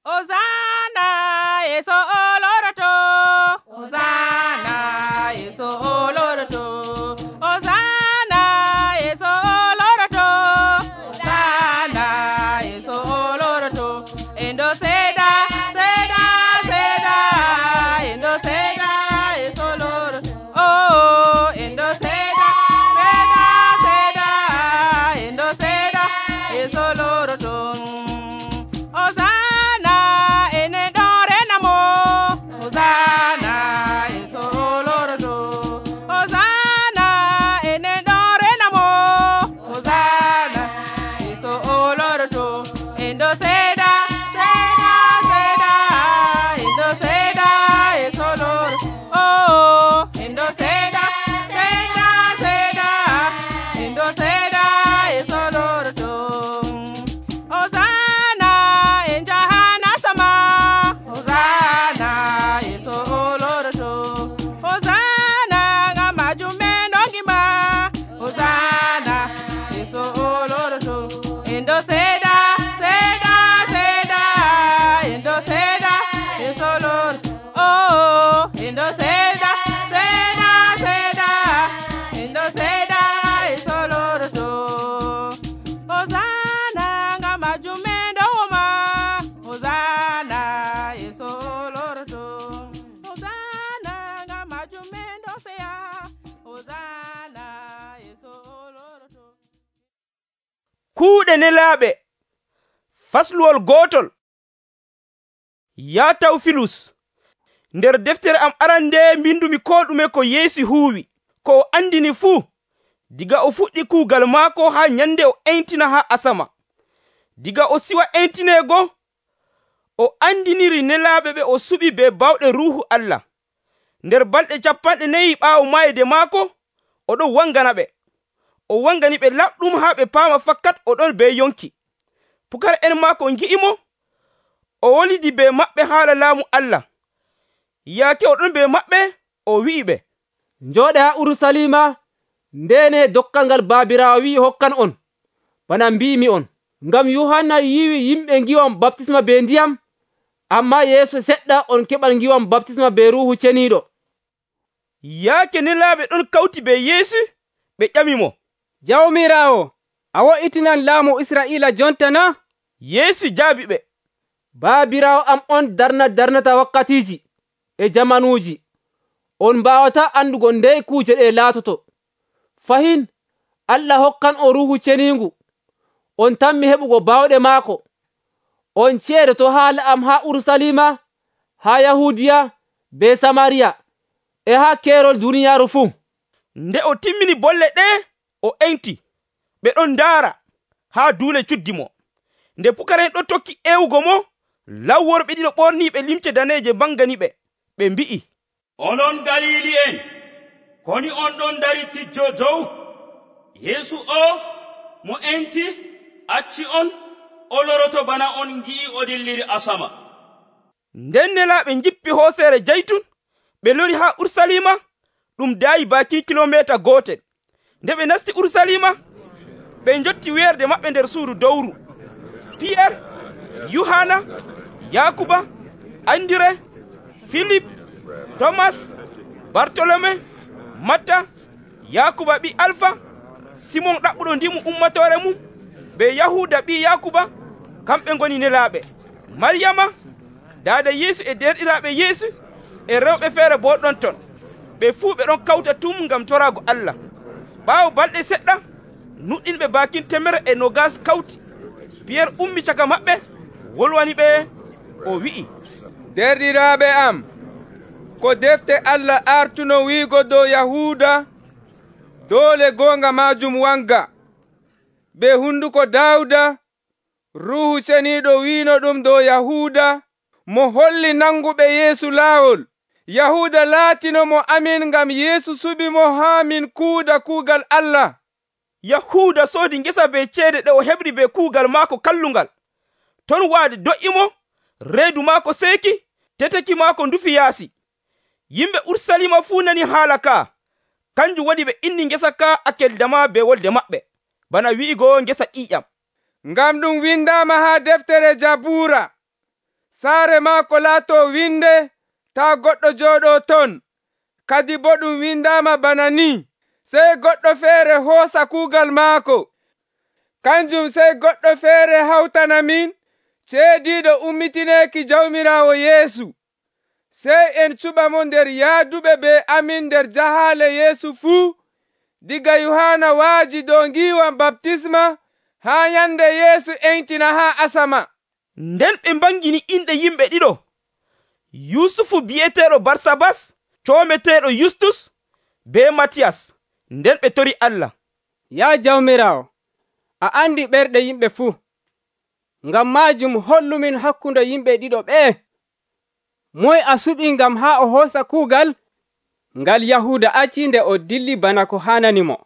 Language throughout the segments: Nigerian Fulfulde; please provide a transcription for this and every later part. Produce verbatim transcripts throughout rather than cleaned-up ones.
Hosanna Yesu oloroto. Hosanna Yesu oloroto. Hosanna Yesu oloroto. Hosanna Yesu oloroto. Endo seda seda seda. Endo seda Yesu oloroto. Oh endo seda seda seda. Endo seda Yesu oloroto. Hosanna ene dore namo. Hosanna Yesu oloroto. Hosanna ene dore namo. Hosanna Yesu oloroto. Endo seda seda seda. Endo seda Yesu oloroto. Oh endo seda seda seda. Endo seda Yesu oloroto. Hosanna en jahana sama. Hosanna Yesu oloroto. Hosanna ngamaju menongima. Hosanna Yesu oloroto. Endo seda seda seda. Endo seda Yesu oloroto. Oh endo seda seda seda. Endo seda Yesu oloroto. Hosanna ngamaju mendoma. Hosanna Yesu oloroto. Hosanna ngamaju mendosea. Hosanna Yesu oloroto. Kuuɗe nelaaɓe fasluwol gootol. Yaa Tawfilus, nder deftere am arande mbindumi ko ɗume ko Yeesu huuwi, ko o andini fuu, diga o fuɗɗi kuugal maako haa nyande o entina haa asama. Diga o siwa entineego, o andiniri nelaaɓe ɓe o suɓi be bawɗe Ruuhu Allah. Nder balɗe capanɗe nayi ɓaawo mayde maako, o ɗon wangana ɓe. O wangani ɓe laɓɗum haa ɓe paama fakkat o ɗon be yonki. Pukara'en maako ngi'imo, o wolidi be maɓɓe haala laamu Allah. Yaake o ɗon be maɓɓe, o wi'i ɓe, Njooɗe haa Urusalima, ndene dokkal ngal Baabiraawo wi'i hokkan on, bana mbi'imi on. Ngam Yohanna yiwi yimɓe ngiwam baptisma be ndiyam, amma yeeso seɗɗa on keɓal ngiwam baptisma be Ruuhu Ceniiɗo. yaake nelaaɓe ɗon kawti be Yeesu, ɓe ƴamimo, Jawmiraawo, a wo'itinan laamu Israa'iila jonta na? Yeesu jaabi ɓe, Baabiraawo am on darna darnata wakkatiiji e jamanuuji. On mbaawata andugo ndey kuuje ɗe laatoto. Fahin Allah hokkan o Ruuhu Ceniingu. On tammi heɓugo baawɗe maako. On ceedoto haala am haa Urusalima, haa Yahuudiya, be Samariya, e haa keerol duniyaaru fuu. nde o timmini bolle ɗe, o enti. Ɓe ɗon ndaara haa duule cuddi mo. Nde pukara'en ɗon tokki ewugo mo, lawworɓe ɗiɗo ɓorniiɓe limce daneeje mbangani ɓe. Ɓe mbi'i, Onon Galiili'en, koni on ɗon dari tijjo dow? Yeesu o mo enti acci on o loroto bana on ngi'i o dilliri asama. nden nelaaɓe njippi hooseere jaytun, ɓe lori haa Urusalima, ɗum daayi bakin kilomeeta gootel. Nde ɓe nasti Urusalima, ɓe njotti weerde maɓɓe nder suudu dowru. Piyer, Yohana, Yakuba, Andire, Filip, Tomas, Bartolome, Matta, Yakuba ɓi Alfa, Simon ɗaɓɓuɗo ndimu ummatore mum, be Yahuda ɓi Yakuba, kamɓe ngoni nelaaɓe. Maryama, daada Yeesu e derɗiraaɓe Yeesu, e rewɓe feere bo ɗon ton. Ɓe fuu ɓe ɗon kawta tum ngam toraago Allah. Ɓaawo balɗe seɗɗa, nuɗɗinɓe bakin temere e nogas kawti. Piyer ummi caka maɓɓe, wolwani ɓe, o wi'i, Derɗiraaɓe am, ko defte Allah artuno wiigo dow Yahuuda, doole goonga maajum wanga. Be hunduko Daawuda, Ruuhu Ceniiɗo wiino ɗum dow Yahuuda, mo holli nanguɓe Yeesu laawol. Yahuuda laatino mo amin ngam Yeesu suɓi mo haa min kuuda kuugal Allah. Yahuuda soodi ngesa be ceede ɗe o heɓri be kuugal maako kallungal. Ton waade do'imo, reedu maako seeki, teteki maako ndufi yaasi. Yimɓe Urusalima fuu nani haala ka. Kanjum waɗi ɓe inni ngesa ka Akeldama be wolde maɓɓe, bana wi'igo ngesa ƴiƴam. Ngam ɗum windaama haa deftere Jabuura. saare maako laato winde taa goɗɗo jooɗoo ton. Kadi bo ɗum windaama bana ni: sey goɗɗo feere hoosa kuugal maako. Kanjum sey goɗɗo feere hawtanamin ceediiɗo ummitineeki Jawmiraawo Yeesu. Sey en cuɓa mo nder yahduɓe be amin nder jahaale Yeesu fuu, diga Yohaana waaji dow ngiiwam baptisma haa nyande Yeesu entina haa asama. Nden ɓe mbangini inɗe yimɓe ɗiɗo, Yusufu bi'eteeɗo Barsabas, coometeeɗo Yustus, be Matiyas. Nden ɓe tori Allah. Yaa Jawmiraawo, a andi ɓerɗe yimɓe fuu. Ngam maajum hollumin hakkunde yimɓe ɗiɗo ɓee. Moye a suɓi ngam haa o hoosa kuugal ngal Yahuuda acci nde o dilli bana ko haananimo.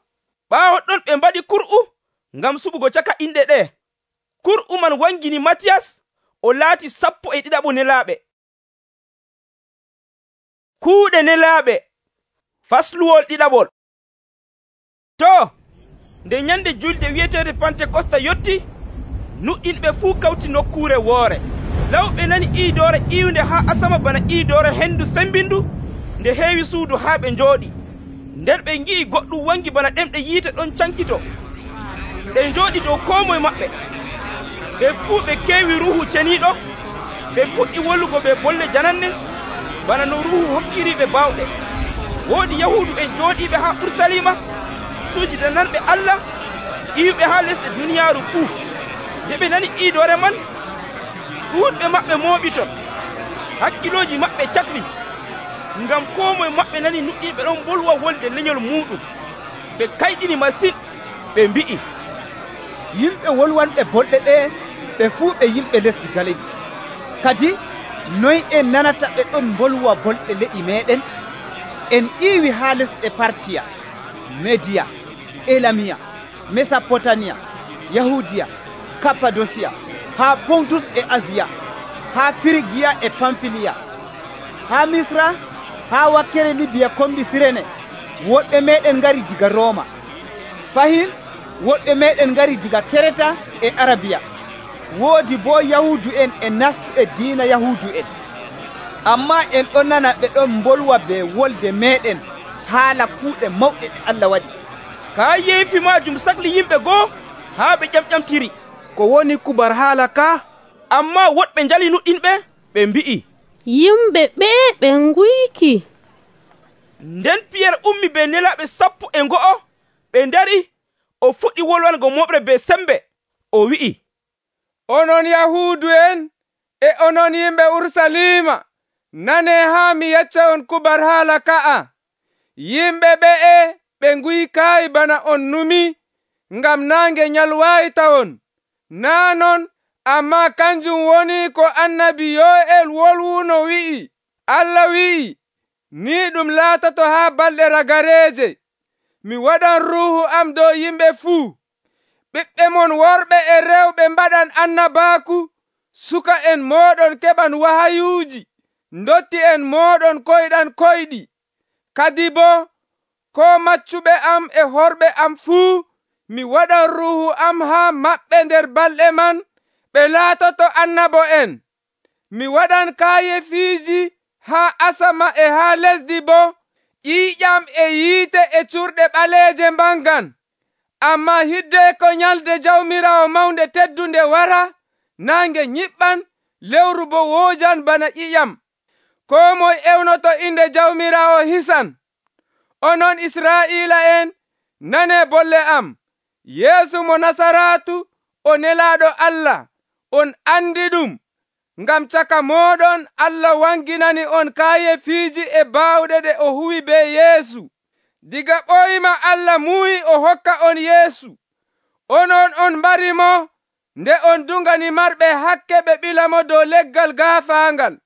Ɓaawo ɗon ɓe mbaɗi kur'u ngam suɓugo caka inɗe ɗe. Kur'u man wangini Matiyas, o laati sappo e ɗiɗaɓo nelaaɓe. Kuuɗe nelaaɓe, fasluwol ɗiɗaɓol. To, nde nyande julde wi'eteede Pantekosta yotti, nuɗɗinɓe fuu kawti nokkuure woore. Lawɓe nani iidoore iiwnde haa asama bana iidoore hendu sembindu nde heewi suudu haa ɓe njooɗi. Nden ɓe ngi'i goɗɗum wangi bana ɗemɗe yiite ɗon cankito. Ɗe njooɗi dow koo moye maɓɓe. Ɓe fuu ɓe keewi Ruuhu Ceniiɗo. Ɓe puɗɗi wollugo ɓe bolle jananne bana no Ruuhu hokkiriiɓe baawɗe. Woodi Yahuudu'en jooɗiiɓe haa Urusalima, suujidananɓe Allah, iwɓe haa lesɗe duniyaaru fuu. Nde ɓe nani iidoore man, ɗuuɗɓe maɓɓe mooɓi ton. Hakkilooji maɓɓe cakli, ngam koo moye maɓɓe nani nuɗɗiiɓe ɗon bolwa wolde lenyol muuɗum. Ɓe kayɗini masin, ɓe mbi'i, yimɓe wolwanɓe bolɗe ɗe ɓe fuu ɓe yimɓe lesdi Galili. Kadi noy en nanata ɓe ɗon bolwa bolɗe leƴi meɗen? En ƴiiwi haa lesɗe Partiya, Mediya, Elamiya, Mesopotamiya, Yahudiya, Kappadosiya, haa Pontus e Asiya, haa Firigiya e Pamfiliya, haa Misra, haa wakkere Libiya kombi Sirene. Woɗɓe meɗen ngari diga Rooma. Fahin woɗɓe meɗen ngari diga Kereta e Arabiya. Woodi boo Yahuudu'en e nastu e diina Yahuudu'en. Ammaa en ɗon nana ɓe ɗon bolwa be wolde meɗen haala kuuɗe mawɗe ɗe Allah waɗi. Kaa yeefi maajum sakli yimɓe goo haa ɓe ƴamƴamtiri. Ko woni kubar haala ka? Ammaa woɗɓe njali nuɗɗinɓe, ɓe mbi'i, yimɓe ɓee ɓe nguyki. Nden Piyer ummi be nelaaɓe sappo e ngo'o, ɓe ndari, o fuɗɗi wolwango moɓre be sembe. O wi'i, onon Yahuudu'en e onon yimɓe Urusalima, nanee haa mi yecca on kubar haala ka'a. Yimɓe ɓe'e ɓe nguykaayi bana on numi, ngam naange nyalwaayi tawon. Naa non, ammaa kanjum woni ko annabi Yo'el wolwuno wi'i. Allah wi'i, ni ɗum laatoto haa balɗe ragareeje. Mi waɗan Ruuhu am dow yimɓe fuu. Ɓiɓɓe mon worɓe e rewɓe mbaɗan annabaaku. Suka en mooɗon keɓan wahayuuji. Ndotti en mooɗon koyɗan koyɗi. Kadi boo, ko maccuɓe am e horɓe am fuu, mi waɗan Ruuhu am haa maɓɓe nder balɗe man, ɓe laatoto annabo en. Mi waɗan kaayefiiji haa asama e haa lesdi boo, ƴiiƴam e yiite e curɗe ɓaleeje mbangan. Ammaa hidde ko nyalde Jawmiraawo mawnde teddunde wara, naange nyiɓɓan, lewru bo woojan bana ƴiƴam. Koo moye ewnoto inde Jawmiraawo hisan. Onon Israa'iila'en, nanee bolle am. Yeesu mo Nasaraatu, o nelaaɗo Allah. On andi ɗum, ngam caka mooɗon Allah wanginani on kaayefiiji e baawɗe ɗe o huwi be Yeesu. Diga ɓoyma Allah muuyi o hokka on Yeesu. Onon on mbarimo, nde on dungani marɓe hakke ɓe ɓilamo dow leggal gaafaangal.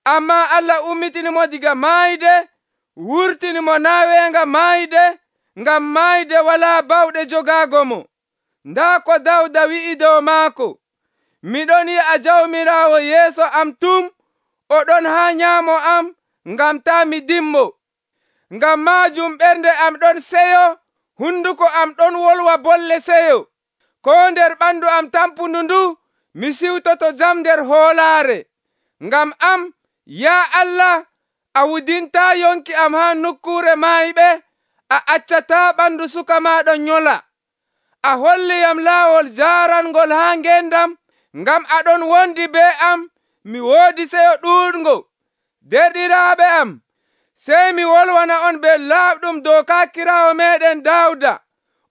Ammaa Allah ummitinimo diga maayde, wurtinimo naa weenga maayde, ngam maayde walaa bawɗe jogaago mo. Ndaa ko Dawda wi'i dow maako, miɗon yi'a Jawmiraawo yeeso am tum, oɗon haa nyaamo am, ngam taa mi dimmo. Ngam maajum ɓernde am ɗon seyo, hunduko am ɗon wolwa bolle seyo. Ko nder ɓandu am tampundu ndu, mi siwtoto jam nder hoolaare. ngam am, yaa Allah, a wudintaa yonki am haa nokkuure maayiɓe, a accataa ɓandu suka maaɗa nyola. A holliyam laawol jaarangol haa ngendam, ngam aɗon wondi be am, mi woodi seyo ɗuuɗngo. Derɗiraaɓe am, sey mi wolwana on be laaɓɗum dow kaakiraawo meeɗen Daawuda.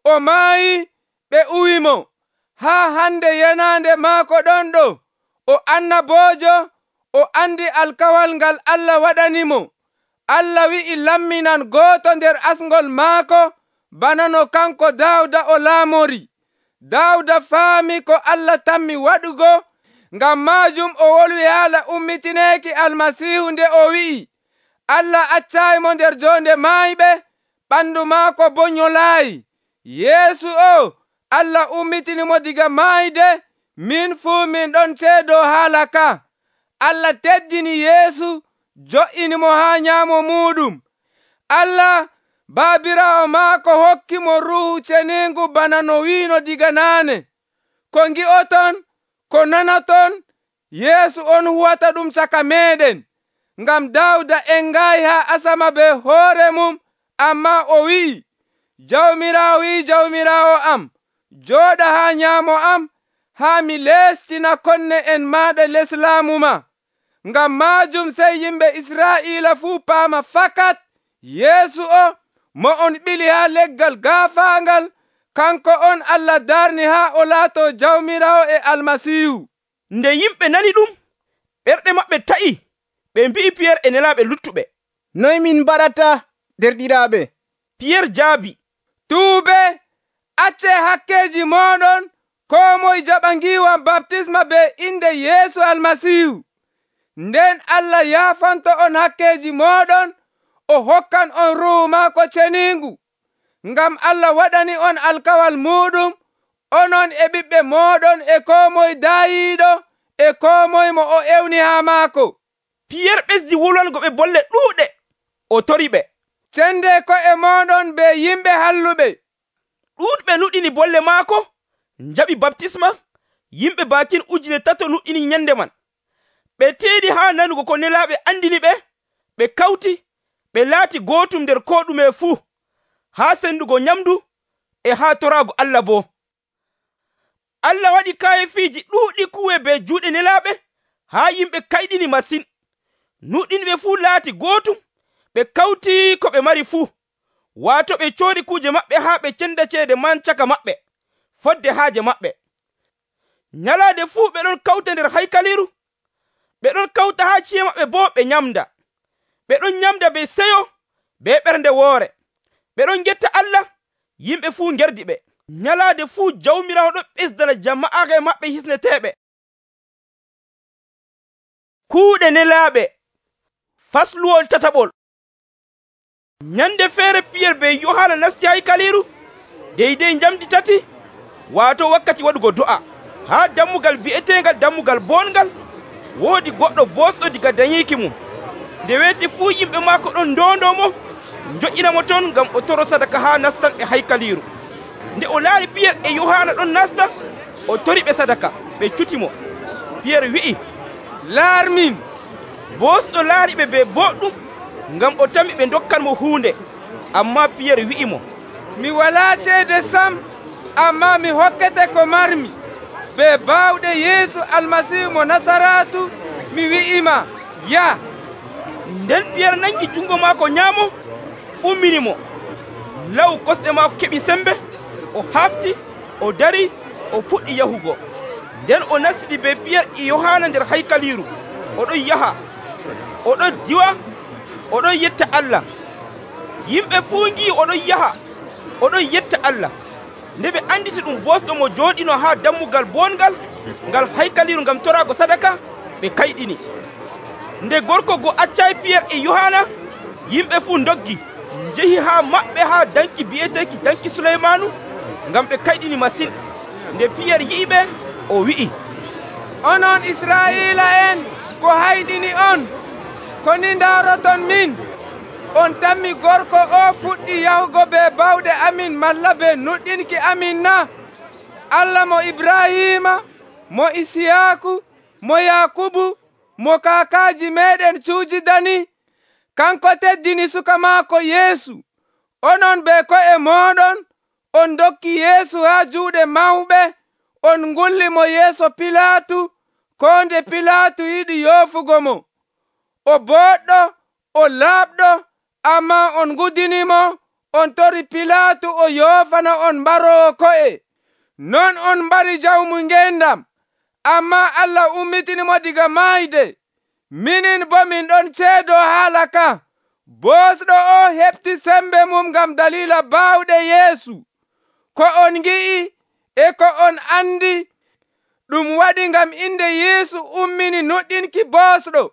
O maayi, ɓe uwimo. Haa hande yenaande maako ɗon ɗo, o annaboojo, o andi alkawal ngal Allah waɗanimo. Allah wi'i lamminan gooto nder asngol maako, bana no kanko Daawuda o laamori. Daawuda faami ko Allah tammi waɗugo, ngam maajum o wolwi haala ummitineeki Almasiihu nde o wi'i, Allah accaayimo nder joonde maayiɓe, ɓandu maako boo nyolaayi. Yeesu o, Allah ummitinimo diga maayde, min fuu min ɗon ceedoo haala ka. Allah teddini Yeesu, jo'inimo haa nyaamo muuɗum. Allah Baabiraawo maako hokkimo Ruuhu Ceniingu bana no wiino diga naane. Ko ngi'oton, ko nanoton, Yeesu on huwata ɗum caka meeɗen. Ngam Daawuda engaayi haa asama be hoore mum, ammaa o wi'i, Jawmiraawo wi'i Jawmiraawo am, jooɗa haa nyaamo am, haa mi leestina konne en maaɗa les laamu ma. Ngam maajum sey yimɓe Israa'iila fuu paama fakat Yeesu o, mo on ɓili haa leggal gaafaangal, kanko on Allah darni haa o laatoo Jawmiraawo e Almasiihu. Nde yimɓe nani ɗum, ɓerɗe maɓɓe ta'i, ɓe mbi'i Piyerre e nelaaɓe luttuɓe, noy min mbaɗata, derɗiraaɓe? Piyerre jaabi, tuube, acce hakkeeji mooɗon, koo moye jaɓa ngiiwam baptisma be inde Yeesu Almasiihu. Nden Allah yaafanto on hakkeeji mooɗon, o hokkan on Ruuhu maako ceniingu. Ngam Allah waɗani on alkawal muuɗum, onon e ɓiɓɓe mooɗon e koo moye daayiiɗo e koo moye mo o ewni haa maako. Piyerre ɓesdi wolwango ɓe bolle ɗuuɗe, o tori ɓe, cende ko'e mooɗon be yimɓe halluɓe. ɗuuɗɓe nuɗini bolle maako, njaɓi baptisma. Yimɓe baakin ujune tato nuɗini nyande man. Ɓe teeɗi haa nanugo ko nelaaɓe andini ɓe, ɓe kawti, ɓe laati gootum nder koo ɗume fuu, haa sendugo nyamdu e haa toraago Allah boo. Allah waɗi kaayefiiji ɗuuɗi kuwe be juuɗe nelaaɓe, haa yimɓe kayɗini masin. Nuɗɗinɓe fuu laati gootum, ɓe kawti ko ɓe mari fuu, waato ɓe coori kuuje maɓɓe haa ɓe cenda ceede man caka maɓɓe, fodde haaje maɓɓe. Nyalaade fuu ɓe ɗon kawta nder haykaliru, ɓe ɗon kawta haa ci'e maɓɓe boo ɓe nyamda. Ɓe ɗon nyamda be seyo be ɓernde woore. Ɓe ɗon getta Allah, yimɓe fuu ngerdi ɓe. Nyalaade fuu Jawmiraawo ɗon ɓesdana jama'aare maɓɓe hisneteeɓe. Kuuɗe nelaaɓe, fasluwol tataɓol. Nyande feere Piyerre be Yohaana nasti haykaliru, deydey njamdi tati, waato wakkati waɗugo do'a. Haa dammugal bi'eteengal dammugal boongal, woodi goɗɗo boosɗo diga dañiiki mum. Nde weeti fuu yimɓe maako ɗon ndoondo mo, njoƴƴinamo ton ngam o toro sadaka haa nastan e haykaliru. Nde o laari Piyerre e Yohaana ɗon nasta, o tori ɓe sadaka, ɓe cutimo. Piyerre wi'i, laarmin. Boosɗo laari ɓe be boɗɗum, ngam o tami ɓe dokkanmo huunde. Ammaa Piyerre wi'imo, mi walaa ceede sam, ammaa mi hokkete ko marmi. Be baawɗe Yeesu Almasiihu mo Nasaraatu, mi wi'ima, ya. Nden Piyerre nangi jungo maako nyaamo, umminimo. Law kosɗe maako keɓi sembe, o hafti, o dari, o fuɗɗi yahugo. Nden o nastiɗi be Piyerre e Yohaana nder haykaliru, oɗon yaha, oɗon diwa, oɗon yetta Allah. Yimɓe fuu ngi oɗon yaha, oɗon yetta Allah. Nde ɓe anditi ɗum boosɗo mo jooɗino haa dammugal boongal ngal haykaliru ngam toraago sadaka, ɓe kayɗini. Nde gorko go accay Piyerre e Yohaana, yimɓe fuu ndoggi, njehi haa maɓɓe haa danki bi'eteeki danki Suleymaanu, ngam ɓe kayɗini masin. Nde Piyerre yi'iɓe, o wi'i, onon Israa'iila en, ko hayɗini on, ko ni ndaaroton min, on tammi gorko o fuɗɗi yahugo be bawɗe amin malla be nuɗɗinki amin na? Allah mo Ibrahima, mo Isiyaaku, mo Yakubu, mo kaakaaji meeɗen cuujidani, kanko teddini suka maako Yeesu. Onon be ko'e mooɗon on dokki Yeesu haa juuɗe mawɓe, on ngulli mo yeeso Pilaatu, koo nde Pilaatu yiɗi yoofugo mo. O booɗɗo, o laaɓɗo, ammaa on ngudinimo, on tori Pilaatu o yoofana on mbaroowo ko'e. Non on mbari jawmu ngeendam, ammaa Allah ummitinimo diga maayde. Minin boo min ɗon ceedoo haala ka. Boosɗo o heɓti sembe mum ngam daliila baawɗe Yeesu. Ko on ngi'i e ko on andi ɗum waɗi ngam inde Yeesu ummini nuɗɗinki boosɗo.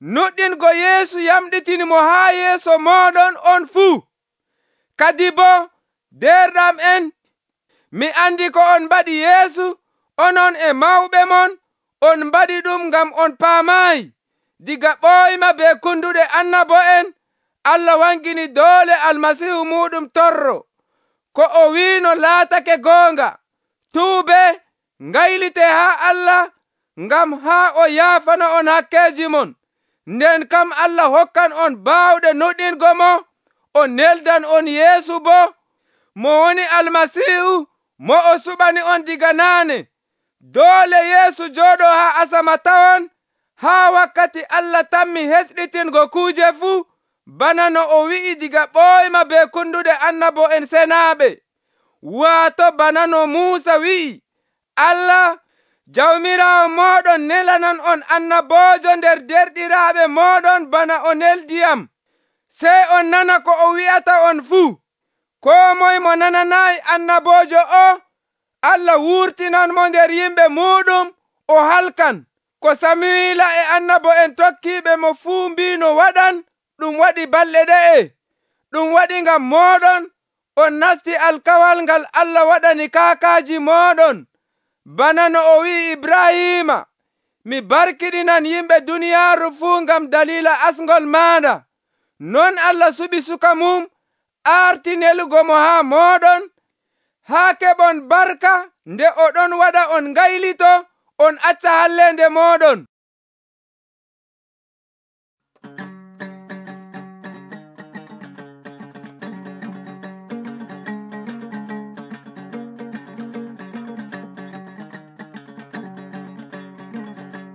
Nuɗɗingo Yeesu yamɗitinimo haa yeeso mooɗon on fuu. Kadi boo derɗam en, mi andi ko on mbaɗi Yeesu, onon e mawɓe mon, on mbaɗi ɗum ngam on paamaayi. Diga ɓooyma be kunduɗe annabo'en, Allah wangini doole Almasiihu muɗum torro. Ko o wiino laatake goonga. Tuube, ngaylite haa Allah ngam haa o yaafana on hakkeeji mon. Nden kam Allah hokkan on baawɗe nuɗɗingo mo, o neldan on Yeesu boo, mo woni Almasiihu, mo o suɓani on diga naane. Doole Yeesu jooɗoo haa asama tawon, haa wakkati Allah tammi hesɗitingo kuuje fuu, bana no o wi'i diga ɓooyma be kunduɗe annabo'en senaaɓe. Waato bana no Muusa wi'i, Allah jawmiraawo mooɗon nelanan on annaboojo nder derɗiraaɓe mooɗon bana o neldiyam. Sey on nana ko o wi'ata on fuu. Koo moye mo nananaayi annaboojo o, Allah wurtinanmo nder yimɓe muuɗum o halkan. Ko Samuila e annabo'en tokkiiɓe mo fuu mbiino waɗan, ɗum waɗi balɗe ɗe'e. Ɗum waɗi ngam mooɗon on nasti alkawal ngal Allah waɗani kaakaaji mooɗon. Bana no o wi'i Ibrahiima, mi barkiɗinan yimɓe duniyaaru fuu ngam daliila asngol maaɗa. Non Allah suɓi suka mum, aarti nelugo mo haa mooɗon, haa keɓon barka nde o ɗon waɗa on ngaylito, on acca halleende mooɗon.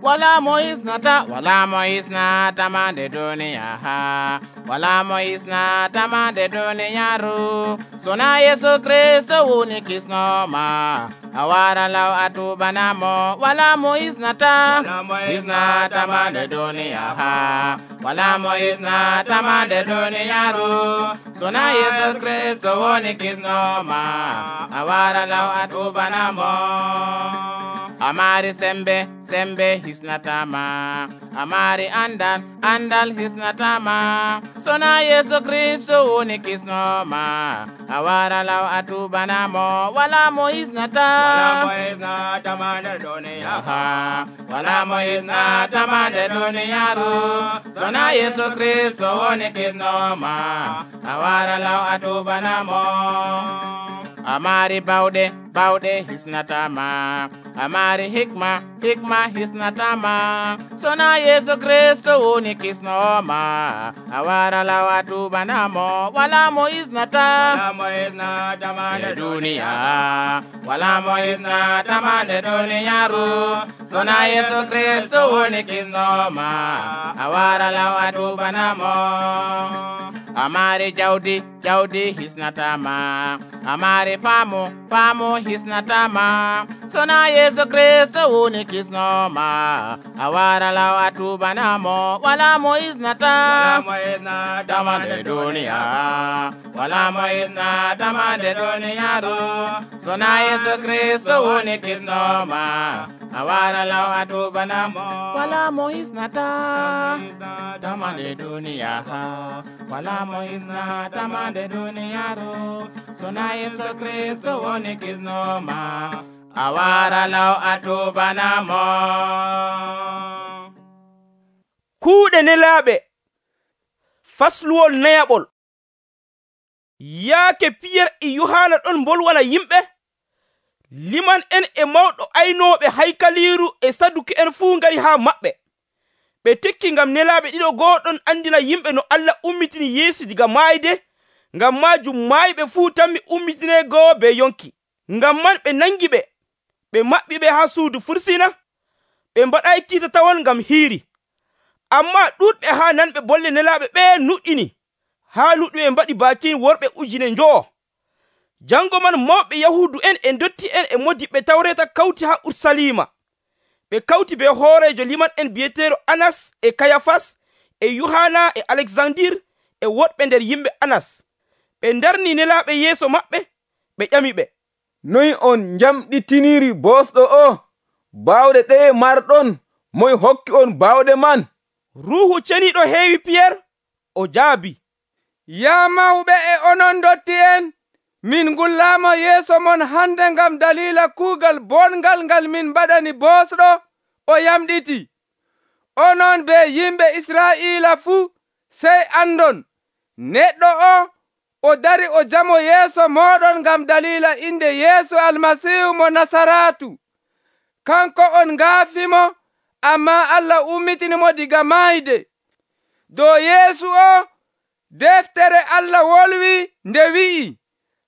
Wala mo isnata, wala mo isnata mande duniya ha. Wala mo isnata mande duniyaru. Sona Yesu Kristo woni kisnoma. Awara law atubana mo. Wala mo isnata, isnata mande duniya ha. Wala mo isnata mande duniyaru. Sona Yesu Kristo woni kisnoma. Awara law atubana mo. Amari sembe, sembe hisnatama. Amari andal, andal hisnatama. Sona Yesu Kristo woni kisnoma. Awara law atubana mo. Wala mo hisnata, wala mo isnata mande duniya ha. Wala mo hisnata mande duniyaru. Sona Yesu Kristo woni kisnoma. Awara law atubana mo. Amari baude, baude hisnatama. Amari hikma, hikma hisnatama. Sona Yesu Kristo woni kisnoma. Awara law atubana mo. Wala mo isnata, wala mo isnata mande duniya. Wala mo isnata mande duniyaru. Sona Yesu Kristo woni kisnoma. Awara law atubana mo. Amari jawdi, jawdi hisnatama. Amari famu, famu hisnatama. Sona Yesu Kristo woni kisnoma. Awara law atubana mo. Wala mo isnata, wala mo isnata mande duniya. Wala mo isnata mande duniyaru. Sona Yesu Kristo woni kisnoma. Awara law atubana mo. Wala mo isnata, mande duniya. Wala mo isnata mande duniyaru. Sona Yesu Kristo woni kisnoma. Awara law atubana mo. Kuuɗe nelaaɓe. Fasluwol nayaɓol. Yaake Piyer e Yohana ɗon mbolwana yimɓe, liman en e mawɗo aynooɓe haykaliiru e saduki en fuu ngari haa maɓɓe. ɓe tekki ngam nelaaɓe ɗiɗo go'oɗon andina yimɓe no Allah ummitini Yeesu diga maayde. Ngam maajum maayiɓe fuu tammi ummitineego be yonki. Ngam man ɓe nangi ɓe, ɓe maɓɓi ɓe haa suudu fursina. Ɓe mbaɗay kiita tawon ngam hiiri. Ammaa ɗuuɗɓe haa nanɓe bolle nelaaɓe ɓe nuɗɗini, haa nuɗɗuɓe mbaɗi baakin worɓe ujune njowo. Jango man mawɓe Yahuudu en e ndotti en e modiɓɓe Tawreeta kawti haa Urusalima. Ɓe kawti be hooreejo liman en bi'eteeɗo Anas e Kayafas e Yohana e Alexandir e woɗɓe nder yimɓe Anas. Ɓe ndarni nelaaɓe yeeso maɓɓe, ɓe ƴami ɓe, noy on njamɗitiniri bosɗo o? Baawɗe ɗeye marɗon? Moy hokki on baawɗe man? Ruuhu Ceniiɗo heewi Piyerre, o jaabi, yaa mawɓe e onon ndotti en, min ngullaamo yeeso mon hande ngam dalila kuugal bongal ngal min mbaɗani bosɗo o yamɗiti. Onon be yimɓe Israa'iila fuu sey andon neɗɗo o o dari o jamo yeeso moɗon ngam dalila inde Yeesu Almasiihu mo Nasaratu. Kanko on ngaafimo, ammaa Allah ummitinimo diga maayde. Dow Yeesu o deftere Allah wolwi nde wi'i,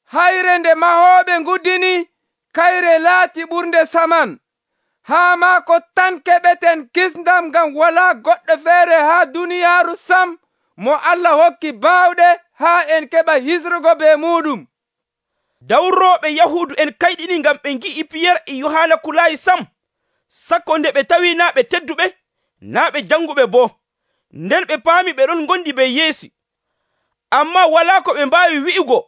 hayre nde mahooɓe nguddini, kayre laati ɓurnde saman. Haa maako tan keɓeten kisndam, ngam walaa goɗɗo feere haa duniyaaru sam mo Allah hokki baawɗe haa en keɓa hisrugo be muɗum. Dawrooɓe Yahuudu en kayɗini ngam ɓe ngi'i Piyerre e Yohana kulaayi sam, sakko nde ɓe tawi naa ɓe tedduɓe, naa ɓe janguɓe boo. Nden ɓe paami ɓe ɗon ngondi be Yeesu. Ammaa walaa ko ɓe mbaawi wi'ugo,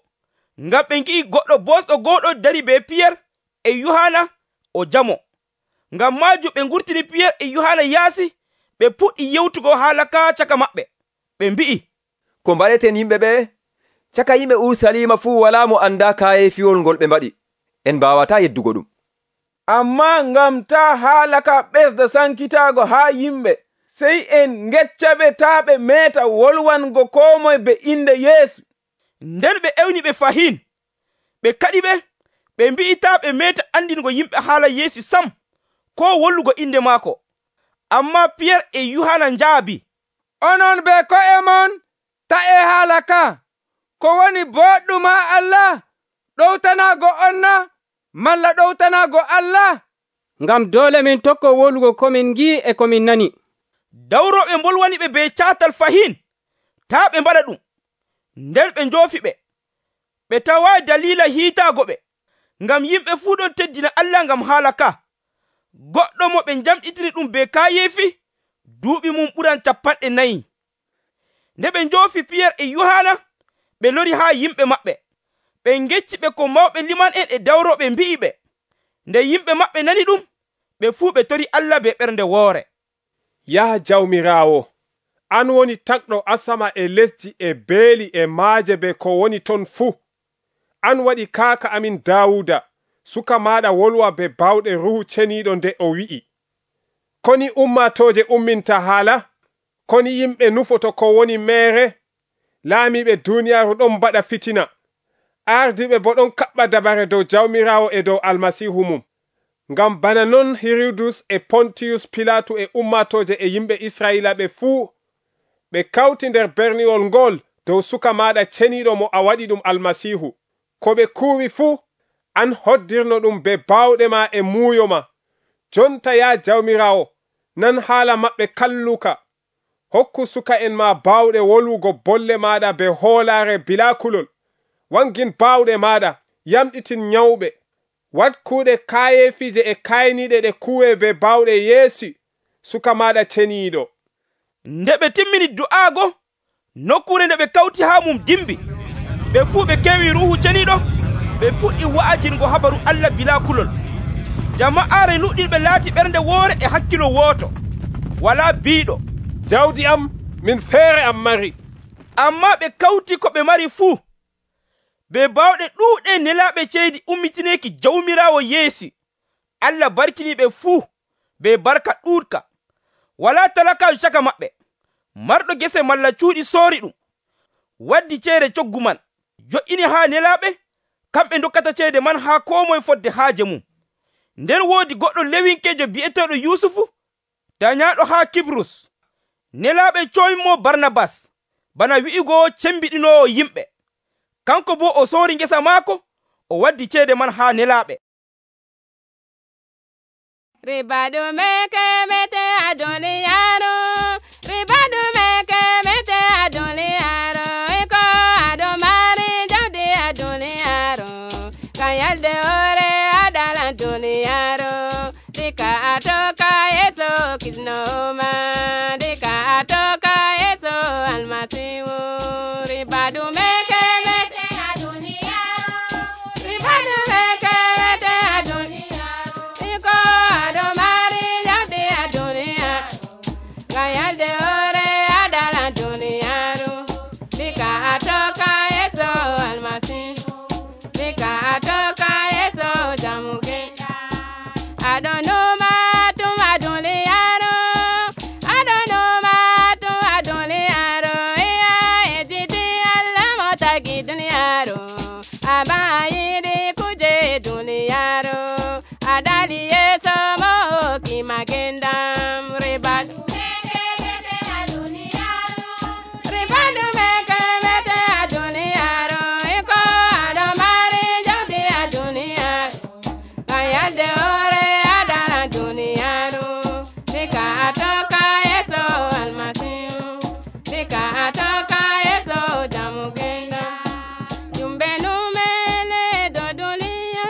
ngam ɓe ngi'i goɗɗo bosɗo go'oɗo dari be Piyerre e Yohana o jamo. Ngam maajum ɓe ngurtini Piyerre e Yohana yaasi, ɓe puɗɗi yewtugo haala ka caka maɓɓe. Ɓe mbi'i, ko mbaɗeten yimɓe ɓe? Caka yimɓe Urusalima fuu walaa mo anda kaayefiwol ngol ɓe mbaɗi. En mbaawataa yeddugo ɗum. Ammaa ngam taa haala ka ɓesda sankitaago haa yimɓe, sey en ngeccaɓe taa ɓe meeta wolwango koo moye be inde Yeesu. Nden ɓe ewni ɓe fahin. Ɓe kaɗi ɓe, ɓe mbi'i taa ɓe meeta andingo yimɓe haala Yeesu sam, koo wollugo inde maako. Ammaa Piyerre e Yohana njaabi, onon be ko'e mon ta'e haala ka. Ko woni boɗɗum haa Allah? Ɗowtanaago on na, malla ɗowtanaago Allah? Ngam doole min tokko wolugo komin ngi'i e komin nani. Dawrooɓe mbolwani ɓe be caatal fahin, taa ɓe mbaɗa ɗum. Nden ɓe njoofi ɓe. Ɓe tawaayi dalila hiitaago ɓe, ngam yimɓe fuu ɗon teddina Allah ngam haala ka. Goɗɗo mo ɓe njamɗitini ɗum be kaayeefi, duuɓi mum ɓuran capanɗe nayi. Nde ɓe njoofi Piyerre e Yohana, ɓe lori haa yimɓe maɓɓe. Ɓe ngecci ɓe ko mawɓe liman en e dawrooɓe mbi'i ɓe. Nde yimɓe maɓɓe nani ɗum, ɓe fuu ɓe tori Allah be ɓernde woore. Yaha jawmiraawo, an woni takɗo asama e lesdi e beeli e maaje be ko woni ton fuu. An waɗi kaaka amin Daawuda, suka maaɗa wolwa be bawɗe Ruhu Ceniiɗo nde o wi'i, koni ummatooje umminta haala, koni yimɓe nufoto ko woni meere, laamiɓe duuniyaaru ɗon mbaɗa fitina, ardiɓe bo ɗon kaɓɓa dabare dow jawmiraawo e dow almasiihu mum. Ngam bana non Hiridus e Pontiyus Pilatu e ummatooje e yimɓe Israa'iila ɓe fuu ɓe kawti nder berniwol ngol dow suka maaɗa ceniiɗo mo a waɗi ɗum almasiihu. Ko ɓe kuuwi fuu, an hoddirno ɗum be baawɗe ma e muuyo ma. Jonta yaa jawmiraawo, nan haala maɓɓe kalluka. Hokku suka en ma baawɗe wolwugo bolle maaɗa be hoolaare bilaa kulol. Wangin baawɗe maaɗa, yamɗitin nyawɓe. Wat kuuɗe kaayefiije e kayniɗe ɗe kuwe be baawɗe Yeesu, suka maaɗa ceniiɗo. Nde ɓe timmini du'aago, nokkure nde ɓe kawti haa mum dimbi. Ɓe fuu ɓe kewi Ruuhu Ceniiɗo, ɓe puɗɗi wa'ajingo habaru Allah bilaa kulol. Jama'aare nuɗɗinɓe laati ɓernde woore e hakkilo wooto, walaa biiɗo. Jawdi am, min feere am mari. Ammaa ɓe kawti ko ɓe mari fuu. Be baawɗe ɗuuɗe nelaaɓe ceydi ummitineeki jawmiraawo Yeesu. Allah barkini ɓe fuu be barka ɗuuɗka. Walaa talakaajo caka maɓɓe. Marɗo gese malla cuuɗi soori ɗum, waddi ceede coggu man, jo'ini haa nelaaɓe, kamɓe dokkata ceede man haa koo moye fodde haaje mum. Nden woodi goɗɗo lewinkeejo bi'eteeɗo Yusufu, dañaaɗo haa Kibrus. Nelaaɓe cooyimo Barnabas bana wi'igo cembiɗinoowo yimɓe. Kanko boo o soori ngesa maako, o waddi ceede man haa nelaaɓe. Ribadu meke mete a duniyaaru, ribadu meke mete a duniyaaru, iko ado mari jawdi a duniyaaru, kan yalde ore adalan duniyaaru, dika atoka Yesu kisnoma, dika atoka Yesu almasihu. Ribadu meke mete a duniyaaru, ribadu meke mete a duniyaaru, iko ado mari jawdi a duniyaaru, kan yalde ore adalan duniyaaru, dika atoka Yesu almasihu, dika atoka Yesu jamugenda. I don't know ma to ma duniyaaru, I don't know ma to ma duniyaaru, iya ejidi Allah motagi duniyaaru, abayidi kuje duniyaaru, adali Yesu mo ki magendam. Ribadu meke mete a duniyaaru, ribadu meke mete a duniyaaru, iko ado mari jawdi a duniyaaru, kayalde ore adala duniyaaru, dika atoka Yesu almasihu, dika atoka Yesu jamugenda. Jumbe numele do duniya,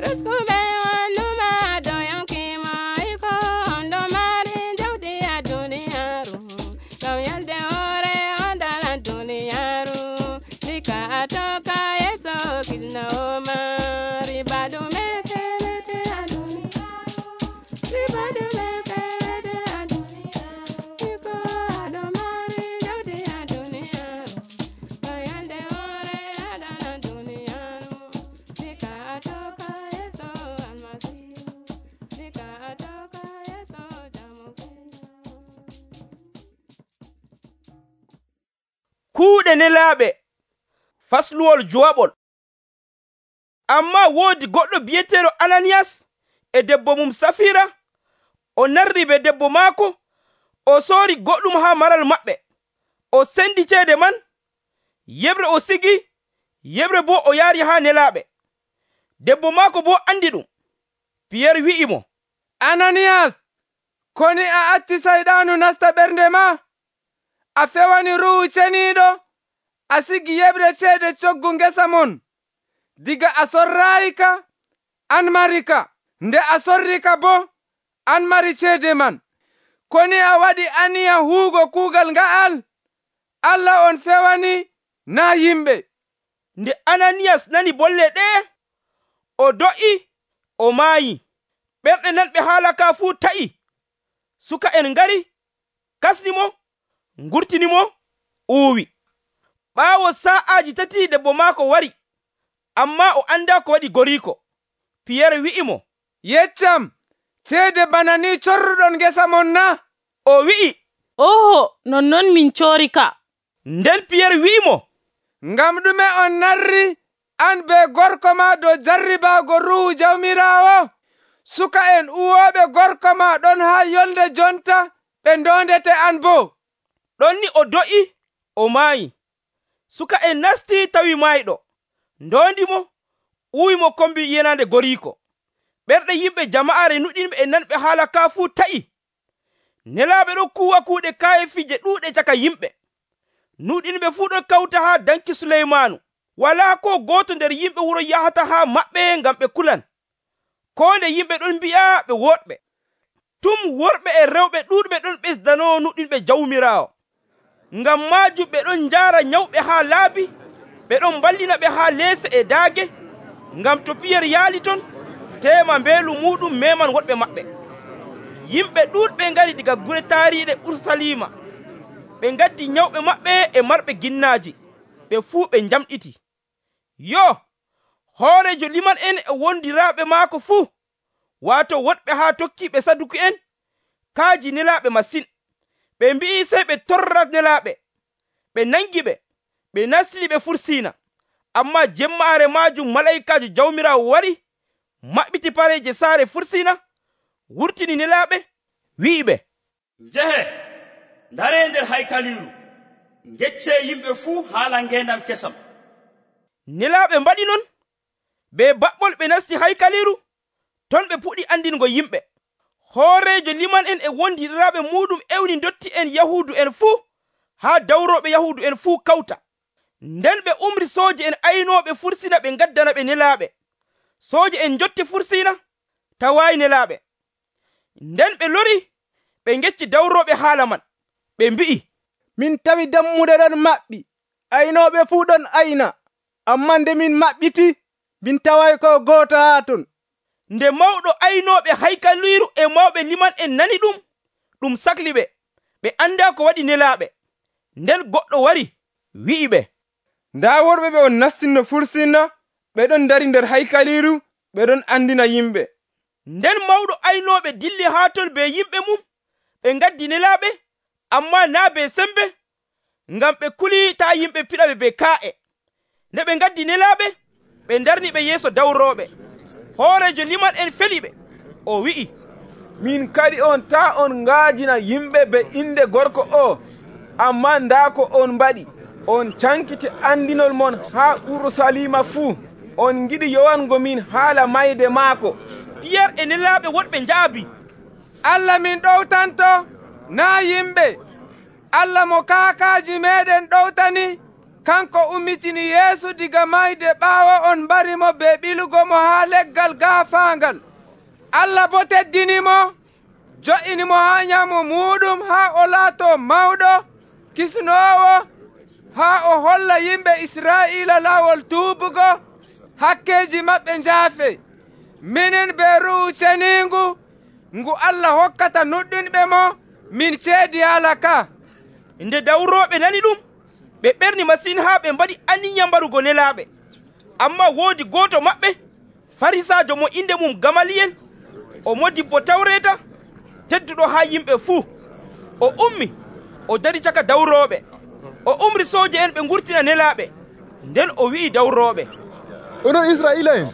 risku be wanuma do yankima, iko ondo mari jawdi a duniyaaru, kayalde ore adala duniyaaru, dika atoka Yesu kisnoma. Ribadu meke mete a duniyaaru, ribadu meke mete a duniyaaru, iko ado mari jawdi a duniyaaru, kayalde ore adala duniyaaru, dika atoka Yesu almasihu, dika atoka Yesu jamugenda. Kuuɗe nelaaɓe fasluwol jowaɓol. Amma woodi goɗɗo bi'eteeɗo Ananiyas e debbo mum Safira, o narri be debbo maako, o soori goɗɗum haa maral maɓɓe, o sendi ceede man, yeɓre o sigi, yeɓre boo o yaari haa nelaaɓe. Debbo maako boo andi ɗum. Piyeer wi'i mo, Ananiyas, koni a acci sayɗaanu nasta ɓernde ma? A fewani Ruuhu Ceniiɗo, a sigi yeɓre ceede coggu ngesa mon. Diga a sorrayika, an marika, nde a sorrika bo, an mari ceede man. Koni a waɗi aniya huugo kuugal nga'al? Allah on fewani, naa yimɓe. Nde Ananiyas nani bolle ɗe, o do'i, o maayi. Ɓerɗe nanɓe haala ka fuu ta'i. Suka en ngari, kasnimo, ngurtinimo, uuwi. Ɓaawo sa'aaji tati debbo maako wari, amma o anda ko waɗi goriiko. Piyeer wi'i mo, Yeccam, ceede bana ni corruɗon ngesa mon na? O wi'i, oho, nonnon min coorika. Nden Piyeer wi'i mo, ngam ɗume on narri an be gorko ma dow jarribaago Ruuhu Jawmiraawo? Suka en uwooɓe gorko ma ɗon haa yolnde jonta ɓe ndondete an boo. Ɗon ni o do'i, o maayi. Suka en nasti tawi maayɗo, ndondimo, uwimo kombi yenande goriiko. Ɓerɗe yimɓe jama'are nuɗinɓe e nanɓe haala ka fuu ta'i. Nelaaɓe ɗon kuwa kuuɗe kayefije ɗuuɗe caka yimɓe. Nuɗinɓe fuu ɗon kawta haa danki Suleymaanu. Walaa ko gooto nder yimɓe wuro yahata haa maɓɓe ngam ɓe kulan. Ko nde yimɓe ɗon mbi'a ɓe woɗɓe. Tum worɓe e rewɓe ɗuuɗɓe ɗon ɓesdanoo nuɗinɓe Jawmiraawo. Ngam maajum ɓe ɗon njaara nyawɓe haa laabi, ɓe ɗon ballina ɓe haa leese e daage, ngam to Piyeer yaali ton, teema mbeelu muɗum meman woɗɓe maɓɓe. Yimɓe ɗuuɗɓe ngari diga gure taariiɗe Urusalima. Ɓe ngaddi nyawɓe maɓɓe e marɓe ginnaaji, ɓe fuu ɓe njamɗiti. Yo, hoorejo liman en e wondiraaɓe maako fuu, waato woɗɓe haa tokkiiɓe Saduki en, kaaji nelaaɓe masin. Ɓe mbi'i sey ɓe torra nelaaɓe, ɓe nangi ɓe, ɓe nastini ɓe fursiina. Amma jemmaare maajum malaikaajo Jawmiraawo wari, maɓɓiti pareeje saare fursiina, wurtini nelaaɓe, wi'i ɓe, njehe, ndare nder haykaliru gecce yimɓe fuu haala ngendam kesam. Nelaaɓe mbaɗi non, be baɓɓol ɓe nasti haykaliru, ton ɓe puɗi andingo yimɓe. Hoorejo liman en e wondiɗiraaɓe muɗum ewni dotti en Yahuudu en fuu haa dawroɓe Yahuudu en fuu kawta. Nden ɓe umri sooje en aynooɓe fursina ɓe ngaddana ɓe nelaaɓe. Sooje en jotti fursina tawaayi nelaaɓe. Nden ɓe lori ɓe ngecci dawroɓe haala man. Ɓe mbi'i, min tawi dammuɗe ɗon maɓɓi, aynooɓe fuu ɗon ayna, ammaa nde min maɓɓiti, min taway ko gooto haa ton. Nde mawɗo aynooɓe haykaliru e mawɓe liman en nani ɗum, ɗum sakli ɓe, ɓe andaa ko waɗi nelaaɓe. Nden goɗɗo wari wi'i ɓe, ndaa worɓe ɓe on nastinno fursina, ɓe ɗon dari nder haykaliru, ɓe ɗon andina yimɓe. Nden mawɗo aynooɓe dilli haa ton be yimɓe mum, ɓe ngaddi nelaaɓe, ammaa naa be sembe, ngam ɓe kuli taa yimɓe piɗaɓe be kaa'e. Nde ɓe ngaddi nelaaɓe, ɓe ndarni ɓe yeeso dawrooɓe. Hoorejo liman en feli ɓe, o wi'i, min kadi on taa on ngaajina yimɓe be inde gorko o, ammaa ndaa ko on mbaɗi. On cankiti andinol mon haa Urusalima fuu. On ngiɗi yowango min haala mayde maako. Piyar e nelaaɓe woɗɓe njaabi, Allah min ɗowtanto, naa yimɓe. Allah mo kaakaaji meɗen ɗowtani, kanko ummitini Yeesu diga mayde ɓaawo on mbarimo be ɓilugo mo haa leggal gaafaangal. Allah bo teddinimo, jo'inimo haa nyamo muɗum haa o laato mawɗo, kisnoowo, haa o holla yimɓe Israa'iila laawol tuubugo, hakkeeji maɓɓe njaafe. Minen be Ruuhu Ceniingu, ngu Allah hokkata nuɗɗunɓe mo, min ceedi haala ka. Nde dawrooɓe nani ɗum, ɓe ɓerni masin haa ɓe mbaɗi aniya mbarugo nelaaɓe. Ammaa woodi gooto maɓɓe, Farisaajo mo inde mum Gamaliyel, o modibbo Tawreeta, tedduɗo haa yimɓe fuu. O ummi, o dari caka dawrooɓe. O umri sooje en ɓe ngurtina nelaaɓe. Nden o wi'i dawrooɓe, onon Israa'iila en,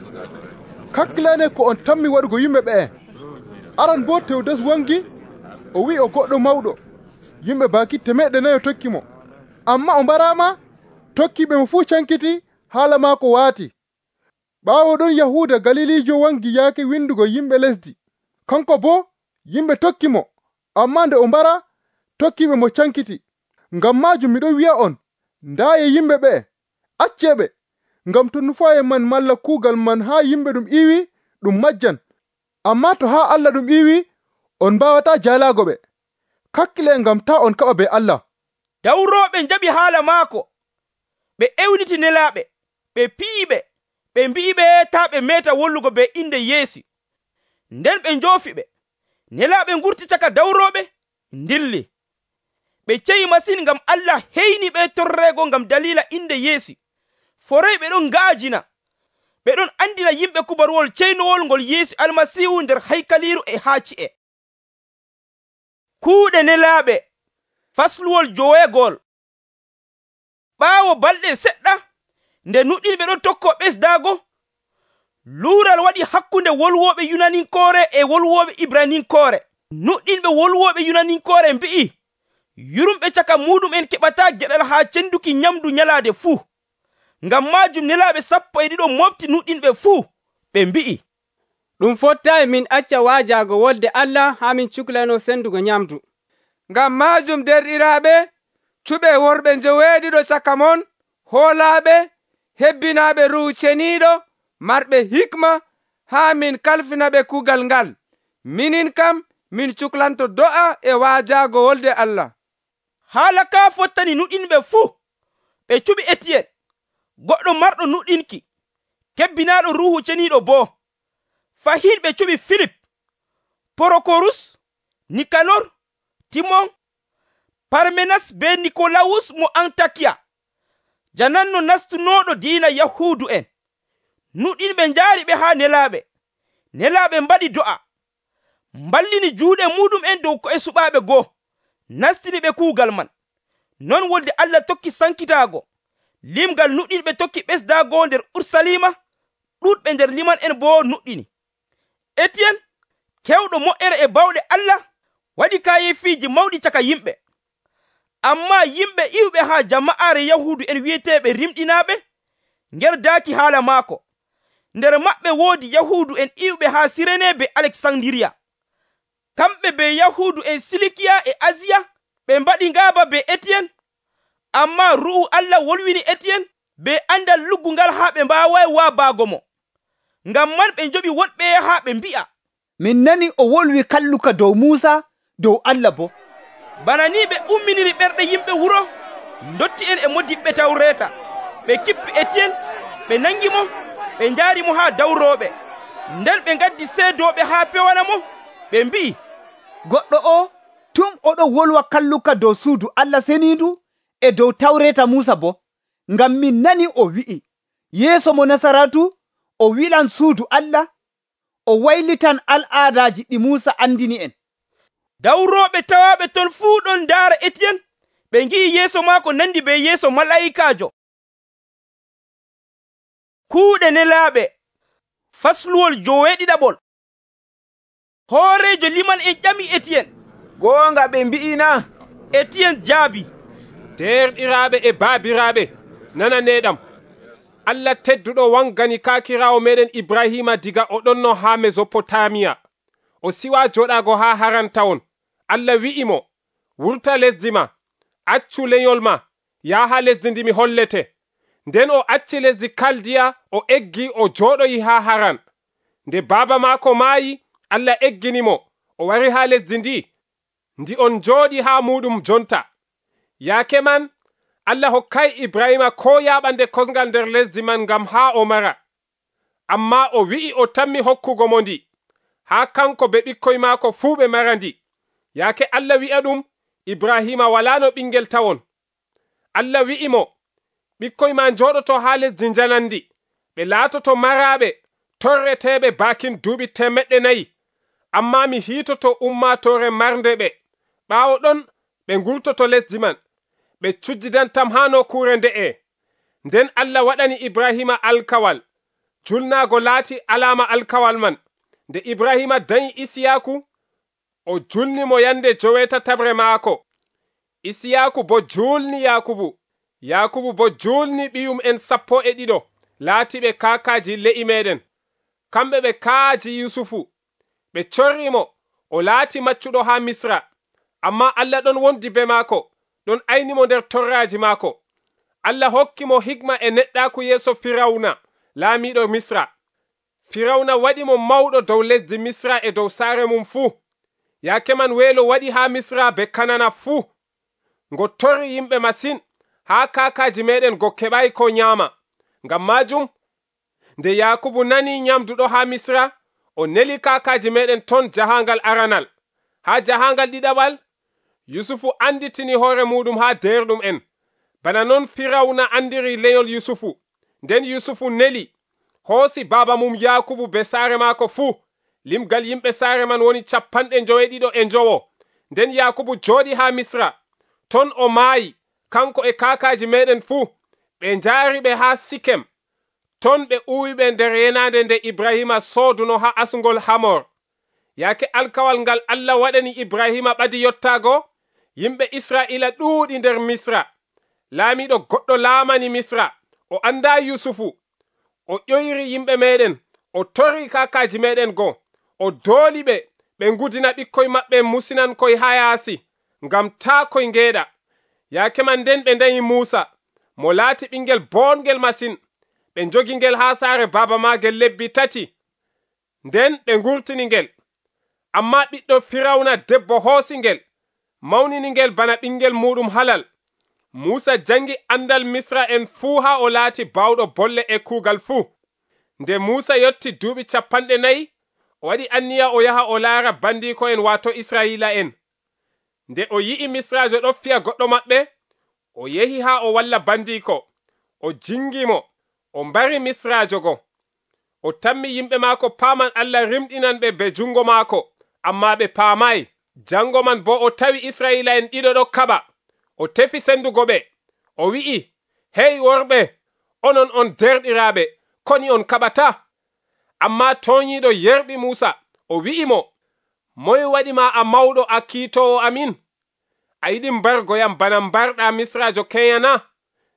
kakkilane ko on tammi waɗugo yimɓe ɓee. Aran boo Tewdas wangi, o wi'i o goɗɗo mawɗo, yimɓe baaki temeɗɗe nayo tokki mo. Ammaa o mbaraama, tokkiiɓe mo fuu cankiti, haala maako waati. Ɓaawo ɗon Yahuuda Galiliijo wangi yaake windugo yimɓe lesdi. Kanko boo yimɓe tokki mo, ammaa nde o mbara, tokkiiɓe mo cankiti. Ngam maajum miɗon wi'a on, ndaaye yimɓe ɓee, acceeɓe, ngam to nufaaye man malla kuugal man haa yimɓe ɗum iiwi, ɗum majjan. Ammaa to haa Allah ɗum iiwi, on mbaawataa jaalaago ɓe. Kakkile ngam taa on kaɓa be Allah. Dawrooɓe njaɓi haala maako, ɓe ewniti nelaaɓe, ɓe piyiɓe, ɓe mbi'iɓe taa ɓe meeta wollugo be inde Yeesu. Nden ɓe njoofi ɓe. Nelaaɓe ngurti caka dawrooɓe, ndilli. Ɓe ceyi masin ngam Allah heyni ɓe torreego ngam dalila inde Yeesu. Forey ɓe ɗon ngaajina, ɓe ɗon andina yimɓe kubaruwol ceynowol ngol Yeesu Almasiihu nder haykaliru e haa ci'e. Kuuɗe nelaaɓe, fasluwol joweegol. Ɓaawo balɗe seɗɗa, nde nuɗɗinɓe ɗon tokko ɓesdaago, luural waɗi hakkunde wolwooɓe Yunaninkoore e wolwooɓe Ibraninkoore. Nuɗɗinɓe wolwooɓe Yunaninkoore mbi'i, yurumɓe caka muɗum'en keɓataa geɗal haa cenduki nyamdu nyalaade fuu. Ngam maajum nelaaɓe sappo e ɗiɗo mofti nuɗɗinɓe fuu, ɓe mbi'i, ɗum fottaayi min acca waajaago wolde Allah haa min cuklano sendugo nyamdu. Ngam maajum derɗiraaɓe, cuɓe worɓe njoweeɗiɗo caka mon, hoolaaɓe, hebbinaaɓe Ruuhu Ceniiɗo, marɓe hikma, haa min kalfina ɓe kuugal ngal. Minin kam, min cuklanto do'a e waajaago wolde Allah. Haala kaa fottani nuɗɗinɓe fuu. Ɓe cuɓi Etiyel, goɗɗo marɗo nuɗɗinki, kebbinaaɗo Ruuhu Ceniiɗo boo. Fahin ɓe cuɓi Filip, Porokorus, Nikanor, Timon, Parmenas be Nikolawus mo Antakiya, jananno nastunooɗo diina Yahuudu en. Nuɗɗinɓe njaari ɓe haa nelaaɓe. Nelaaɓe mbaɗi do'a, mballini juuɗe muɗum en dow ko'e suɓaaɓe goo, nastini ɓe kuugal man. Non wolde Allah tokki sankitaago. Limgal nuɗɗinɓe tokki ɓesdaago nder Urusalima, ɗuɗɓe nder liman en boo nuɗɗini. Etiyen, kewɗo moƴƴere e bawɗe Allah, waɗi kaayefiiji mawɗi caka yimɓe. Ammaa yimɓe iwɓe haa jama'aare Yahuudu en wi'eteeɓe rimɗinaaɓe ngerdaaki haala maako. Nder maɓɓe woodi Yahuudu en iwɓe haa Sirene be Aleksandiriya. Kamɓe be Yahuudu en Silikiya e Asiya ɓe mbaɗi ngaaba be Etiyen. Ammaa Ruuhu Allah wolwini Etiyen be andal luggungal haa ɓe mbaaway waabaago mo. Ngam man ɓe njoɓi woɗɓe haa ɓe mbi'a, min nani o wolwi kalluka dow Muusa, dow Allah boo. Bana ni ɓe umminiri ɓerɗe yimɓe wuro ndotti en e modiɓɓe Tawreeta. Ɓe kippi Etiyen, ɓe nangi mo, ɓe njaari mo haa dawrooɓe. Nden ɓe ngaddi seedooɓe haa pewana mo. Ɓe mbi'i, goɗɗo o tum oɗo wolwa kalluka dow suudu Allah seniindu e dow Tawreeta Muusa boo. Ngam min nani o wi'i, yeeso mo Nasaratu o wilan suudu Allah, o waylitan al'aadaaji ɗi Muusa andini en. Dawrooɓe tawaaɓe ton fuu ɗon ndaara Etiyen, ɓe ngi'i yeeso maako nandi be yeeso malaa'ikaajo. Kuuɗe nelaaɓe fasluwol joweeɗiɗaɓol. Hooreejo liman en ƴami Etiyen, goonga ɓe mbi'ina? Etiyen jaabi, derɗiraaɓe e baabiraaɓe, nananeeɗam. Allah tedduɗo wangani kaakiraawo meɗen Ibrahima diga o ɗonno haa Mesopotamiya. O siwa joɗaago haa Harantawon. Allah wi'imo, wurta lesdi ma, accu lenyol ma, yaha lesdi ndi mi hollete. Nden o acci lesdi Kaldiya, o eggi o joɗoyi haa Haran. Nde baaba maako maayi, Allah egginimo, o wari haa lesdi ndi, ndi on jooɗi haa muɗum jonta. Yaake man, Allah hokkay Ibrahima ko yaɓande kosngal nder lesdi man ngam haa o mara. Amma o wi'i o tammi hokkugo mo ndi, haa kanko be ɓikkoy maako fuu ɓe mara ndi. Yaake Allah wi'a ɗum, Ibrahima walano ɓingel tawon. Allah wi'imo, ɓikkoy ma jooɗoto haa lesdi njanandi, ɓe laatoto maraaɓe, torreteɓe bakin duuɓi temeɗɗe nayi. Amma mi hiitoto ummatore marnde ɓe. Ɓaawo ɗon ɓe ngurtoto lesdi man, ɓe cujjidantam haa nokkure nde'e. Nden Allah waɗani Ibrahima alkawal. Julnaago laati alama alkawal man. Nde Ibrahima dañi Isiyaku, o julni mo yande jowetatabre maako. Isiyaku bo julni Yakubu. Yakubu bo julni ɓiyum en sappo e ɗiɗo, laatiɓe kaakaaji le'i meɗen. Kamɓe ɓe kaaji Yusufu. Ɓe corrimo, o laati maccuɗo haa Misra. Amma Allah ɗon wondi be maako, ɗon aynimo nder torraaji maako. Allah hokki mo hikma e neɗɗaaku yeeso Firawna, laamiɗo Misra. Firawna waɗi mo mawɗo dow lesdi Misra e dow saare mum fuu. Yaake man weelo waɗi haa Misra be Kanana fuu. Ngo torri yimɓe masin, haa kaakaaji meɗen go keɓay ko nyaama. Ngam maajum, nde Yakubu nani nyamduɗo haa Misra, o neli kaakaaji meɗen ton jahangal aranal. Haa jahangal ɗiɗaɓal, Yusufu anditini hoore muɗum haa derɗum en. Bana non Firawna andiri lenyol Yusufu. Nden Yusufu neli, hoosi baaba mum Yakubu be saare maako fuu. Limgal yimɓe saare man woni capanɗe joweeɗiɗo e njowo. Nden Yakubu jooɗi haa Misra. Ton o maayi, kanko e kaakaaji meɗen fuu. Ɓe njaari ɓe haa Sikem. Ton ɓe uwi ɓe nder yenande nde Ibrahima sooduno haa asngol Hamor. Yaake alkawal ngal Allah waɗani Ibrahima ɓadi yottaago, yimɓe Israa'ila ɗuuɗi nder Misra. Laamiɗo goɗɗo laamani Misra, o anda Yusufu. O ƴoyri yimɓe meɗen, o torri kaakaaji meɗen go, o dooli ɓe, ɓe ngudina ɓikkoy maɓɓe musinankoy haa yaasi, ngam taa koy ngeeɗa. Yaake man nden ɓe ndayi Muusa, mo laati ɓingel boongel masin. Ɓe njogi ngel haa saare baaba maagel lebbi tati. Nden ɓe ngurtini ngel. Amma ɓiɗɗo Firawna debbo hoosi ngel, mawnini ngel bana ɓingel muɗum halal. Muusa jangi andal Misra en fuu haa o laati bawɗo bolle e kuugal fuu. Nde Muusa yotti duuɓi capanɗe nayi, o waɗi anniya o yaha o laara bandiko en waato Israa'ila en. Nde o yi'i Misrajo ɗo fiya goɗɗo maɓɓe, o yehi haa o walla bandiko. O jingimo, o mbari Misrajo go. O tammi yimɓe maako paaman Allah rimɗinan ɓe be jungo maako, amma ɓe paamayi. Jango man bo o tawi Israa'ila en ɗiɗo ɗo kaɓa. O tefi sendugo ɓe. O wi'i, hey worɓe, onon on derɗiraaɓe, koni on kaɓata? Amma toñiiɗo yerɓi Muusa, o wi'imo, moy waɗi ma a mawɗo a kiitowo amin? a yiɗi mbargoyam bana mbarɗa misrajo keyana?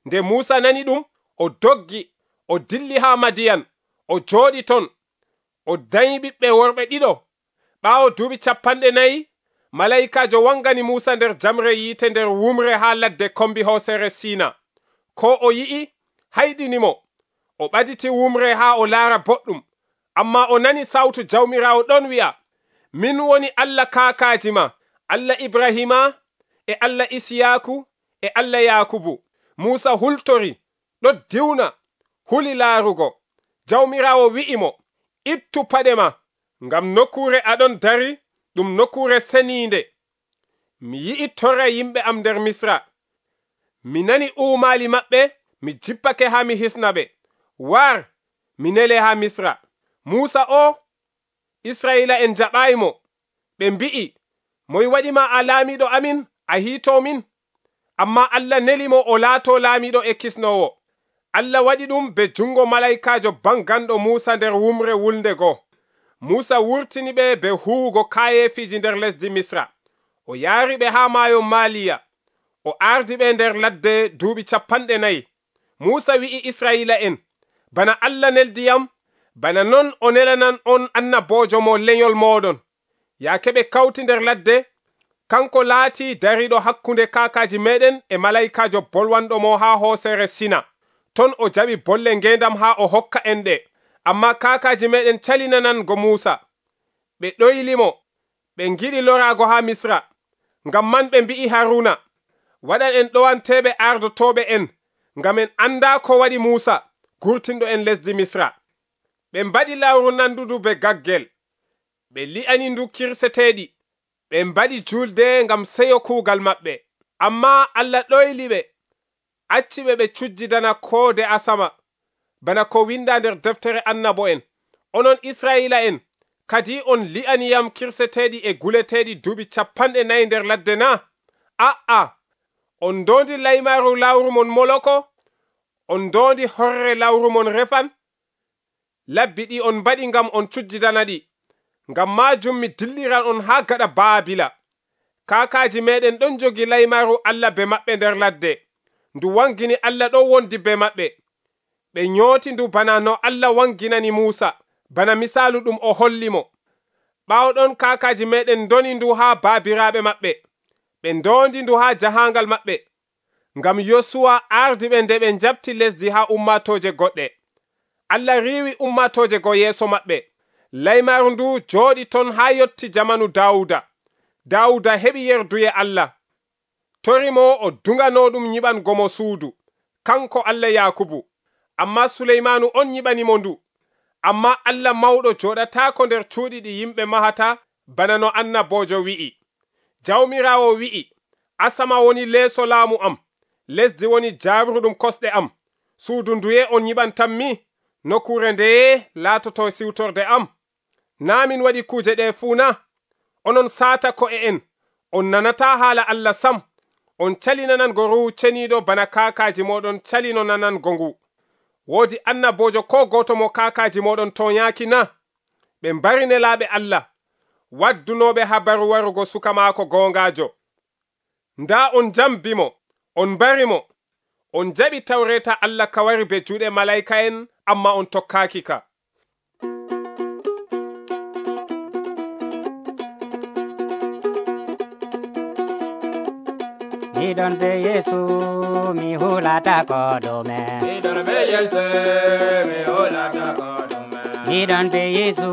Nde Musa nani ɗum, o doggi, o dilli ha Madiyan, o jooɗi ton, o dañi ɓiɓɓe worɓe ɗiɗo. Ɓaawo duuɓi capanɗe nayi, malayikajo wangani Musa nder jamre yiite nder wumre ha ladde kombi hoosere Sina. Ko o yi'i hayɗinimo, o ɓaditi wumre ha o laara boɗɗum, amma o nani sawtu Jawmirawo ɗon wi'a, min woni Allah kaakaaji ma, Allah Ibrahima e Allah Isiyaku e Allah Yakubu. Musa hultori, ɗo diwna, huli laarugo. Jawmirawo wi'imo, ittu paɗe ma, ngam nokkure aɗon dari ɗum nokkure seniinde. Mi yi'i torra yimɓe am nder Misra. Mi nani uumaali maɓɓe, mi jippake ha mi hisna ɓe. War, mi nele ha Misra. Musa o, Israila en jaɓayimo. Ɓe mbi'i, moy waɗima a laamiɗo amin, a hiito min? Amma Allah nelimo o laato laamiɗo e kisnowo. Allah waɗi ɗum be jungo malaikajo banganɗo Musa nder wumre wulnde go. Musa wurtini ɓe be huwugo kayeefiji nder lesdi Misra. O yaari ɓe ha maayo Maliya. O ardi ɓe nder ladde duuɓi capanɗe nayi. Musa wi'i Israila en, bana Allah neldiyam, bana non o nelanan on annabojo mo lenyol moɗon. Yaake ɓe kawti nder ladde, kanko laati dariɗo hakkunde kaakaji meɗen e malaikajo bolwanɗo mo ha hoosere Sina. Ton o jaɓi bolle ngendam ha o hokka en ɗe. Amma kaakaji meɗen calinanango Musa. Ɓe ɗoylimo, ɓe ngiɗi lorago ha Misra. Ngam man ɓe mbi'i Haruna, waɗan en ɗowanteɓe ardotoɓe en, ngam en anda ko waɗi Musa, gurtinɗo en lesdi Misra. Ɓe mbaɗi lawru nandudu be gaggel. Ɓe li'ani ndu kirseteɗi. Ɓe mbaɗi julde ngam seyo kuugal maɓɓe. Amma Allah ɗoyli ɓe, acci ɓe ɓe cujjidana koode asama, bana ko winda nder deftere annabo en. Onon Israila en, kadi on li'aniyam kirseteɗi e guleteɗi duuɓi capanɗe nayi nder ladde na? A'a, on ndondi laymaru lawru mon Moloko, on ndondi horre lawru mon Refan. Labbi ɗi on mbaɗi ngam on cujjidana ɗi. Ngam majum mi dilliran on ha gaɗa Baabila. Kaakaji meɗen ɗon jogi laymaru Allah be maɓɓe nder ladde. Ndu wangini Allah ɗo wondi be maɓɓe. Ɓe nyooti ndu bana no Allah wanginani Musa, bana misaalu ɗum o hollimo. Ɓaawo ɗon kaakaji meɗen doni ndu ha baabiraaɓe maɓɓe. Ɓe ndondi ndu ha jahangal maɓɓe. Ngam Yosuwa ardi ɓe nde ɓe njabti lesdi ha ummatoje goɗɗe. Allah riiwi ummatoje go yeeso maɓɓe. Laymaru ndu jooɗi ton ha yotti jamanu Dawuda. Dawuda heɓi yerduye Allah. Torimo o dungano ɗum nyiɓangomo suudu, kanko Allah Yakubu. Amma Suleymanu on nyiɓanimo ndu. Amma Allah mawɗo joɗatako nder cuuɗi ɗi yimɓe mahata, bana no annabojo wi'i. Jawmirawo wi'i, asama woni leeso laamu am, lesdi woni jabruɗum kosɗe am. Suudu nduye on nyiɓantanmi? Nokkure ndeye laatoto siwtorde am? Na min waɗi kuje ɗe fuu na? Onon saata ko'e en, on nanata haala Allah sam. On calinanango ruhu ceniiɗo bana kaakaji moɗon calino nanango ngu. Woodi annabojo ko goto mo kaakaji moɗon toñaaki na? Ɓe mbari nelaaɓe Allah, waddunoɓe habaru warugo suka maako gongajo. Nda on jambimo, on mbarimo, on jaɓi tawreta Allah ka wari be juuɗe malayika en, amma on tokkaaki ka. Miɗon be Yesu mi hulata ko ɗume. Miɗon be Yesu mi hulata ko ɗume. Miɗon be Yesu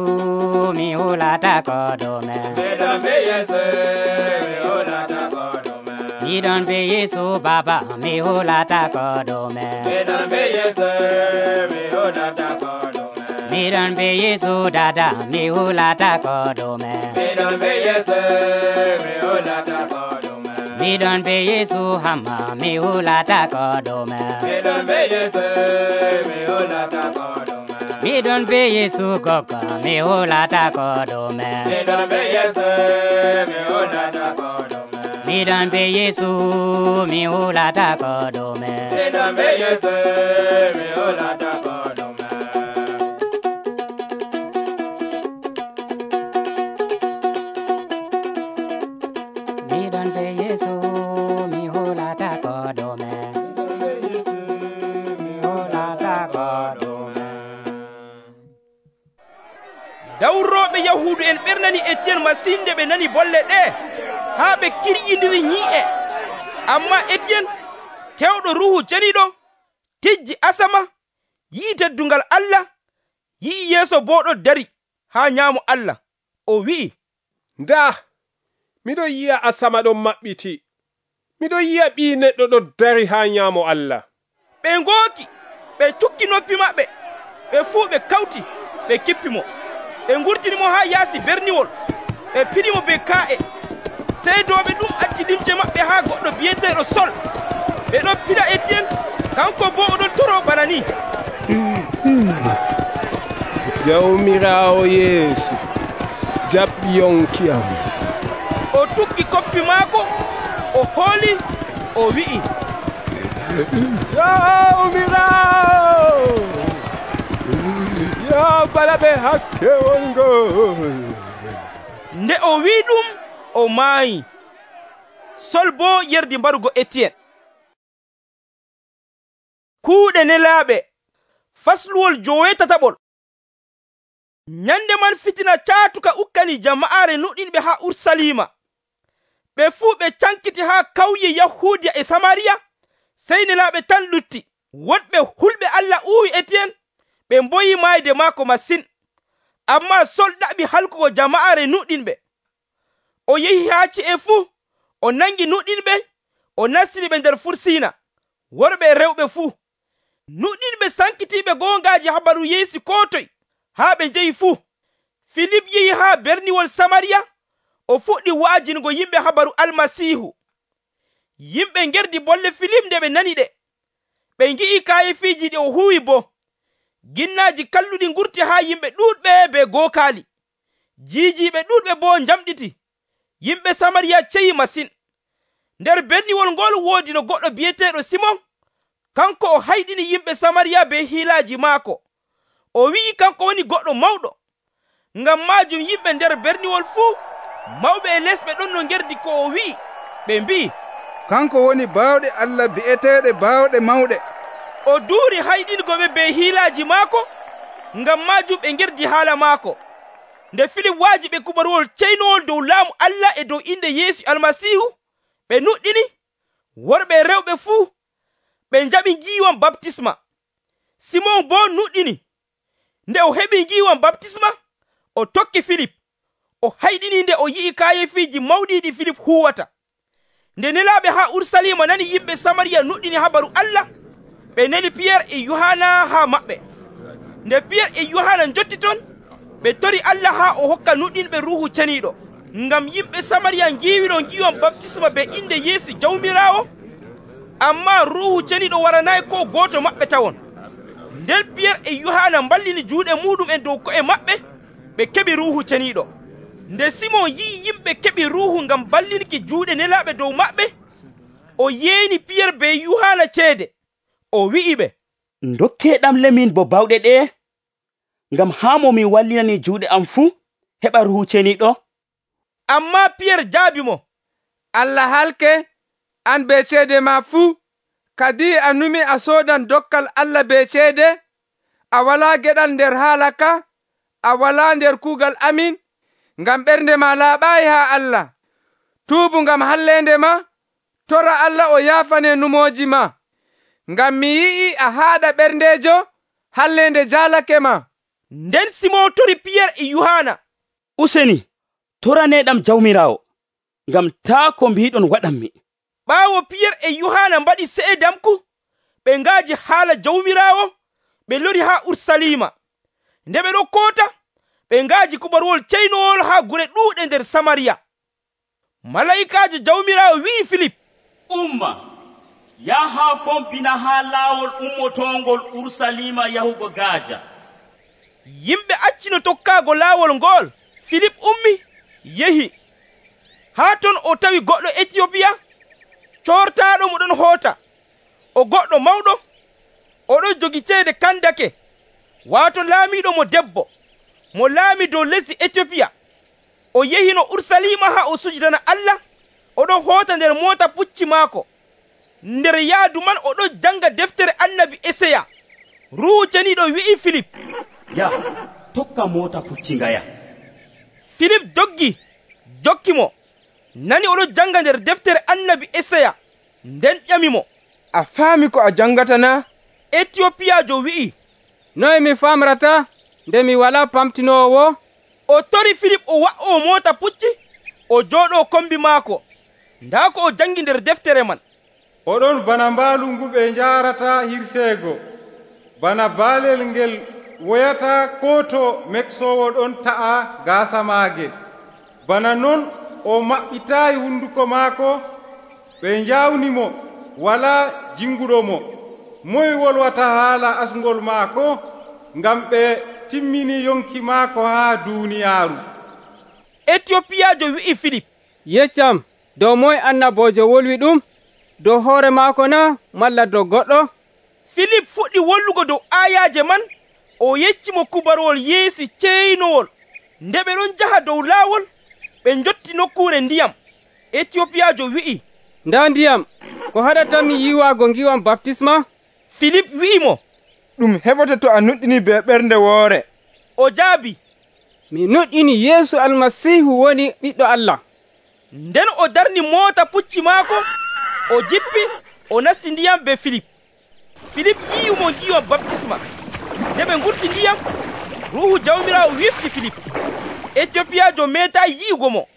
mi hulata ko ɗume. Miɗon be Yesu mi hulata ko ɗume. Miɗon be Yesu Baba mi hulata ko ɗume. Miɗon be Yesu mi hulata ko ɗume. Miɗon be Yesu Dada mi hulata ko ɗume. Miɗon be Yesu mi hulata ko ɗume. Miɗon be Yesu Hamma mi hulata ko ɗume. Miɗon be Yesu mi hulata ko ɗume. Miɗon be Yesu Gogo mi hulata ko ɗume. Miɗon be Yesu mi hulata ko ɗume. Miɗon be Yesu mi hulata ko ɗume. Miɗon be Yesu mi hulata ko ɗume. Miɗon be Yesu dawrooɓe yahuudu en ɓernani Étienne masinde ɓe nani bolle ɗe haa ɓe kirƴindiri nyi'e. Amma Étienne kewɗo ruuhu ceniiɗo tijji asama, yi'i teddungal Allah, yi'i Yeesu boo ɗo dari haa nyaamo Allah. O wi'i, ndaa, miɗo yi'a asama ɗon maɓɓiti, miɗo yi'a ɓii neɗɗo ɗo dari haa nyaamo Allah. Ɓe ngooki, ɓe cukki noppi maɓɓe, ɓe fuu ɓe kawti, ɓe kippi mo. Ɓe ngurtini mo haa yaasi berniwol, ɓe piɗi mo be kaa'e. Seedooɓe ɗum acci limce maɓɓe haa goɗɗo bi'eteeɗo Sol. Ɓe ɗon piɗa Étienne, kanko boo oɗon toro bana ni. Jawmiraawo Yeesu, jaɓɓi yonki am. O tukki koppi maako, o hooli, o wi'i, Jawmiraawo, yo bala ɓe hakkewol ngol. Nde o wi'i ɗum, o maayi. Sol boo yerdi mbarugo Étienne. Kuuɗe nelaaɓe fasluwol joweetataɓol. Nyande man fitina caatuka ukkani jama'aare nuɗɗinɓe haa Urusalima. Ɓe fuu ɓe cankiti haa kawye Yahuudiya e Samariya, sey nelaaɓe tan lutti. Woɗɓe hulɓe Allah uwi Étienne, ɓe mboyi maayde maako masin. Ammaa Sol ɗaɓi halkugo jama'aare nuɗɗinɓe. O yehi haa ci'e fuu, o nangi nuɗɗinɓe, o nastini ɓe nder fursiina, worɓe e rewɓe fuu. Nuɗɗinɓe sankitiiɓe goongaaji habaru Yeesu koo toye, haa ɓe njehi fuu. Filip yehi haa berniwol Samariya, o fuɗɗi wa'ajingo yimɓe habaru Almasiihu. Yimɓe ngerdi bolle Filip nde ɓe nani ɗe. Ɓe ngi'i kaayefiiji ɗi o huwi boo. Ginnaaji kalluɗi ngurti haa yimɓe ɗuuɗɓe be gookaali. Jiijiiɓe ɗuuɗɓe boo njamɗiti. Yimɓe Samariya ceyi masin. Nder berniwol ngol woodi no goɗɗo bi'eteeɗo Simon. Kanko o hayɗini yimɓe Samariya be hiilaaji maako. O wi'i kanko woni goɗɗo mawɗo. Ngam maajum yimɓe nder berniwol fuu, mawɓe e lesɓe ɗon no ngerdi ko o wi'i. Ɓe mbi'i, kanko woni baawɗe Allah bi'eteeɗe baawɗe mawɗe. O duuri hayɗingoɓe be hiilaaji maako, ngam maajum ɓe ngerdi haala maako. Nde Filip waaji ɓe kubaruwol ceynowol dow laamu Allah e dow inde Yeesu Almasiihu, ɓe nuɗɗini, worɓe e rewɓe fuu, ɓe njaɓi ngiiwam baptisma. Simon boo nuɗɗini. Nde o heɓi ngiiwam baptisma, o tokki Filip. O hayɗini nde o yi'i kaayefiiji mawɗi ɗi Filip huwata. Nde nelaaɓe haa Urusalima nani yimɓe Samariya nuɗɗini habaru Allah, ɓe neli Piyerre e Yohana haa maɓɓe. Nde Piyerre e Yohana njotti ton, ɓe tori Allah haa o hokka nuɗɗinɓe Ruuhu Ceniiɗo, ngam yimɓe Samariya ngiiwino ngiiwam baptisma be inde Yeesu Jawmiraawo, ammaa Ruuhu Ceniiɗo waranayi ko gooto maɓɓe tawon. Nden Piyerre e Yohana mballini juuɗe muɗum'en dow ko'e maɓɓe, ɓe keɓi Ruuhu Ceniiɗo. Nde Simon yi'i yimɓe keɓi Ruuhu ngam ballinki juuɗe nelaaɓe dow maɓɓe, o yeeni Piyerre be Yohana ceede. O wi'i ɓe, ndokkeeɗam lemin bo bawɗe ɗe, ngam haa mo min wallinani juuɗe am fuu heɓa Ruuhu Ceniiɗo. Ammaa Piyerre jaabi mo, Allah halke, an be ceede ma fuu, kadi a numi a soodan dokkal Allah be ceede, a walaa geɗal nder haala ka, a walaa nder kuugal amin, ngam ɓernde ma laaɓaayi haa Allah. Tuubu ngam halleende ma, tora Allah o yaafane numooji ma. Ngam mi yi'i a haaɗa ɓerndeejo, halleende jaalake ma. Nden Simon tori Piyerre e Yohana, useni toraneɗam Jawmiraawo, ngam taa ko mbiɗon waɗanmi. Ɓaawo Piyerre e Yohana mbaɗi seedamku, ɓe ngaaji haala Jawmiraawo, ɓe lori haa Urusalima. Nde ɓe ɗo koota, ɓe ngaaji kubaruwol ceynowol haa gure ɗuuɗe nder Samariya. Malaikaajo Jawmiraawo wi'i Filip, umma, yaha fombina haa laawol ummotongol Urusalima yahugo Gaaja. Yimɓe accino tokkaago laawol ngol. Filip ummi, yehi. Haa ton o tawi goɗɗo Etiyopiya, coortaaɗo mo ɗon hoota. O goɗɗo mawɗo, oɗon jogi ceede Kandake, waato laamiiɗo mo debbo, mo laami dow lesdi Etiyopiya. O yehino Urusalima haa o sujidana Allah, oɗon hoota nder moota pucci maako. Nder yaadu man oɗon janga deftere annabi Esaya. Ruuhu Ceniiɗo wi'i Filip, ya tokka moota pucci ngaya. Filip doggi jokki mo, nani oɗo janga nder deftere annabi Esaya, nden ƴamimo, a faami ko a jangata na? Etiopiyajo wi'i, noye mi famrata nde mi wala pamtinowo? O tori Filip o wa'o moota pucci, o jooɗo kombi maako. Ndaa ko o jangi nder deftere man. Oɗon bana mbaalu ngu ɓe njaarata hirseego, bana baalel ngel woyata koo to meksowo ɗon ta'a gaasa maage. Bana non o maɓɓitaayi hunduko maako, ɓe njawnimo, walaa jinguɗo mo. Moy wolwata haala asngol maako, ngam ɓe timmini yonki maako haa duuniyaaru. Etiopiyajo wi'i Filip, yeccam, dow moy annabojo wolwi ɗum? Dow hoore maako na, malla dow goɗɗo? Filip fuɗɗi wollugo dow ayaje man, o yeccimo kubarwol Yeesu ceynowol. Nde ɓe ɗon jaha dow laawol, ɓe njotti nokkuure ndiyam. Etiopiyajo wi'i, nda ndiyam, ko haɗatami yiwaago ngiwam baptisma? Filip wi'imo, ɗum heɓata to a nuɗɗini be ɓernde woore. O jaabi, mi nuɗɗini Yeesu almasihu woni ɓiɗɗo Allah. Nden o darni moota pucci maako, o jippi, o nasti ndiyam be Filip. Filip yi'imo ngiwa baptisma. Nde ɓe ngurti ndiyam, Ruuhu Jawmirawo wifti Filip. Etiopiyajo meeta yi'ugo mo,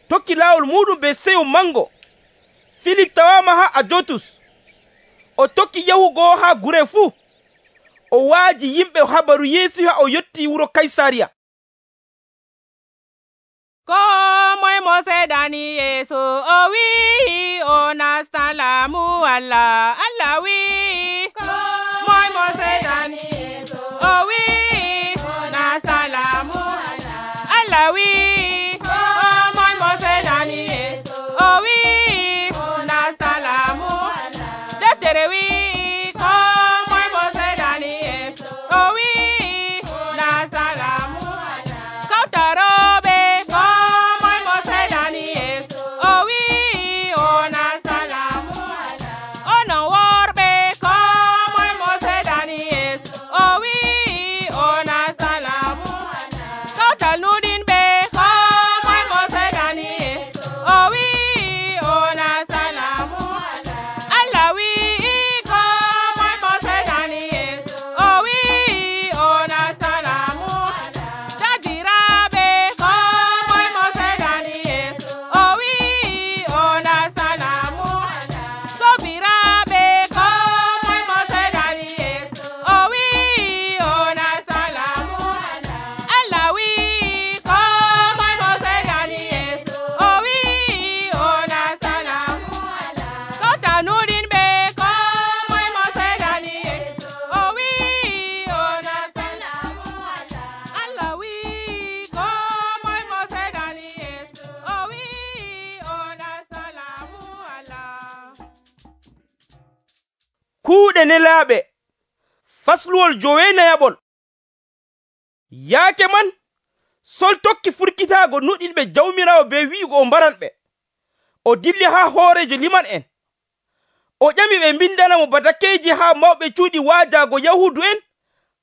tokki laawol muɗum be seyo mango. Filip tawama ha Ajotus. O tokki yahugo ha gure fuu. O waaji yimɓe habaru Yeesu ha o yotti wuro Kaysariya. Ko moye mo seedani Yeesu o wi'i o nastan laamu Allah. Allah wi'i moye mo seedani Yeesu o wi'i o nastan laamu Allah. Allah wi'i moye mo seedani Yeesu o wi'i o nastan laamu Allah. Deftere wi'i ko moye mo seedani Yeesu o wi'i o nastan laamu Allah. Kawtaroɓe kuuɗe nelaaɓe fasluwol jowenayaɓol. Yaake man Sol tokki furkitaago nuɗilɓe Jawmirawo be wi'ugo o mbaranɓe. O dilli haa hoorejo liman en. O ƴami ɓe mbindanamo batakeeji haa mawɓe cuuɗi waajaago Yahuudu en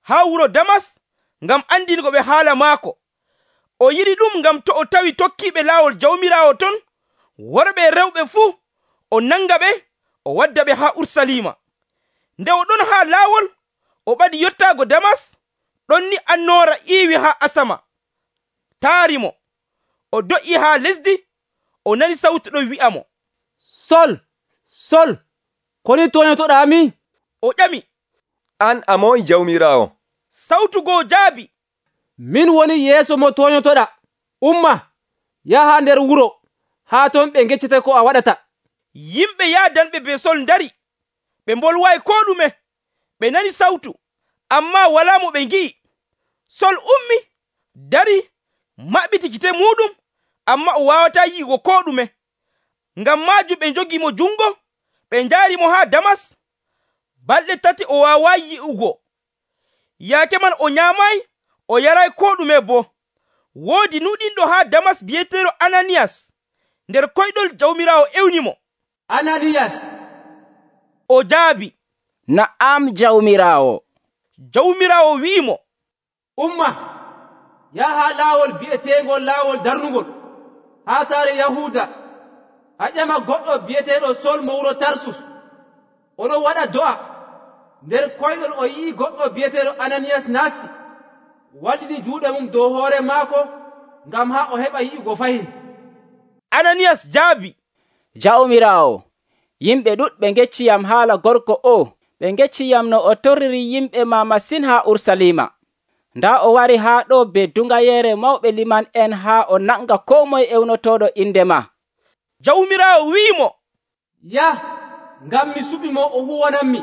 haa wuro Damas ngam andingo ɓe haala maako. O yiɗi ɗum ngam to o tawi tokkiiɓe laawol Jawmirawo ton, worɓe e rewɓe fuu, o nanga ɓe, o wadda ɓe haa Ursalima. Nde o ɗon haa laawol, o ɓadi yottaago Damas, ɗon ni annoora iiwi haa asama. Taarimo, o do'i haa lesdi, o nani sawtu ɗo wi'a mo, Sol, Sol, koni toñotoɗami? O ƴami, an a moy Jawmirawo? Sawtu goo jaabi, min woni yeeso mo toñotoɗa. Umma, yaha nder wuro, haa ton ɓe geccete ko a waɗata. Yimɓe yaadanɓe be Sol ndari, ɓe mbolwayi ko ɗume. Ɓe nani sawtu, ammaa walaa mo ɓe ngi'i. Sol ummi, dari, maɓɓiti gite muɗum, amma o waawataa yi'ugo ko ɗume. Ngam maajum ɓe njogi mo jungo, ɓe njaari mo haa Damas. Balɗe tati o waawaayi yi'ugo. Yaake man o nyaamayi, o yarayi ko ɗume boo. Woodi nuɗinɗo haa Damas bi'eteeɗo Ananiyas. Nder koyɗol Jawmirawo ewni mo. Ananiyas. O jaabi, Na'am Jawmirawo. Jawmirawo wi'i mo, Umma, yaha laawol bi'eteengol laawol darnugol haa saare yahuuda a ƴama goɗɗo bi'eteeɗo sol mo wuro tarsus oɗon waɗa do'a. nder koyɗol o yi'i goɗɗo bi'eteeɗo ananiyas naasti wallini juuɗe mum dow hoore maako ngam haa o heɓa yi'ugo fahin. ananiyas jaabi, jawmiraawo, yimɓe ɗuɗɓe gecciyam haala gorko o. ɓe gecciyam no o torriri yimɓe ma masin haa Urusalima. nda o wari haa ɗo be dungayeere mawɓe liman en haa o nanga koo moye ewnotooɗo inde ma. jawmiraawo wi'imo, yah, ngam mi suɓi mo o huwananmi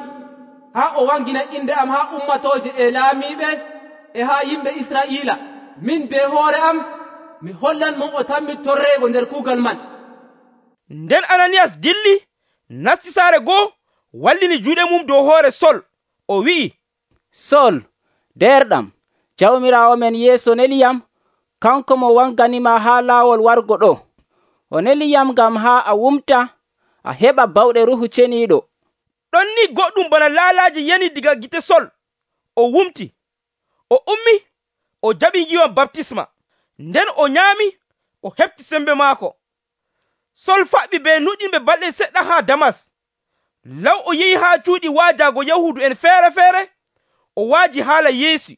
haa o wangina inde am haa ummatooje e laamiiɓe e haa yimɓe Israa'iila. min be hoore am mi hollan mo o tammi torreego nder kuugal man. nden ananiyas dilli nasti saare goo wallini juuɗe mum dow hoore sol o wi'i, sol derɗam, jawmiraawo men yeeso neliyam kanko mo wanganima haa laawol wargo ɗo. o neliyam ngam haa a wumta a heɓa bawɗe ruhu ceniiɗo. ɗon ni goɗɗum bana laalaaji yani diga gite sol o wumti, o ummi o jaɓi ngiwam baptisma. nden o nyaami o heɓti sembe maako. sol faɓɓi be nuɗinɓe balɗe seɗɗa haa damas. law o yehi haa cuuɗi waajaago yahuudu en feere feere o waaji haala yeesu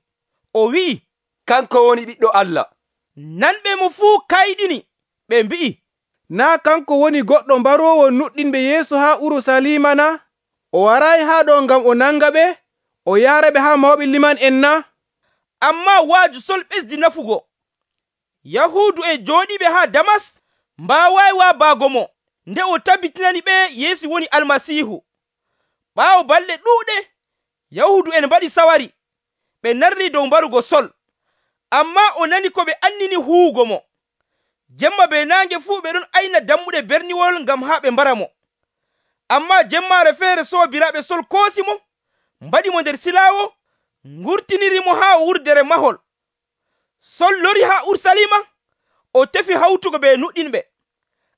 o wi'i, kanko woni ɓiɗɗo Allah. nanɓe mo fuu kayɗini ɓe mbi'i, naa kanko woni goɗɗo mbaroowo nuɗɗinɓe yeeso haa Urusalima na? o warayi haa ɗo ngam o nanga ɓe o yaara ɓe haa mawɓe liman en na? amma waaju sol ɓesdi nafugo. yahuudu en jooɗiɓe haa damas mbaawayi waabaago mo nde o tabbitinani ɓe yeesu woni almasiihu. ɓaawo balɗe ɗuuɗe yahuudu en mbaɗi sawari ɓe narli dow mbarugo sol, amma o nani ko ɓe annini huwugo mo. jemma be naange fuu ɓe ɗon ayna dammuɗe berniwol ngam haa ɓe mbara mo. amma jemmaare feere soobiraaɓe sol koosi mo, mbaɗi mo nder silaawo, ngurtiniri mo haa wurdere mahol. sol lori haa Urusalima o tefi hawtugo be nuɗɗinɓe,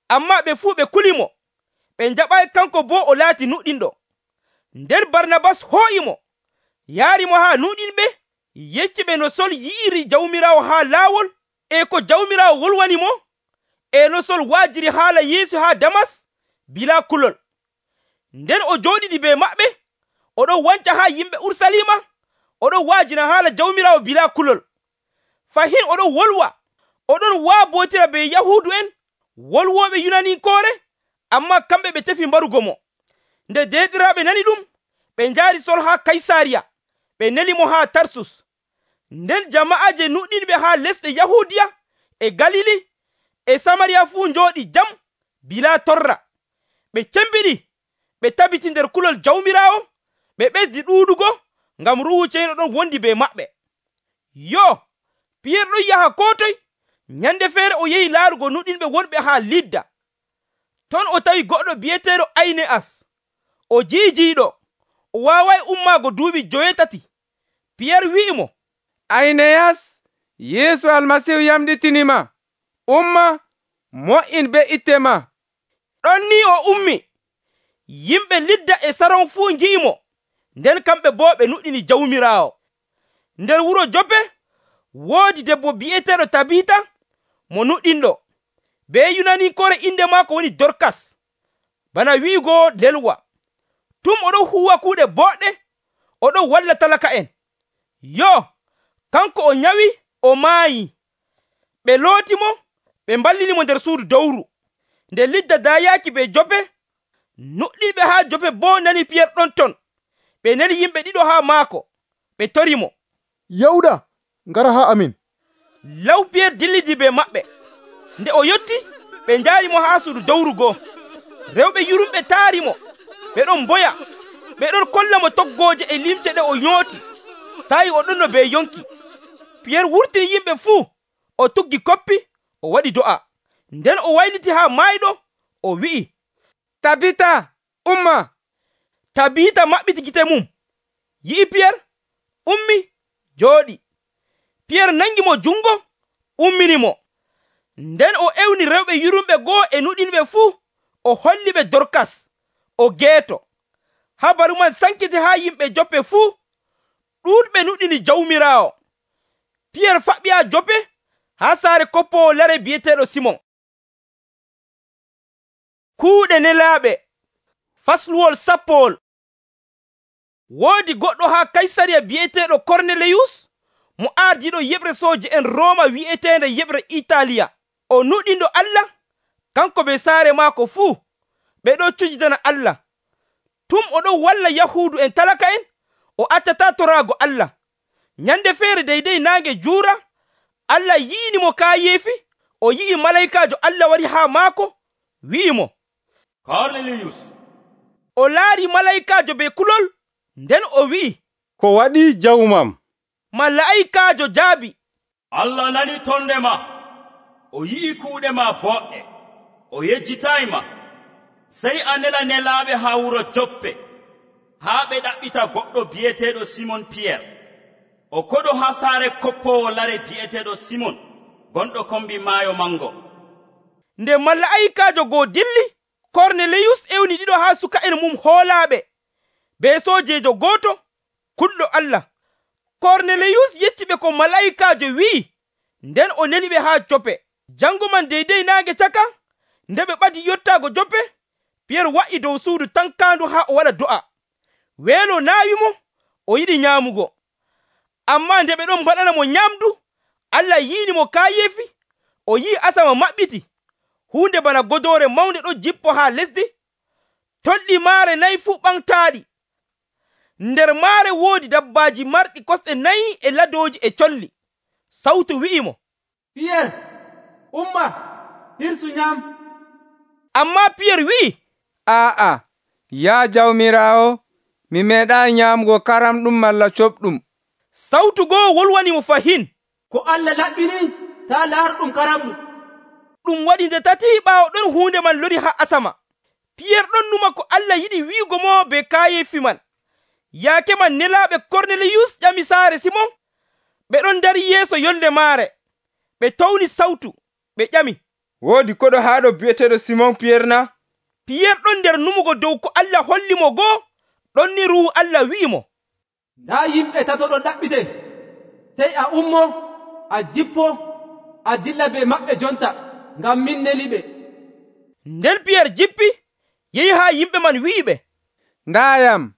amma ɓe fuu ɓe kuli mo, ɓe njaɓayi kanko boo o laati nuɗɗinɗo. nder barnabas hoo'i mo yaari mo haa nuɗinɓe, yecci ɓe no sol yi'iri jawmiraawo haa laawol e ko jawmiraawo wolwani mo, e no sol waajiri haala yeesu haa damas bilaa kulol. nden o jooɗiɗi be maɓɓe oɗon wanca haa yimɓe Urusalima, oɗon waajina haala jawmiraawo bilaa kulol. fahin oɗon wolwa, oɗon waabootira be yahuudu en wolwooɓe yunaninkoore, amma kamɓe ɓe tefi mbarugo mo. nde deeɗiraaɓe nani ɗum, ɓe njaari sol haa Kaysariya, ɓe neli mo haa Tarsus. nden jama'aaje nuɗɗinɓe haa lesɗe Yahuudiya e Galili e Samariya fuu njooɗi jam bilaa torra. ɓe cembiɗi ɓe tabiti nder kulol jawmiraawo, ɓe ɓesdi ɗuuɗugo ngam ruuhu ceniiɗo ɗon wondi be maɓɓe. yo Piyer ɗon yaha koo toy. nyande feere o yehi laarugo nuɗinɓe wonɓe haa Lidda. ton o tawi goɗɗo bi'eteeɗo Ayne'as, o jiijiiɗo, o waawayi ummaago duuɓi joweetati. Piyer wi'i mo, Ayneyas, Yeesu almasihu yamɗitinima. umma mo'in be itte ma. ɗon ni o ummi. yimɓe Lidda e Saron fuu ngi'i mo, nden kamɓe boo ɓe nuɗɗini jawmiraawo. nder wuro Joppe woodi debbo bi'eteeɗo Tabita mo nuɗɗinɗo, be yunaninkoore inde maako woni Dorkas, bana wi'igo lelwa. tum oɗon huwa kuuɗe boɗɗe, oɗon walla talaka en. yo kanko o nyawi o maayi. ɓe looti mo, ɓe mballini mo nder suudu dowru. nde Lidda daayaaki be Joppe, nuɗɗinɓe haa Joppe boo nani Piyer ɗon ton. ɓe neli yimɓe ɗiɗo haa maako, ɓe tori mo, yawɗa ngara haa amin. law Piyer dillidi be maɓɓe. nde o yotti, ɓe njaari mo haa suudu dowru goo. rewɓe yurumɓe taari mo, ɓe ɗon mboya, ɓe ɗon kolla mo toggooje e limce ɗe o nyooti. sayi o ɗonno be yonki. Piyer wurtini yimɓe fuu, o tuggi koppi, o waɗi do'a. nden o wayliti haa maayɗo, o wi'i, Tabita, umma. Tabita maɓɓiti gite mum, yi'i Piyer, ummi, jooɗi. Piyer nangi mo jungo, ummini mo. nden o ewni rewɓe yurumɓe goo e nuɗinɓe fuu, o holli ɓe Dorkas, o geeto. habaru man sankiti haa yimɓe Joppe fuu, ɗuuɗɓe nuɗini jawmiraawo. Piyer faɓɓi haa Joppe haa saare koppowo lare bi'eteeɗo Simon. Kuuɗe nelaaɓe fasluwol sappowol. Woodi goɗɗo haa Kaysariya bi'eteeɗo Korneliyus mo ardiiɗo yeɓre sooje en Rooma wi'eteende yeɓre Itaaliya. O nuɗindo Allah, kanko be saare maako fuu ɓe ɗo cujidana Allah. Tum o ɗon walla Yahuudu en talaka en, o accataa toraago Allah. Nyande feere deydey naange juura, Allah yi'inimo kaayeefi, o yi'i malaykaajo Allah wari haa maako, wi'imo, Korneliyus. O laari malaykaajo be kulol, nden o wi'i, ko waɗi jawmam? Malaykaajo jaabi, Allah nani tonde ma, o yi'i kuuɗe ma boɗɗe, o yejjitayma. Sey a nela nelaaɓe haa wuro Joppe, haa ɓe ɗaɓɓita goɗɗo bi'eteeɗo Simon Piyer. O koɗo haa saare koppowo lare bi'eteeɗo Simon, gonɗo kombi maayo mango. Nde malaykaajo goo dilli, Korneliyus ewni ɗiɗo haa suka'en mum hoolaaɓe, be soojeejo gooto, kulɗo Allah. Korneliyus yecci ɓe ko malaykaajo wi'i, nden o neli ɓe haa Joppe. Jango man deydey naange caka, nde ɓe ɓadi yottaago Joppe, Piyer wa'i dow suudu tankaandu haa o waɗa do'a. Weelo naawimo, o yiɗi nyaamugo. Ammaa nde ɓe ɗon mbaɗana mo nyamdu, Allah yi'inimo kaayeefi, o yi'i asama maɓɓiti. Huunde bana godoore mawnde ɗo jippo haa lesdi. Tolɗi maare nayi fuu ɓamtaaɗi. Nder maare woodi dabbaaji marɗi kosɗe nayi e ladooji e colli. Sawtu wi'imo, Piyer, umma, hirsu nyam. Ammaa Piyer wi'i, Aa'a, yaa Jawmiraawo, mi meeɗaa nyaamugo karamɗum malla coɓɗum. Sawtu goo wolwani mo fahin, ko Allah laɓɓini, taa laarɗum karamɗum. Ɗum waɗi nde tati ɓaawo ɗon huunde man lori haa asama. Piyer ɗon numa ko Allah yiɗi wi'ugo mo be kaayeefi man. Yaake man nelaaɓe Korneliyus ƴami saare Simon, ɓe ɗon dari yeeso yolnde maare. Ɓe towni sawtu, ɓe ƴami, Woodi koɗo haaɗo bi'eteeɗo Simon Piyer na? Piyer ɗon nder numugo dow ko Allah holli mo goo, ɗon ni Ruuhu Allah wi'imo, Ndaa yimɓe tato ɗon ɗaɓɓite, sey a ummo, a jippo, a dilla be maɓɓe jonta, ngam min neli ɓe. Nden Piyer jippi, yehi haa yimɓe man wi'i ɓe, Ndaayam,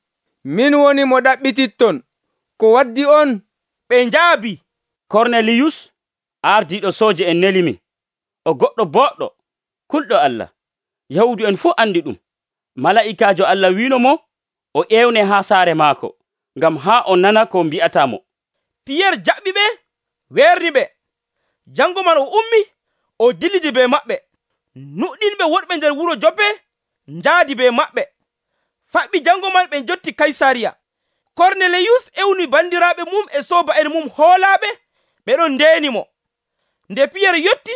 min woni mo ɗaɓɓititton. Ko waddi on? Ɓe njaabi, Korneliyus, ardiiɗo sooje en neli min. O goɗɗo boɗɗo, kulɗo Allah. Yahuudu en fuu andi ɗum. Malaa'ikaajo Allah wiino mo o ƴewne haa saare maako, ngam haa o nana ko mbi'ata mo. Piyer jaɓɓi ɓe, weerni ɓe. Jango man o ummi, o dillidi be maɓɓe. Nuɗɗinɓe wonɓe nder wuro Joppe njaadi be maɓɓe. Faɓɓi jango man ɓe jotti Kaysariya. Korneliyus ewni bandiraaɓe mum e sooba'en mum hoolaaɓe, ɓe ɗon ndeeni mo. Nde Piyer yotti,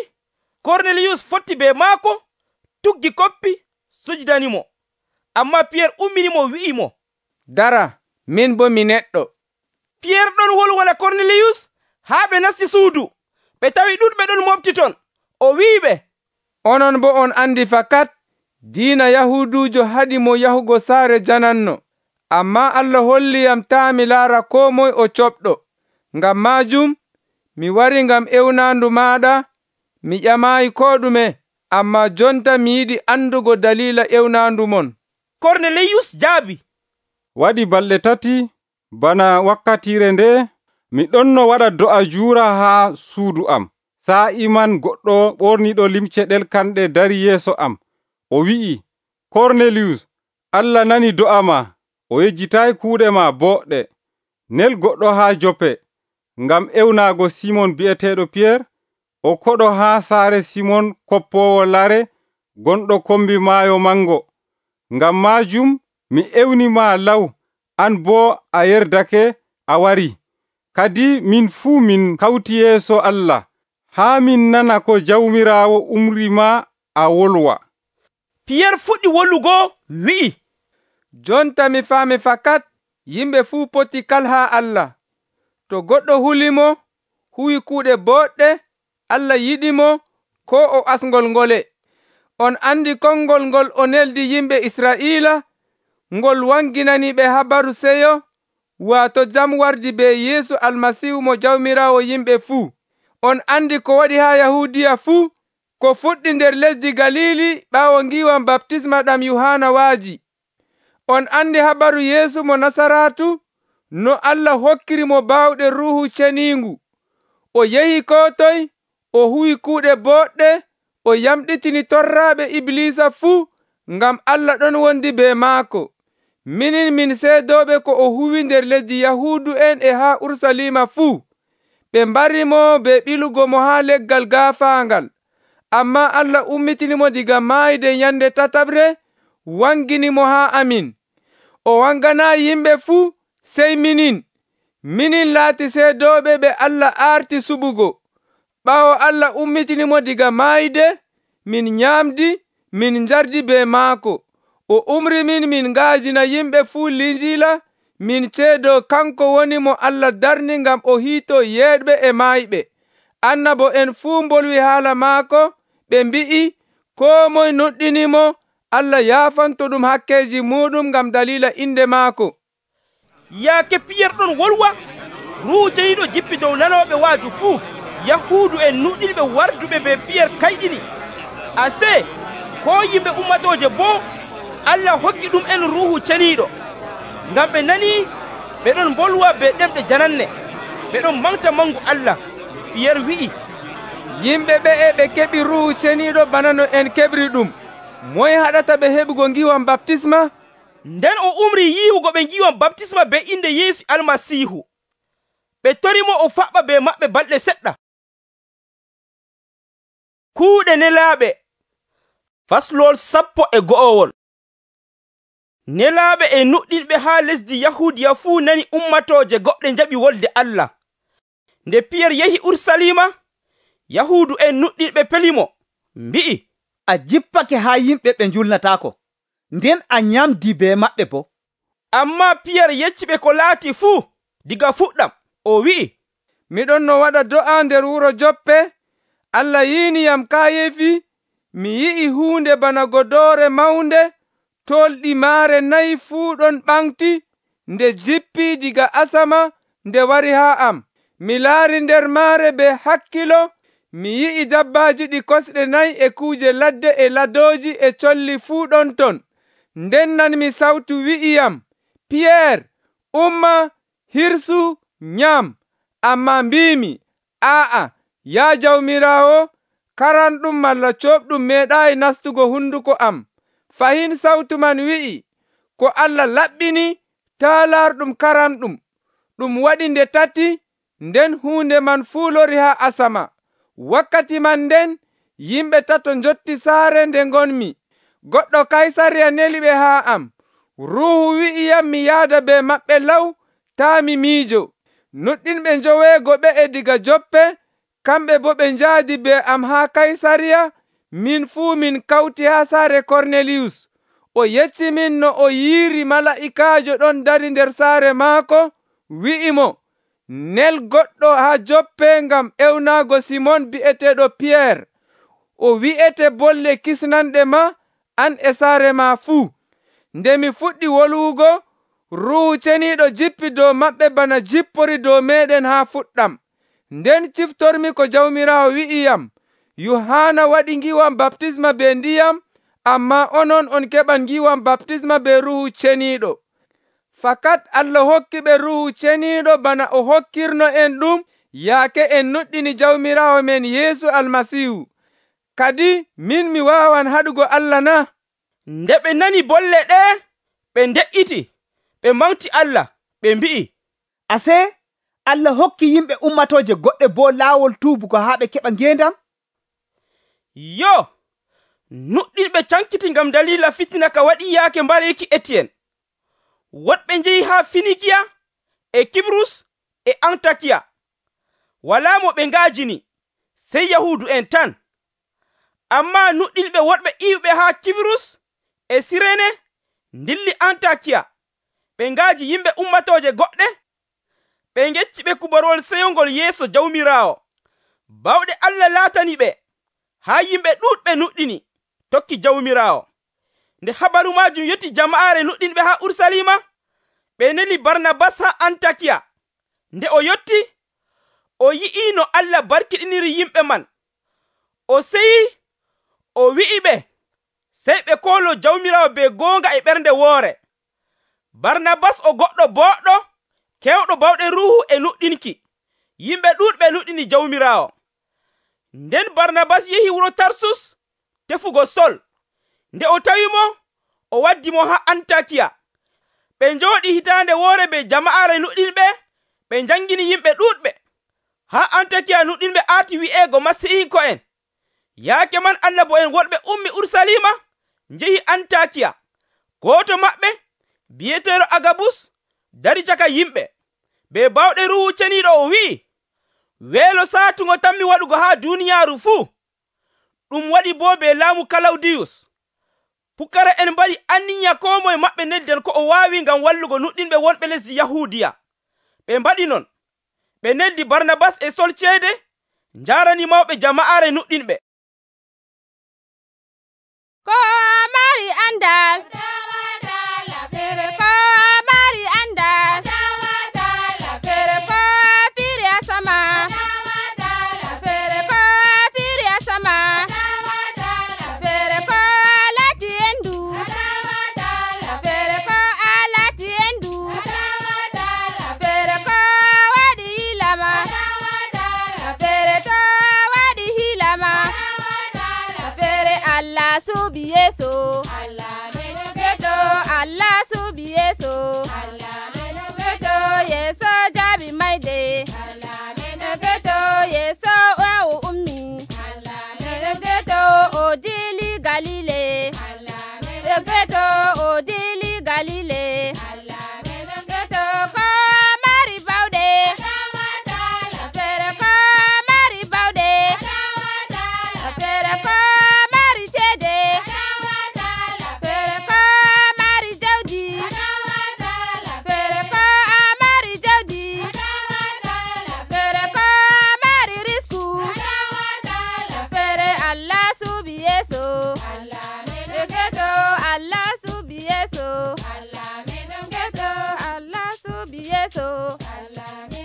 Korneliyus fotti be maako, tuggi koppi, sujudanimo. Ammaa Piyer umminimo wi'imo, Dara, min bo mi neɗɗo. Piyer ɗon wolwana Korneliyus haa ɓe nasti suudu. Ɓe tawi ɗuɗɓe ɗon mofti ton. O wi'iɓe, Onon bo on andi fakat diina Yahuudujo haɗi mo yahugo saare jananno. Ammaa Allah holliyam taa mi laara koo moye o coɓɗo. Ngam maajum, mi wari ngam ewnaandu maaɗa, mi ƴamaayi koo ɗume, ammaa jonta mi yiɗi andugo daliila ewnaandu mon. Korneliyus jaabi, Waɗi balɗe tati, bana wakkatire nde, mi ɗonno waɗa do'a juura haa suudu am. Saa'i man goɗɗo ɓorniɗo limce ɗelkanɗe dari yeeso am. O wi'i, Korneliyus, Allah nani do'a ma, o yejjitayi kuuɗe ma boɗɗe. Nel goɗɗo haa Joppe, ngam ewnaago Simon bi'eteeɗo Piyer, o koɗo haa saare Simon koppowo lare, gonɗo kombi maayo mango. Ngam maajum mi ewni ma law, an boo a yerdake a wari. Kadi min fuu min kawti yeeso Allah, haa min nana ko Jawmiraawo umri ma a wolwa. Piyer fuɗɗi wollugo wi'i, Jonta mi faami fakat yimɓe fuu poti kalhaa Allah. To goɗɗo hulimo, huwi kuuɗe boɗɗe, Allah yiɗimo, ko o asngol ngole. On andi konngol ngol o neldi yimɓe Israa'iila, ngol wanginani ɓe habaru seyo, waato jam wardi be Yeesu Almasiihu mo Jawmiraawo yimɓe fuu. On andi ko waɗi haa Yahuudiya fuu, ko fuɗɗi nder lesdi Galili ɓaawo ngiiwam baptisma ɗam Yohana waaji. On andi habaru Yeesu mo Nasaraatu, no Allah hokkiri mo baawɗe Ruuhu Ceniingu. O yehi koo toye, o huwi kuuɗe boɗɗe, o yamɗitini torraaɓe Ibliisa fuu, ngam Allah ɗon wondi be maako. Minin min seedooɓe ko o huwi nder lesdi Yahuudu en e haa Urusalima fuu. Ɓe mbarimo be ɓilugo mo haa leggal gaafaangal. Ammaa Allah ummitinimo diga maayde nyande tataɓre, wangini mo haa amin. O wanganaa yimɓe fuu, sey minin. Minin laati seedooɓe ɓe Allah aarti suɓugo. Ɓaawo Allah ummitinimo diga maayde, min nyaamdi, min njardi be maako. O umri min min ngaajina yimɓe fuu Linjiila, min ceedo kanko woni mo Allah darni ngam o hiitoo yeeɗɓe e maayɓe. Annabo en fuu mbolwi haala maako, ɓe mbi'i, koo moye nuɗɗinimo, Allah yaafanto ɗum hakkeeji muɗum ngam dalila inde maako. Yaake Piyerre ɗon wolwa, Ruuhu Ceniiɗo jippi dow nanooɓe waaju fuu. Yahuudu en nuɗɗinɓe warduɓe be Piyerre kayɗini. Ase, ko yimɓe ummatooje boo, Allah hokki ɗum en Ruuhu Ceniiɗo. Ngam ɓe nanii ɓe ɗon mbolwa be ɗemɗe jananne, ɓe ɗon manta mangu Allah. Piyerre wi'i, yimɓe ɓe'e ɓe keɓi Ruuhu Ceniiɗo bana no en keɓri ɗum. Moye haɗata ɓe heɓugo ngiiwam baptisma? Nden o umri yiiwugo ɓe ngiiwam baptisma be inde Yeesu Almasiihu. Ɓe torimo o faɓɓa be maɓɓe balɗe seɗɗa. Kuuɗe nelaaɓe. Faslol sappo e go'owol. Nelaaɓe e nuɗɗinɓe haa lesdi Yahuudiya fuu nani ummatooje goɗɗe njaɓi wolde Allah. Nde Piyerre yehi Urusalima, Yahuudu en nuɗɗinɓe pelimo, mbi'i, a jippake haa yimɓe ɓe njulnataako, nden a nyamdi be maɓɓe bo. Ammaa Piyerre yecciɓe ko laati fuu diga fuɗɗam. O wi'i, miɗon no waɗa do'a nder wuro Joppe. Allah yiiniyam kaayefi, mi yi'i huunde bana godoore mawnde, tolɗi maare nayi fuu ɗon ɓamti, nde jippi diga asama nde wari haa am. Mi laari nder maare be hakkilo, mi yi'i dabbaaji ɗi kosɗe nayi e kuuje ladde e ladooji e colli fuu ɗon ton. Nden nanmi sawtu wi'iyam, Piyerre, umma, hirsu, nyam. Ammaa mbiimi, aa'a, yaa Jawmiraawo, karanɗum malla cooɓɗum meeɗaayi nastugo hunduko am. Fahin sawtu man wi'i, ko Allah laɓɓini, taa laarɗum karanɗum. Ɗum waɗi nde tati, nden huunde man fuu lori haa asama. Wakkati man nden, yimɓe tato njotti saare nde ngonmi. Goɗɗo Kaysariya neli ɓe haa am. Ruuhu wi'iyam mi yaada be maɓɓe law, taa mi miijo. Nuɗɗinɓe njoweego ɓe'e diga Joppe, kamɓe boo ɓe njaadi be am haa Kaysariya. Min fuu min kawti haa saare Korneliyus. O yecci min no o yiiri mala'ikaajo ɗon dari nder saare maako, wi'imo, nel goɗɗo haa Joppe ngam ewnaago Simon bi'eteeɗo Piyerre. O wi'ete bolle kisnanɗe ma, an e saare ma fuu. Nde mi fuɗɗi wolwugo, Ruuhu Ceniiɗo jippi dow maɓɓe bana jippori dow meeɗen haa fuɗɗam. Nden ciftormi ko Jawmiraawo wi'iyam, Yohana waɗi ngiiwam baptisma be ndiyam, ammaa onon on keɓan ngiiwam baptisma be Ruuhu Ceniiɗo. Fakat Allah hokki ɓe Ruuhu Ceniiɗo bana o hokkirno en ɗum yaake en nuɗɗini Jawmiraawo men Yeesu Almasiihu. Kadi min mi waawan haɗugo Allah na? Nde ɓe nani bolle ɗe, ɓe nde'iti, ɓe manti Allah, ɓe mbi'i, ase Allah hokki yimɓe ummatooje goɗɗe boo laawol tuubugo haa ɓe keɓa ngeendam? Yo, nuɗɗinɓe cankiti ngam dalila fitina ka waɗi yaake mbareeki Etiyen. Woɗɓe njehi haa Finikiya e Kibrus e Antakiya. Walaa mo ɓe ngaajini, sey Yahuudu en tan. Ammaa nuɗɗinɓe woɗɓe iwɓe haa Kibrus e Sirene ndilli Antakiya. Ɓe ngaaji yimɓe ummatooje goɗɗe. Ɓe ngecci ɓe kubarol seyongol yeeso Jawmiraawo. Bawɗe Allah laatani ɓe, haa yimɓe ɗuuɗɓe nuɗɗini, tokki Jawmiraawo. Nde habaru maajum yotti jama'aare nuɗɗinɓe haa Urusalima, ɓe neli barnabas ha antakiya. Nde o yotti, o yi'i no Allah barkiɗiniri yimɓe man. O seyi, o wi'i ɓe, sey ɓe koolo Jawmiraawo be goonga e ɓernde woore. Barnabas o goɗɗo booɗɗo, kewɗo bawɗe ruuhu e nuɗɗinki. Yimɓe ɗuuɗɓe nuɗɗini Jawmiraawo. Nden Barnabas yehi wuro Tarsus tefugo Sol. Nde o tawimo, o waddi mo ha Antakiya. Ɓe njooɗi hitaande woore be jama'are nuɗɗinɓe, ɓe njangini yimɓe ɗuuɗɓe. Ha Antakiya nuɗɗinɓe aati wi'eego Masiihiko'en. Yaake man annabo'en wonɓe ummi Urusalima njehi Antakiya. Gooto maɓɓe, bi'eteeɗo Agabus, dari caka yimɓe. Be bawɗe Ruuhu Ceniiɗo o wi'i, weelo saatugo tammi waɗugo haa duuniyaaru fuu. Ɗum waɗi boo be laamu Kalawdiyus. Pukara en mbaɗi anniya koo moye maɓɓe nelden ko o waawi ngam wallugo nuɗɗinɓe wonɓe lesdi Yahuudiya. Ɓe mbaɗi non. Ɓe neldi Barnabas e Sol ceede, njaarani mawɓe jama'aare nuɗɗinɓe. Ko mari andal fere ko mari andal fere ko firi asama fere ko firi asama fere ko lati endu fere ko alati endu fere ko wadi hilama fere to wadi hilama fere Allah subi yeso keto Allah subi yeso keto yeso jabi maide keto yeso wa ummi keto odili galile keto odili galile keto ko mari baude fere ko mari baude fere ko mari chede fere ko mari jawdi fere ko mari jawdi fere ko mari risku fere Allah subi yeso keto Allah subi yeso keto Allah subi yeso keto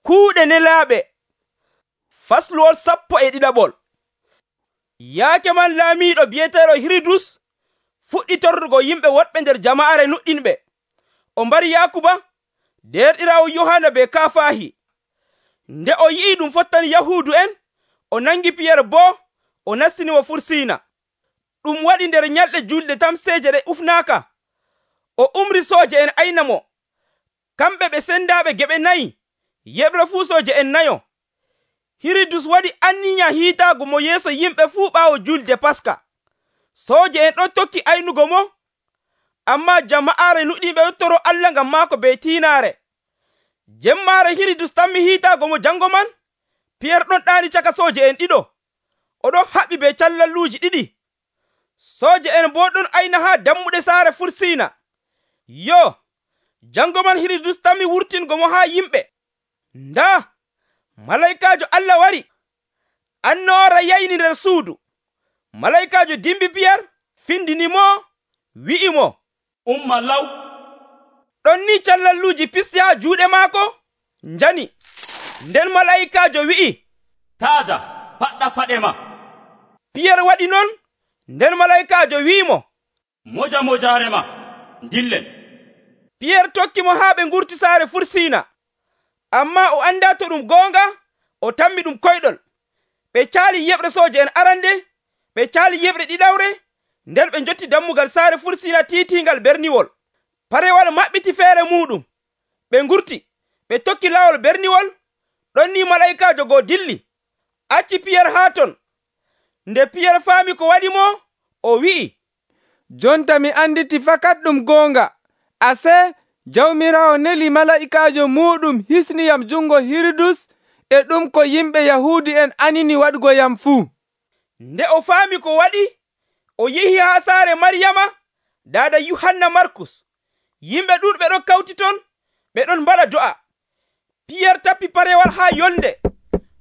Kuuɗe nelaaɓe. Fasluwol sappo e ɗiɗaɓol. Yaake man laamiiɗo bi'eteeɗo Hiridus fuɗɗi torrugo yimɓe woɗɓe nder jama'are nuɗɗinɓe. O mbari Yaakuba, derɗiraawo Yohanna be Kaafahi. Nde o yi'i ɗum fottani Yahuudu en, o nangi Piyere boo o nastinimo Fursiina. Ɗum waɗi nder nyalɗe julɗe tamseeje ɗe ufnaaka. O umri sooje en ayna mo. Kamɓe ɓe sendaaɓe geɓe nayi, yeɓre fuu sooje en nayo. Hiridus waɗi anniya hiitaago mo yeeso yimɓe fuu ɓaawo julde Paska. Sooje en ɗon tokki aynugo mo, ammaa jama'aare nuɗɗinɓe yottoro Allah ngam maako be tiinaare. Jemmaare Hiridus tammi hiitaago mo jango man, Piyere ɗon ɗaani caka sooje en ɗiɗo, oɗon haɓi be callalluuji ɗiɗi. Sooje en boo ɗon ayna haa dammuɗe saare Fursiina. Yo, jango man Hiridus tammi wurtingo mo haa yimɓe. Ndaa, malaykaajo Allah wari, annoora yayni nder suudu. Malaykaajo dimbi Piyere, findini mo, wi'i mo, umma law. ɗon ni callalluuji pisti haa juuɗe maako, njani. Nden malaykaajo wi'i, taada, paɗɗa paɗe ma. Piyere waɗi non, nden malaykaajo wi'imo, moja mojaare ma, dillen. Piyere tokki mo haa ɓe ngurti saare Fursiina. Ammaa o anndaa to ɗum goonga, o tammi ɗum koyɗol. Ɓe caali yeɓre sooje en arande, ɓe caali yeɓre ɗiɗawre, nden ɓe njotti dammugal saare Fursiina tiitingal berniwol. Parewal maɓɓiti feere muɗum. Ɓe ngurti, ɓe tokki lawol berniwol, ɗon ni malaykaajo goo dilli, acci Piyere haa ton. Nde Piyere faami ko waɗi mo, o wi'i, jonta mi anditi fakat ɗum goonga. Ase Jawmiraawo neli malaa'ikaajo muɗum hisniyam jungo Hiridus e ɗum ko yimɓe Yahuudi en anini waɗugo yam fuu. Nde o faami ko waɗi, o yehi haa saare Maryama, daada Yuhanna Markus. Yimɓe ɗuɗɓe ɗon kawti ton, ɓe ɗon mbaɗa do'a. Piyerre tappi parewal haa yolnde.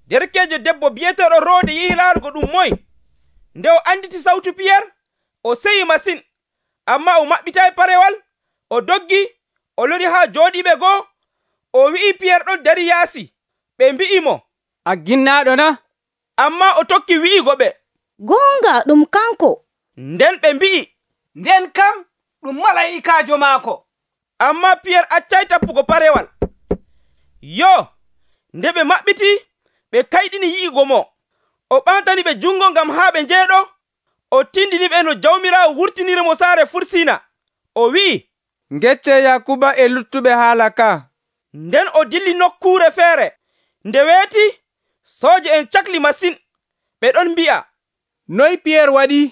Derkeejo debbo bi'eteeɗo Roode yehi laarugo ɗum moye. Nde o anditi sawtu Piyerre, o seyi masin, ammaa o maɓɓitaayi parewal. O doggi, o lori haa jooɗiiɓe goo. O wi'i Piyerre ɗon dari yaasi. Ɓe mbi'i mo, a ginnaaɗo na? Ammaa o tokki wi'igo ɓe, gonga ɗum kanko. Nden ɓe mbi'i, nden kam ɗum malayikaajo maako. Ammaa Piyerre accay tappugo parewal. Yo, nde ɓe maɓɓiti, ɓe kayɗini yi'igo mo. O ɓamtani ɓe jungo ngam haa ɓe njeeɗo. O tindini ɓe no Jawmiraawo wurtiniri mo saare Fursina. O wi'i, ngecce Yakuba e luttuɓe haala ka. Nden o dilli nokkuure feere. Nde weeti, sooje en cakli masin. Ɓe ɗon mbi'a, noy Piyerre waɗi?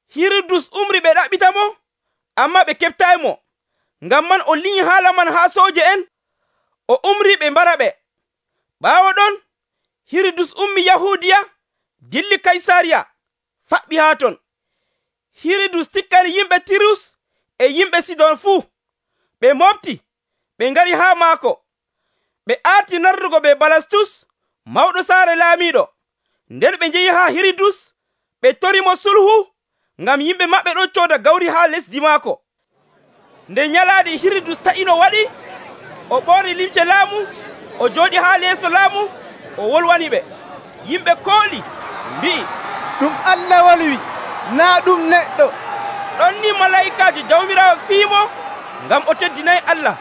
Hirudus umri ɓe ɗaɓɓita mo, ammaa ɓe keɓtaymo. Ngam man o liñi haala man haa sooje en. O umri ɓe mbara ɓe. Ɓaawo ɗon, Hirudus ummi Yahuudiya, dilli Kaysariya, faɓɓi haa ton. Hirudus tikkani yimɓe Tirus e yimɓe Sidon fuu. Ɓe mofti, ɓe ngari haa maako. Ɓe aati narrugo be Balastus, mawɗo saare laamiiɗo. Nden ɓe njehi haa Hirudus, ɓe torimo sulhu, ngam yimɓe maɓɓe ɗon cooda gawri haa lesdi maako. Nde nyalaade Hirudus ta'ino waɗi, o ɓorni limce laamu, o jooɗi haa leeso laamu, o wolwani ɓe. Yimɓe kooli, mbi'i, ɗum Allah wolwi, naa ɗum neɗɗo. Ɗon ni malayikaajo Jawmiraawo fiimo, ngam o teddinayi Allah.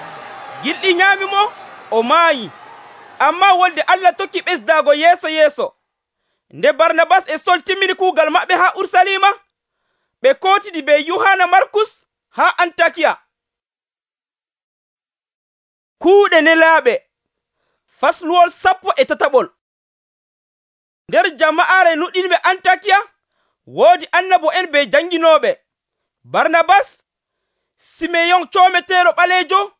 Gilɗi nyaami mo, o maayi. Ammaa wolde Allah tokki ɓesdaago yeeso yeeso. Nde Barnabas e Sol timmini kuugal maɓɓe haa Urusalima, ɓe kootidi be Yuhanna Markus haa Antakiya. Kuuɗe nelaaɓe. Fasluwol sappo e tataɓol. Nder jama'aare nuɗɗinɓe Antakiya, woodi annabo'en be janginooɓe. Barnabas, Simeyon coometeeɗo ɓaleejo,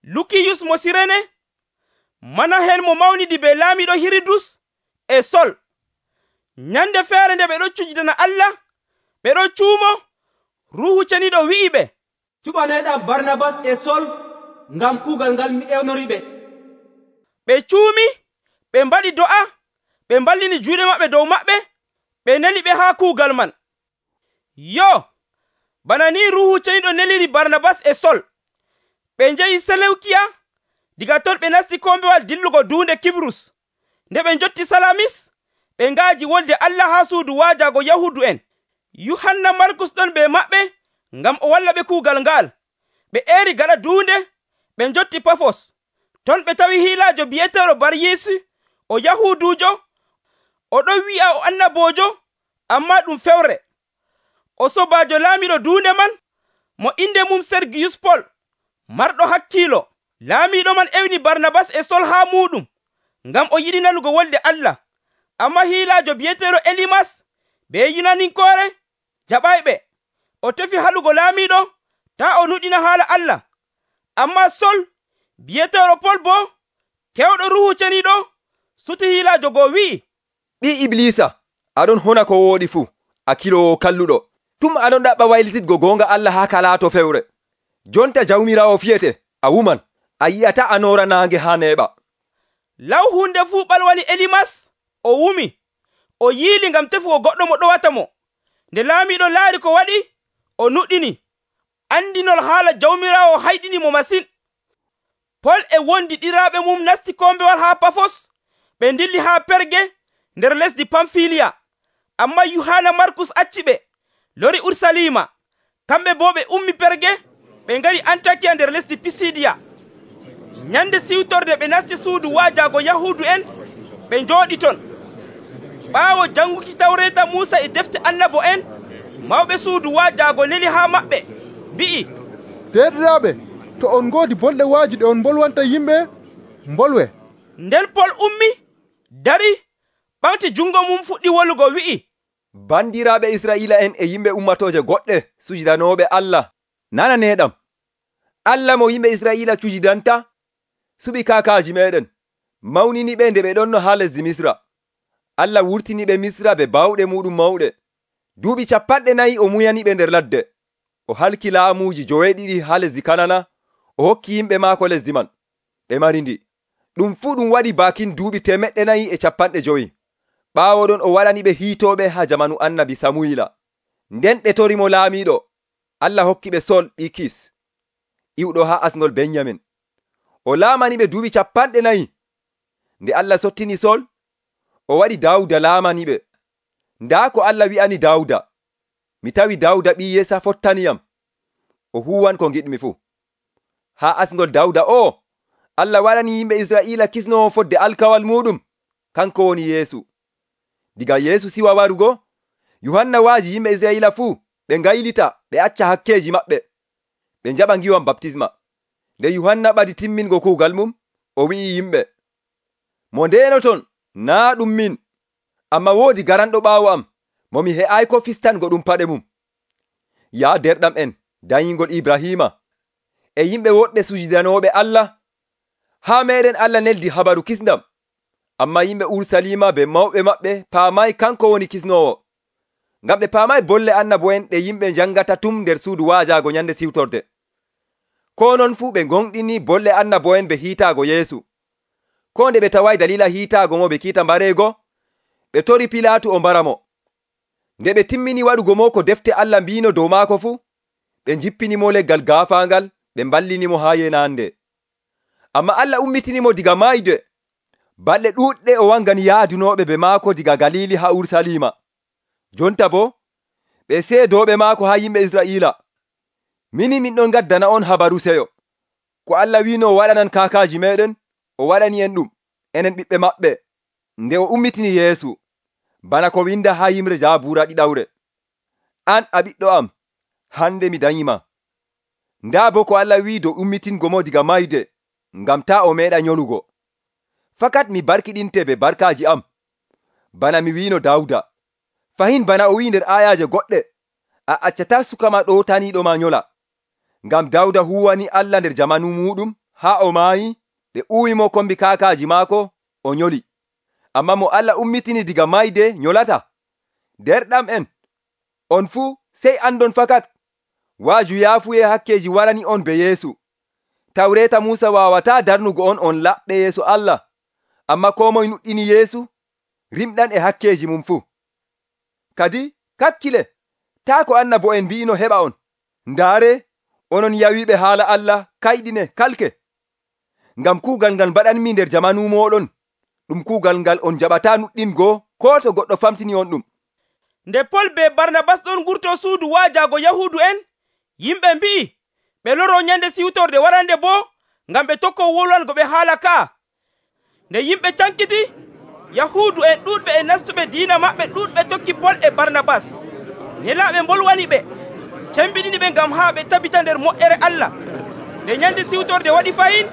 Lukiyus mo Sirene, Manahen mo mawnidi be laamiiɗo Hirudus, e Sol. Nyande feere nde ɓe ɗon cujidana Allah, ɓe ɗon cuumo, Ruuhu Ceniiɗo wi'i ɓe, cuɓaneɗam Barnabas e Sol ngam kuugal ngal mi ewnori ɓe. Ɓe cuumi, ɓe mbaɗi do'a, ɓe mballini juuɗe maɓɓe dow maɓɓe, ɓe neli ɓe haa kuugal man. Yo, bana ni Ruuhu Ceniiɗo neliri Barnabas e Sol. Ɓe njehi Selewkiya, diga ton ɓe nasti kombewal dillugo duunde Kibrus. Nde ɓe njotti Salamis, ɓe ngaaji wolde Allah haa suudu waajaago Yahuudu en. Yuhanna Markus ɗon be maɓɓe, ngam o walla ɓe kuugal ngal. Ɓe eeri gaɗa duunde, ɓe njotti Pafos. Ton ɓe tawi hiilaajo bi'eteeɗo Baryeesu, o Yahuuduujo. O ɗon wi'a o annaboojo, ammaa ɗum fewre. O sobaajo laamiiɗo duunde man, mo inde mum Sergiyus Pol, marɗo hakkiilo. Laamiiɗo man ewni Barnabas e Sol haa muuɗum, ngam o yiɗi nanugo wolde Allah. Ammaa hiilaajo bi'eteeɗo Elimas be Yunaninkoore jaɓayɓe. O tefi haɗugo laamiiɗo taa o nuɗɗina haala Allah. Ammaa Sol bi'eteeɗo Pol boo, kewɗo Ruuhu Ceniiɗo, suti hiilaajo goo wi'i, ɓi Iblisa, aɗon hona ko wooɗi fuu, a kiloowo kalluɗo. Tum aɗon ɗaɓɓa waylititgo goonga Allah haa ka laato fewre. Jonta Jawmiraawo fiyete, a wuman, a yi'ata a noora naange haa neeɓa. Law hunde fuu ɓalwani Elimas, o wumi, o yiili ngam tefugo goɗɗo mo ɗowata mo. Nde laamiiɗo laari ko waɗi, o nuɗɗini. Andinol haala Jawmiraawo hayɗini mo masin. Pol e wondi ɗiraaɓe mum nasti kombewal haa Pafos, ɓe ndilli haa Perge nder lesdi Pamfiliya. Ammaa Yuhanna Markus acci ɓe, lori Urusalima. Kamɓe boo ɓe ummi Perge, ɓe ngari Antakiya nder lesdi Pisidiya. Nyande siwtorde ɓe nasti suudu waajaago Yahuudu en, ɓe njooɗi ton. Ɓaawo janguki Tawreeta Muusa e defte annabo en, mawɓe suudu waajaago neli haa maɓɓe, mbi'i, Derɗiraaɓe, to on ngoodi bolɗe waaji ɗe on mbolwanta yimɓe, mbolwe. Nden Pol ummi, dari, ɓamti jungo mum fuɗɗi wolugo wi'i, Bandiraaɓe Israa'iila en e yimɓe ummatooje goɗɗe sujidanooɓe Allah, nananeeɗam. Allah mo yimɓe Israa'iila cujidanta, suɓi kaakaaji meɗen, mawnini ɓe nde ɓe ɗonno haa lesdi Misra. Allah wurtiniɓe Misra be bawɗe muɗum mawɗe. Duuɓi capanɗe nayi o muyaniɓe nder ladde. O halki laamuuji joweeɗiɗi haa lesdi Kanana, o hokki yimɓe maako lesdi man, ɓe mari ndi. Ɗum fuu ɗum waɗi baakin duuɓi temeɗɗe nayi e capanɗe jowi. Ɓaawo ɗon o waɗaniɓe hiitooɓe haa jamanu annabi Samuyila. Nden ɓe torimo laamiiɗo. Allah hokki ɓe Sol ɓi Kis, iwɗo haa asngol Benyamin. O laamaniɓe duuɓi capanɗe nayi. Nde Allah sottini Sol, o waɗi Daawuda laamaniɓe. Ndaa ko Allah wi'ani Daawuda, mi tawi Daawuda ɓii Yesa fottaniyam, o huwan ko giɗmi fuu. Haa asngol Daawuda o, Allah waɗani yimɓe Israa'iila kisnowo fodde alkawal muɗum, kanko woni Yeesu. Diga Yeesu siwa warugo, Yohanna waaji yimɓe Israa'iila fuu ɓe ngaylita ɓe acca hakkeeji maɓɓe, ɓe njaɓa ngiwam baptisma. Nde Yohanna ɓadi timmingo kuugal mum, o wi'i yimɓe, mo ndenoton naa ɗum min, amma woodi garanɗo ɓaawo am, mo mi he'ayko fistango ɗum paɗe mum. Yaa derɗam en dayingol Ibrahima e yimɓe woɗɓe sujudanooɓe Allah, haa meɗen Allah neldi habaru kisndam, amma yimɓe Urusalima be mawɓe maɓɓe paamay kanko woni kisnowo, ngam ɓe paamay bolle annabo'en ɗe yimɓe njangata tum nder suudu waajaago nyande siwtorde. Ko non fuu ɓe gonɗini bolle annabo'en be hiitaago Yeesu. Ko nde ɓe taway dalila hiitaago mo be kiita mbareego, ɓe tori Pilaatu o mbara mo. Nde ɓe timmini waɗugo mo ko defte Allah mbiino dow maako fuu, ɓe jippini mo leggal gaafaangal, ɓe mballini mo haa yenande. Amma Allah ummitini mo diga mayde. Balɗe ɗuuɗɗe o wangani yaadunooɓe be maako diga Galili haa Urusalima. Jonta bo, ɓe seedooɓe maako haa yimɓe Israa'iila. Mini min ɗon gaddana on habaru seyo. Ko Allah wiino o waɗanan kaakaaji meɗen, o waɗani en ɗum, enen ɓiɓɓe maɓɓe, nde o ummitini Yeesu, bana ko winda haa yimre Jaabuura ɗiɗawre. An a ɓiɗɗo am, hande mi danyima. Ndaa bo ko Allah wi dow ummitingo mo diga mayde, ngam taa o meeɗa nyolugo. Fakat mi barkiɗinte be barkaaji am, bana mi wiino Daawuda. Fahin bana o wi nder ayaaje goɗɗe, a accata suka ma ɗootaniiɗo ma nyola. Ngam Daawuda huwani Allah nder jamanu muɗum, haa o maayi, ɓe uwimo kombi kaakaaji maako, o nyoli. Amma mo Allah ummitini diga mayde nyolata. Derɗam en, on fuu sey andon fakat, waaju yaafuye hakkeeji warani on be Yeesu. Tawreeta Muusa waawataa darnugo on on laɓɓe yeeso Allah, amma ko moye nuɗɗini Yeesu, rimɗan e hakkeeji mum fuu. Kadi kakkile, taa ko annabo'en mbi'ino heɓa on. Ndaare, onon yawiɓe haala Allah kayɗine kalke. Ngam kuugal ngal mbaɗanmi nder jamanu moɗon, ɗum kuugal ngal on jaɓataa nuɗɗingo ko to goɗɗo famtini on ɗum. Nde Pol be Barnabas ɗon ngurto suudu waajaago Yahuudu en, yimɓe mbi'i ɓe loro nyande siwtorde warande bo, ngam ɓe tokko wolwango ɓe haala ka. Nde yimɓe cankiti, Yahuudu en ɗuuɗɓe e nastuɓe diina maɓɓe ɗuuɗɓe tokki Pol e Barnabas. Nelaaɓe mbolwani ɓe, cembiɗini ɓe ngam haa ɓe tabita nder moƴƴere Allah. Nde nyande siwtorde waɗi fayin,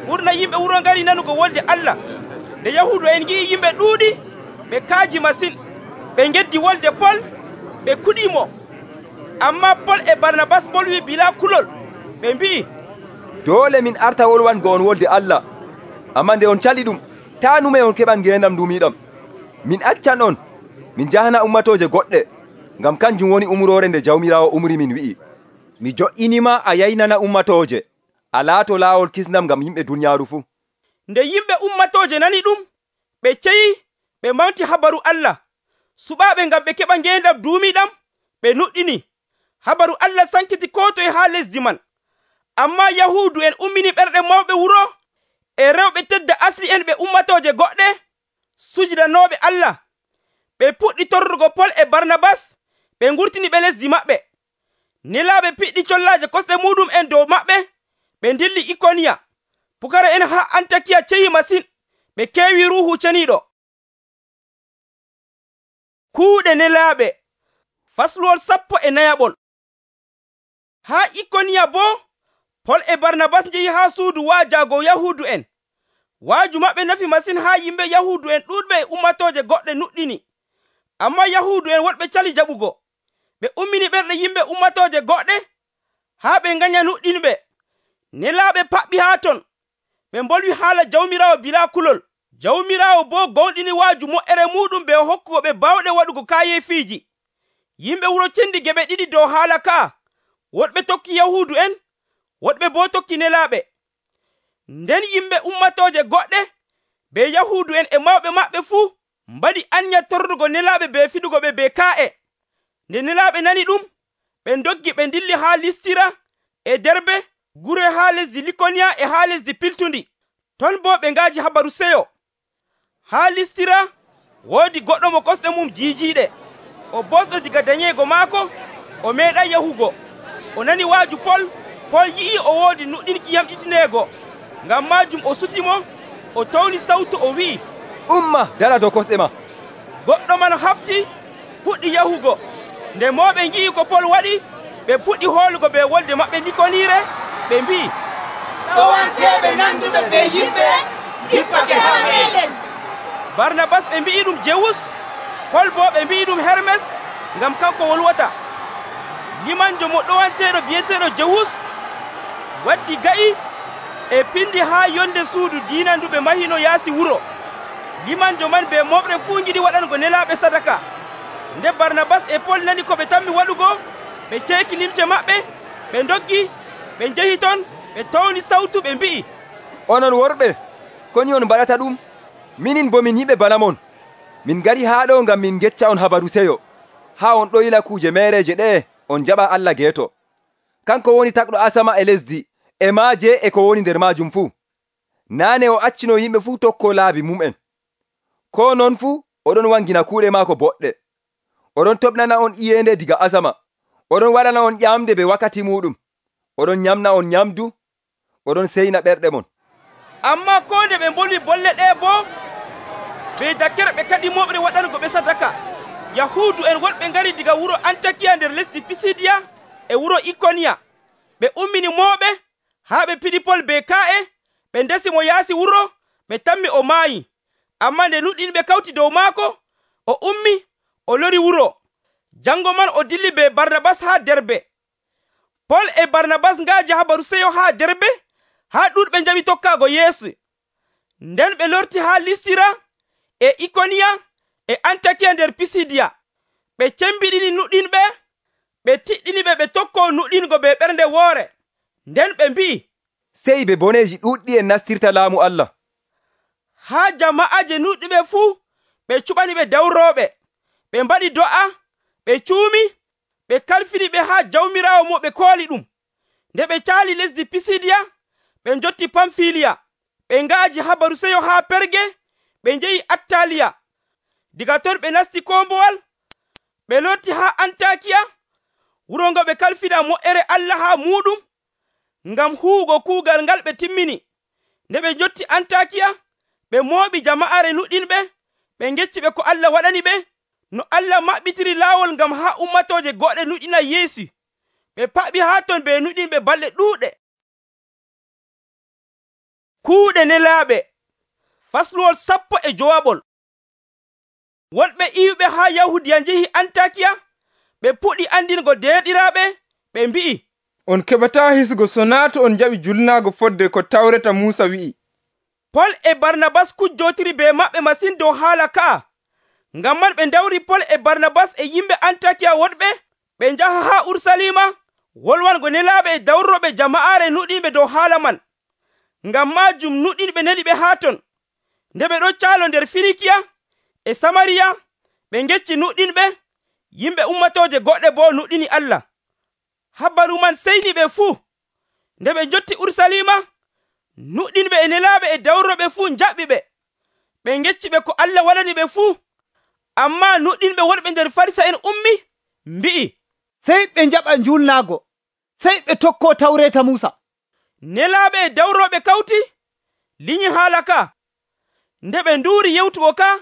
ɓurna yimɓe wuro ngari nanugo wolde Allah. Nde Yahuudu en ngi'i yimɓe ɗuuɗi, ɓe kaaji masin, ɓe geddi wolde Pol, ɓe kuɗimo. Amma Pol e Barnabas bolwi bila kulol, ɓe mbi'i, doole min arta wolwango on wolde Allah, amma nde on cali ɗum, taa nume on keɓan ngendam dumiɗam. Min accan on, min jahana ummatoje goɗɗe, ngam kanjum woni umrore nde Jawmirawo umri min wi'i, mi jo'inima a yaynana ummatoje, a laato laawol kisnam ngam yimɓe duniyaaru fuu. Nde yimɓe ummatoje nani ɗum, ɓe ceyi, ɓe mawti habaru Allah. Suɓaaɓe ngam ɓe keɓa ngendam duumiɗam, ɓe nuɗɗini. Habaru Allah sankiti ko toye haa lesdi man. Amma Yahuudu en ummini ɓerɗe mawɓe wuro, e rewɓe tedda asli en ɓe ummatoje goɗɗe, sujudanooɓe Allah. Ɓe puɗɗi torrugo Pol e Barnabas, ɓe ngurtini ɓe lesdi maɓɓe. Nelaaɓe piɗɗi collaaje kosɗe muɗum en dow maɓɓe, ɓe dilli Ikoniya. Pukara en haa Antakiya ceyi masin, ɓe keewi Ruuhu Ceniiɗo. Kuuɗe nelaaɓe, fasluwol sappo e nayaɓol. Haa Ikoniya boo, Pol e Barnabas njehi haa suudu waajaago Yahuudu en. Waaju maɓɓe nafi masin haa yimɓe Yahuudu en ɗuuɗɓe e ummatoje goɗɗe nuɗɗini. Amma Yahuudu en woɗɓe cali jaɓugo. Ɓe ummini ɓerɗe yimɓe ummatoje goɗɗe, haa ɓe nganya nuɗɗinɓe. Nelaaɓe paɓɓi haa ton, ɓe mbolwi haala Jawmirawo bilaa kulol. Jawmiraawo boo gonɗini waaju mo'ere muɗum be hokkugo ɓe bawɗe waɗugo kaayefiiji. Yimɓe wuro cendi geɓe ɗiɗi dow haala ka, woɗɓe tokki Yahuudu en, woɗɓe boo tokki nelaaɓe. Nden yimɓe ummatooje goɗɗe be Yahuudu en e mawɓe maɓɓe fuu mbaɗi anya torrugo nelaaɓe be fiɗugo ɓe be kaa'e. Nde nelaaɓe nani ɗum, ɓe ndoggi ɓe dilli haa Listira e Derbe, gure haa lesdi Likoniya e haa lesdi Piltundi. Ton boo ɓe ngaaji habaru seyo. Haa Listira woodi goɗɗo mo kosɗe mum jiijiiɗe. O bosɗo diga dañeego maako, o meeɗay yahugo. O nani waaju Pol, Pol yi'i o woodi nuɗɗinki yamɗitineego. Ngam maajum o sutimo, o tawni sawtu o wi'i, umma dara dow kosɗe ma. Goɗɗo man hafti fuɗɗi yahugo. Nde mawɓe ngi'i ko Pol waɗi, ɓe puɗɗi hoolugo be wolde maɓɓe likoniire, ɓe mbi'i, ɗowanteɓe nanduɓe be yimɓe jippake haa meɗen. Barnabas ɓe mbi'i ɗum Jewus, Pol boo ɓe mbi'i ɗum Hermes, ngam kanko wolwata. Limanjo mo ɗowanteeɗo bi'eteeɗo Jewus waddi ga'i e pindi haa yonde suudu diinandu ɓe mahino yaasi wuro. Limanjo man be moɓre fuu ngiɗi waɗango nelaaɓe sadaka. Nde Barnabas e Pol nani ko ɓe tammi waɗugo, ɓe ceeki limce maɓɓe, ɓe ndoggi, ɓe njehi ton, ɓe tawni sawtu ɓe mbi'i, onon worɓe, koni on mbaɗata ɗum? Minin bo min yiɓe bana mon. Min ngari haa ɗo ngam min gecca on habaru seyo, haa on ɗoyila kuuje meereje ɗe'e on jaɓa Allah geeto. Kanko woni takɗo asama e lesdi, e maaje e ko woni nder maajum fuu. Naane o accino yimɓe fuu tokko laabi mum'en. Ko non fuu oɗon wangina kuuɗe maako boɗɗe. Oɗon toɓnana on iyende diga asama. Oɗon waɗana on ƴamde be wakkati muɗum. Oɗon nyamna on nyamdu, oɗon seyna ɓerɗe mon. Ammaa ko nde ɓe mbolwi bolle ɗe boo, be dakkere ɓe kadi moɓre waɗango ɓe sadaka. Yahuudu en woɗɓe ngari diga wuro Antakiya nder lesdi Pisidiya e wuro Ikoniya. Ɓe ummini mooɓe haa ɓe piɗi Pol be kaa'e, ɓe ndesi mo yaasi wuro, ɓe tammi o maayi. Ammaa nde nuɗɗinɓe kawti dow maako, o ummi, o lori wuro. Jango man o dilli be Barnabas haa Derbe. Pol e Barnabas ngaaji habaru seyo haa Derbe, haa ɗuuɗɓe njaɓi tokkaago Yeesu. Nden ɓe lorti haa Listira e Ikoniya e Antakiya nder Pisidiya. Ɓe cembiɗini nuɗɗinɓe, ɓe tiɗɗiniɓe ɓe tokkoo nuɗɗingo be ɓernde woore. Nden ɓe mbi'i, sey be boneeji ɗuuɗɗi en nastirta laamu Allah. Haa jama'aje nuɗɗiɓe fuu ɓe cuɓani ɓe dawrooɓe. Ɓe mbaɗi do'a, ɓe cuumi, ɓe kalfini ɓe haa jawmiraawo mo ɓe kooli ɗum. Nde ɓe caali lesdi Pisidiya, ɓe njotti Pamfiliya. Ɓe ngaaji habaru seyo haa Perge, ɓe njehi Attaliya. Diga ton ɓe nasti kombowal, ɓe lotti haa Antakiya, wuro ngo ɓe kalfina mo'ere Allah haa muɗum, ngam huugo kuugal ngal ɓe timmini. Nde ɓe njotti Antakiya, ɓe mooɓi jama'are nuɗɗinɓe, ɓe ngecci ɓe ko Allah waɗani ɓe, no Allah maɓɓitiri laawol ngam haa ummatooje goɗɗe nuɗɗina Yeesu. Ɓe paɓi haa ton be nuɗɗinɓe balɗe ɗuuɗe. Kuuɗe nelaaɓe. Fasluwol sappo e jowaɓol. Woɗɓe iwɓe haa Yahudiya njehi Antakiya, ɓe puɗɗi andingo derɗiraaɓe, ɓe mbi'i, on keɓataa hisgo so naa to on jaɓi julnaago fodde ko tawreta Muusa wi'i. Pol e Barnabas kujjotiri be maɓɓe masin dow haala ka'a. Ngam man ɓe ndawri Pol e Barnabas e yimɓe Antakiya woɗɓe, ɓe njaha haa Urusalima, wolwango nelaaɓe e dawroɓe jama'aare nuɗɗinɓe dow haala man. Ngam maajum nuɗɗinɓe neli ɓe haa ton. Nde ɓe ɗon caalo nder Firikiya e Samariya, ɓe ngecci nuɗɗinɓe, yimɓe ummatooje goɗɗe boo nuɗɗini Allah. Habaru man seyni ɓe fuu. Nde ɓe njotti Urusalima, nuɗɗinɓe e nelaaɓe e dawroɓe fuu njaɓɓi ɓe. Ɓe ngecci ɓe ko Allah waɗani ɓe fuu. Ammaa nuɗɗinɓe wonɓe nder Farisa en ummi, mbi'i, sey ɓe njaɓa njulnaago, sey ɓe tokkoo tawreeta Muusa. Nelaaɓe e dawroɓe kawti, liñi haala ka. Nde ɓe nduuri yewtugo ka,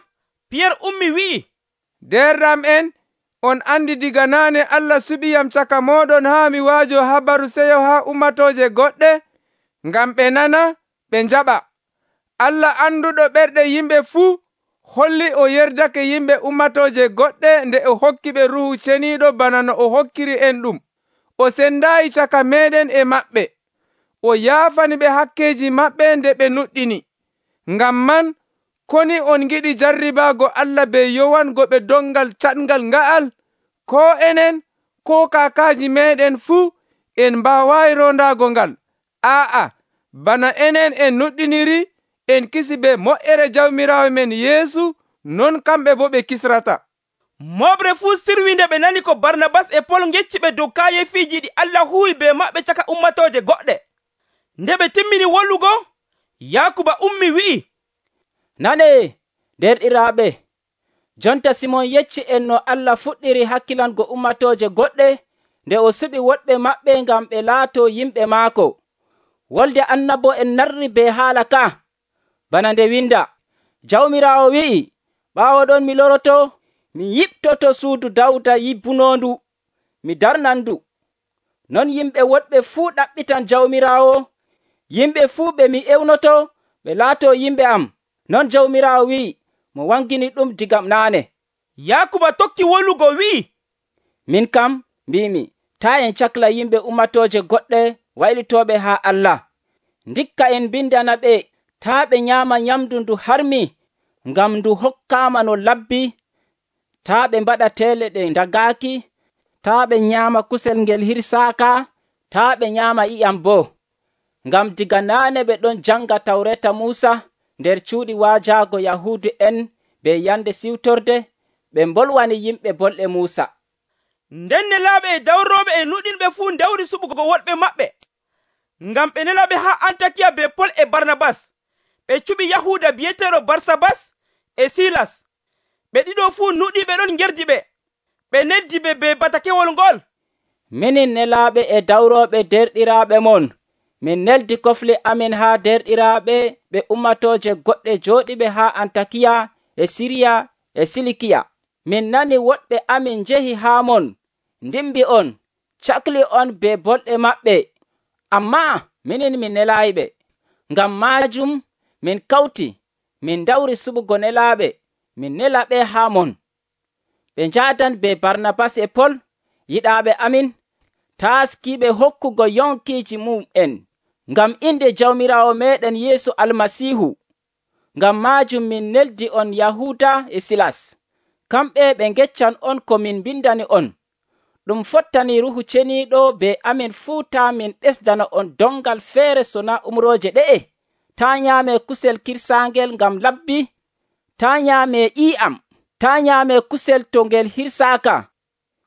Piyer ummi wi'i, Derɗam en, on andi diga naane Allah suɓiyam caka mooɗon haa mi waajo habaru seyo haa ummatooje goɗɗe, ngam ɓe nana, ɓe njaɓa. Allah anduɗo ɓerɗe yimɓe fuu, holli o yerdake yimɓe ummatooje goɗɗe nde o hokki ɓe Ruuhu Ceniiɗo bana no o hokkiri en ɗum. O sendaayi caka meɗen e maɓɓe. O yaafani ɓe hakkeeji maɓɓe nde ɓe nuɗɗini. Ngam man, koni on giɗi jarribaago Allah be yowango ɓe dongal catngal nga'al, ko enen ko kaakaaji meeɗen fuu en mbaawayi rondaago ngal. Aa'a, bana enen en nuɗɗiniri en kisi be moƴƴere Jawmiraawo men Yeesu, non kamɓe boo ɓe kisrata. Moɓre fuu sirwi nde ɓe nani ko Barnabas e Pol ngecci ɓe dow kaayefiiji ɗi Allah huwi be maɓɓe caka ummatooje goɗɗe. Nde ɓe timmini wollugo, Yaakuba ummi wi'i, nane derɗiraaɓe, jonta Simon yecci en no Allah fuɗɗiri hakkilango ummatooje goɗɗe nde o suɓi woɗɓe maɓɓe ngam ɓe laato yimɓe maako. Wolde annabo en narri be haala ka, bana nde winda, Jawmiraawo wi'i, ɓaawo ɗon mi loroto, mi yiɓtoto suudu Dawda yibbunondu, mi darnan ndu. Non yimɓe woɗɓe fuu ɗaɓɓitan Jawmiraawo, yimɓe fuu ɓe mi ewnoto ɓe laato yimɓe am. Non Jawmiraawo wi'i, mo wangini ɗum digam naane. Yaakuba tokki wollugo wi'i, min kam mbimi, taa en cakla yimɓe ummatooje goɗɗe waylitooɓe haa Allah. Ndikka en bindana ɓe taa ɓe nyaama nyamndu ndu harmi, ngam ndu hokkaama no labbi, taa ɓe mbaɗa teele ɗe ndagaaki, taa ɓe nyaama kusel ngel hirsaaka, taa ɓe nyaama ƴiƴam boo. Ngam diga naane ɓe ɗon janga Tawreta Muusa nder cuuɗi waajaago Yahuudu en be yande siwtorde, ɓe mbolwani yimɓe bolɗe Muusa. Nden nelaaɓe e dawrooɓe e nuɗinɓe fuu ndewri suɓugo woɗɓe maɓɓe, ngam ɓe nelaɓe haa Antakiya be Pol e Barnabas. Ɓe cuɓi Yahuuda bi'eteeɗo Barsabas e Silas. Ɓe ɗiɗo fuu nuɗiɓe ɗon ngerdi ɓe. Ɓe neddi ɓe be batakewol ngol. Minin nelaaɓe e dawrooɓe derɗiraaɓe mon, min neldi kofle amin haa derɗiraaɓe ɓe ummatooje goɗɗe jooɗiɓe haa Antakiya e Siriya e Silikiya. Min nani woɗɓe amin njehi haa mon, ndimbi on, cakli on be bolɗe maɓɓe, ammaa minin min nelaayiɓe. Ngam maajum min kawti, min dawri suɓugo nelaaɓe, min nela ɓe haa mon. Ɓe njaadan be Barnabas e Pol, yiɗaaɓe amin, taaskiiɓe hokkugo yonkiiji mum'en, ngam inde Jawmiraawo meeɗen Yeesu Almasiihu. Ngam maajum min neldi on Yahuuda e Silas. Kamɓe ɓe ngeccan on ko min mbindani on. Ɗum fottani Ruuhu Ceniiɗo be amin fuu taa min ɓesdana on dongal feere sona umrooje ɗe'e. Taa nyaame kusel kirsaangel ngam labbi, taa nyaame ƴii'am, taa nyaame kusel to ngel hirsaaka,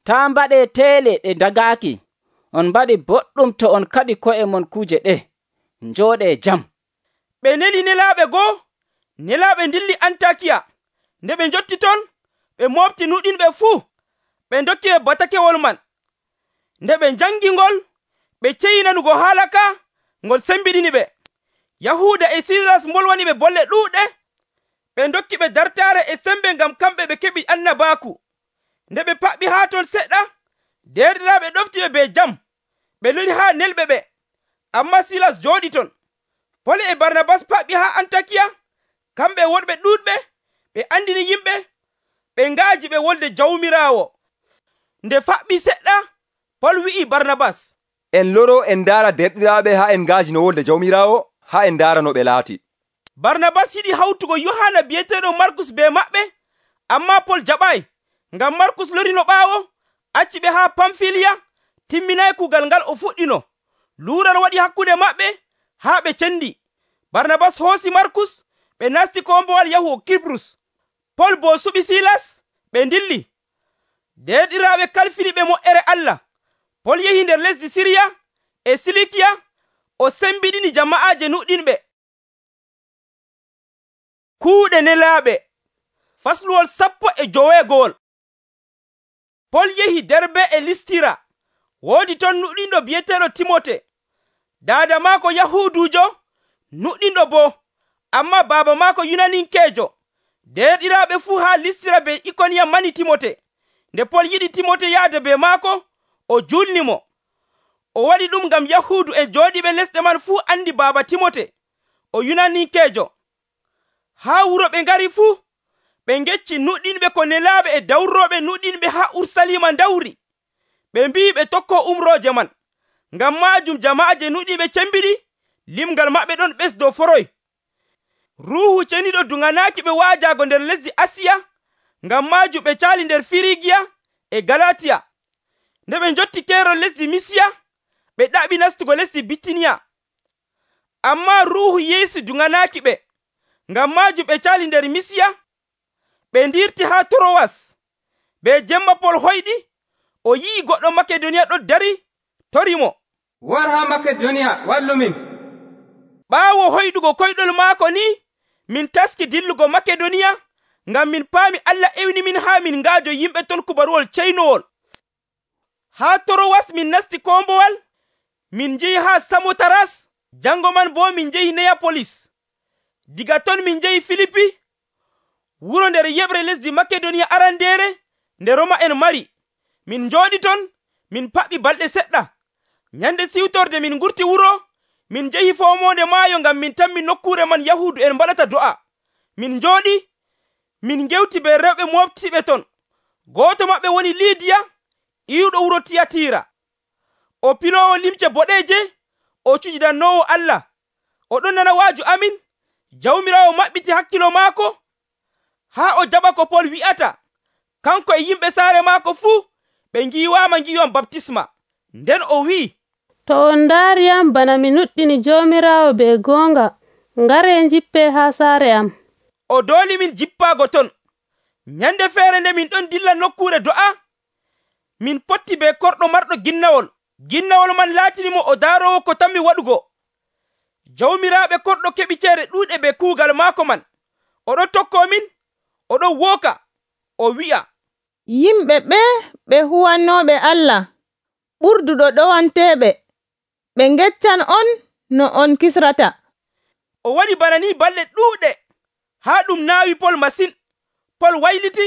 taa mbaɗee teele ɗe ndagaaki. On mbaɗi boɗɗum to on kaɗi ko'e mon kuuje ɗe. Njooɗee jam. Ɓe neli nelaaɓe goo, nelaaɓe ndilli Antakiya. Nde ɓe njotti ton, ɓe moofti nuɗinɓe fuu, ɓe ndokki ɓe batakewol man. Nde ɓe njangi ngol, ɓe ceyi nanugo haala ka, ngol sembiɗini ɓe. Yahuuda e Silas mbolwani ɓe bolle ɗuuɗe. Ɓe ndokki ɓe dartaare e sembe ngam kamɓe ɓe keɓi annabaaku. Nde ɓe paɓɓi haa ton seɗɗa, derɗiraaɓe ɗofti ɓe be jam. Ɓe lori haa nelɓe ɓe, ammaa Silas jooɗi ton. Pol e Barnabas paɓɓi haa Antakiya, kamɓe woɗɓe ɗuuɗɓe, ɓe andini yimɓe, ɓe ngaaji ɓe wolde Jawmiraawo. Nde faɓɓi seɗɗa, Pol wi'i Barnabas, en loro en ndaara derɗiraaɓe haa en ngaaji no wolde Jawmiraawo, haa en ndaara no ɓe laati. Barnabas yiɗi hawtugo Yohana bi'eteeɗo Markus be maɓɓe, ammaa Pol jaɓaay, ngam Markus lorino ɓaawo, acci ɓe haa Pamfiliya, timminaay kuugal ngal o fuɗɗino. Luural waɗi hakkunde maɓɓe haa ɓe cendi. Barnabas hoosi Markus, ɓe nasti kombowal yahugo Kibrus. Pol boo suɓi Silas, ɓe ndilli. Derɗiraaɓe kalfini ɓe moƴƴere Allah. Pol yehi nder lesdi Siriya e Silikiya, o sembiɗini jama'aaje nuɗɗinɓe. Kuuɗe nelaaɓe. Fasluwol sappo e joweegowol. Pol yehi Derbe e Listira. Woodi ton nuɗɗinɗo bi'eteeɗo Timote. Daada maako Yahuudujo, nuɗɗinɗo boo, ammaa baaba maako Yunaninkeejo. Derɗiraaɓe fuu haa Listira be Ikoniya mani Timote. Nde Pol yiɗi Timote yahda be maako, o julnimo. O waɗi ɗum ngam Yahuudu e jooɗiɓe lesɗe man fuu andi baaba Timote, o Yunaninkeejo. Haa wuro ɓe ngari fuu, ɓe ngecci nuɗɗinɓe ko nelaaɓe e dawrooɓe nuɗɗinɓe haa Ursalima ndawri. Ɓe mbi'i ɓe tokko umrooje man. Ngam maajum jama'aaje nuɗɗinɓe cembiɗi, limgal maɓɓe ɗon ɓesdo foroy. ruuhu ceniɗo duŋanaaki ɓe waajaago nder lesdi asiya, ngam maajum ɓe caali nder firigiya e galatiya. Nde ɓe njotti keerol lesdi misiya, ɓe ɗaɓi nastugo lesdi bitiniya. Ammaa ruuhu yeesu duŋanaaki ɓe, ngam maajum ɓe caali nder misiya. Ɓe ndirti haa torowas. Be jemma pol hoyɗi, o yi'i goɗɗo makedoniya ɗon dari, torimo, war haa makedoniya wallumin. ɓaawo hoyɗugo koyɗol maako ni, min taski dillugo makedoniya, ngam min paami Allah ewni min haa min ngaajo yimɓe ton kubaruwol ceynowol. Haa torowas min nasti kombowal, min njehi haa samotaras, jango man bo min njehi neyapolis. Diga ton min njehi filipi, wuro nder yeɓre lesdi makedoniya arandeere nde Roma en mari. Min njooɗi ton, min paɓɓi balɗe seɗɗa. Nyande siwtorde min ngurti wuro, min njehi foomonde maayo ngam min tammi nokkuure man Yahuudu en mbaɗata do'a. Min njooɗi, min ngewti be rewɓe moftiɓe ton. Gooto maɓɓe woni Liidiya, iwɗo wuro Tiyatira. O piloowo limce boɗeeje, o cujidannoowo Allah. O ɗon nana waaju amin. Jawmiraawo maɓɓiti hakkilo maako haa o jaɓa ko Pol wi'ata. Kanko e yimɓe saare maako fuu ɓe ngiiwaama ngiiwam baptisma. Nden o wi'i, to on ndaariyam bana mi nuɗɗini Joomiraawo be goonga, ngare njippe haa saare am. O dooli min jippaago ton. Nyande feere nde min ɗon dilla nokkuure do'a, min potti be korɗo marɗo ginnawol. Ginnawol man laatinimo o daarowo ko tammi waɗugo. Jawmiraaɓe korɗo keɓi ceede ɗuuɗe be kuugal maako man. Oɗon tokkoo min, oɗon wooka, o wi'a, yimɓe ɓe ɓe huwannooɓe Allah, ɓurduɗo ɗowanteeɓe, ɓe ngeccan on no on kisrata. O waɗi bana ni balɗe ɗuuɗe, haa ɗum naawi Pol masin. Pol wayliti,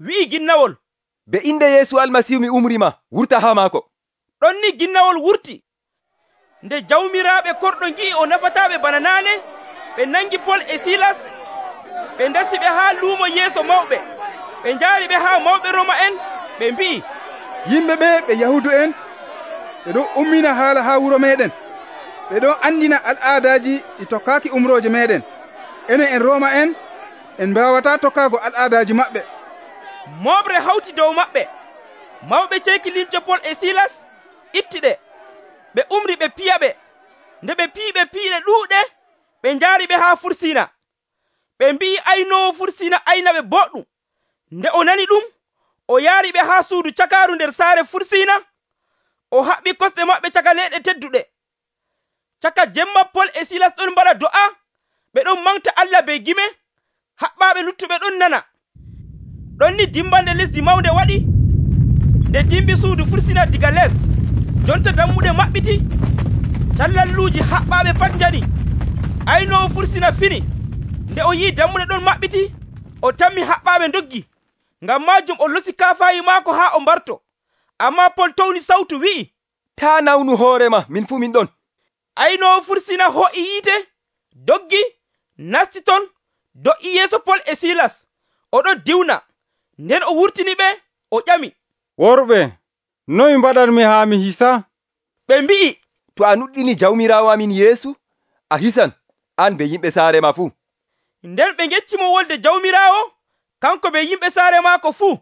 wi'i ginnawol, be inde Yeesu Almasihu mi umrima, wurta haa maako. ɗon ni ginnawol wurti. Nde jawmiraaɓe korɗo ngi'i o nafataaɓe bana naane, ɓe nangi Pol e Silas, ɓe ndasi ɓe haa luumo yeeso mawɓe. Ɓe njaari ɓe haa mawɓe Roma en, ɓe mbi'i, yimɓe ɓe ɓe Yahudu en, ɓe ɗon ummina haala haa wuro meɗen. Ɓe ɗon andina al'aadaaji ɗi tokkaaki umrooje meɗen. Enen en Roma en, en mbaawataa tokkaago al'aadaaji maɓɓe. Moɓre hawti dow maɓɓe. Mawɓe ceeki limce Pol e Silas, itti ɗe. Ɓe umri ɓe piya ɓe. Nde ɓe pii ɓe piiɗe ɗuuɗe, ɓe njaari ɓe haa Fursina. Ɓe mbi'i aynoowo Fursina aynaɓe boɗɗum. Nde o nani ɗum, o yaari ɓe haa suudu cakaaru nder saare Fursina. O haɓɓi kosɗe maɓɓe caka leeɗe tedduɗe. Caka jemma Pol e Silas ɗon mbaɗa do'a, ɓe ɗon manta Allah be gime, haɓɓaaɓe luttuɓe ɗon nana. Ɗon ni dimbande lesdi mawnde waɗi. Nde dimbi suudu Fursina diga les, jonta dammuɗe maɓɓiti, callalluuji haɓɓaaɓe pat njani. Aynoowo Fursina fini. Nde o yi'i dammuɗe ɗon maɓɓiti, o tammi haɓɓaaɓe ndoggi. Ngam maajum o losi kaafayi maako haa o mbarto. Ammaa Pol towni sawtu wi'i, taa nawnu hoorema, min fuu min ɗon. Aynoowo Fursina ho'i yiite, doggi, nasti ton, do'i yeeso Pol e Silas. Oɗon diwna. Nden o wurtini ɓe, o ƴami, worɓe, noy mbaɗanmi haa mi hisa? Ɓe mbi'i, to a nuɗɗini jawmiraawo amin Yeesu, a hisan, an be yimɓe saare ma fuu. Nden ɓe ngeccimo wolde jawmiraawo, kanko be yimɓe saare maako fuu.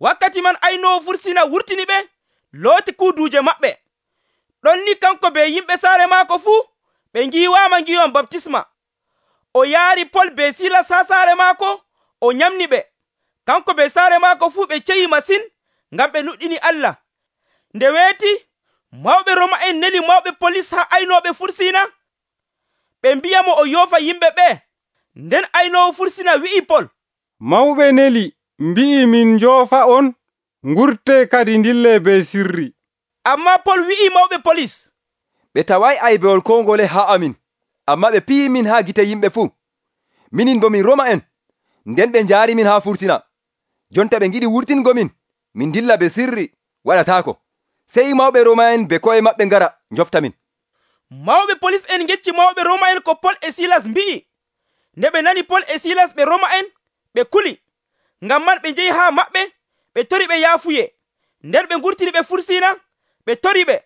Wakkati man aynoowo Fursina wurtini ɓe, looti kuuduuje maɓɓe. Ɗon ni kanko be yimɓe saare maako fuu, ɓe ngiiwaama ngiiwam baptisma. O yaari Pol be Silas haa saare maako, o nyamni ɓe. Kanko be saare maako fuu ɓe ceyi masin, ngam ɓe nuɗɗini Allah. Nde weeti, mawɓe Roma en neli mawɓe polis haa aynooɓe Fursina. Ɓe mbiyamo o yoofa yimɓe ɓe. Nden aynoowo Fursina wi'i Pol, mawɓe neli mbi'i min njoofa on, ngurte kadi ndille be sirri. Ammaa Pol wi'i mawɓe polis, ɓe taway aybewol ko ngole haa amin, amma ɓe piyi min haa gite yimɓe fuu. Minin bo min Roma en, nden ɓe njaari min haa Fursina. Jonta ɓe ngiɗi wurtingo min, min dilla be sirri, waɗataako. Sey mawɓe Roma en be ko'e maɓɓe ngara njofta min. Mawɓe polis en ngecci mawɓe Roma en ko Pol e Silas mbi'i. Nde ɓe nani Pol e Silas ɓe Roma en, ɓe kuli. Ngam man ɓe njehi haa maɓɓe, ɓe tori ɓe yaafuye. Nden ɓe ngurtini ɓe Fursina, ɓe tori ɓe,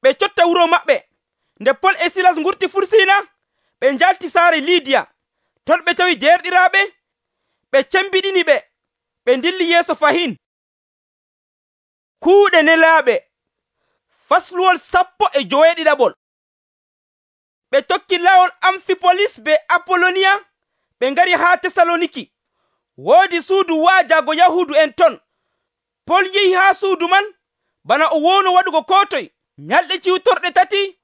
ɓe cotta wuro maɓɓe. Nde Pol e Silas ngurti Fursina, ɓe njalti saare Liidiya. ton ɓe tawi derɗiraaɓe, ɓe cembiɗini ɓe, ɓe dilli yeeso fahin. Kuuɗe nelaaɓe fasluwol sappo e joweeɗiɗaɓol. Ɓe tokki lawol Amfipolis be Apoloniya, ɓe ngari haa Tesaloniki. Woodi suudu waajaago Yahuudu en ton. Pol yehi haa suudu man bana o wowno waɗugo ko toye. Nyalɗe ciwtorɗe tati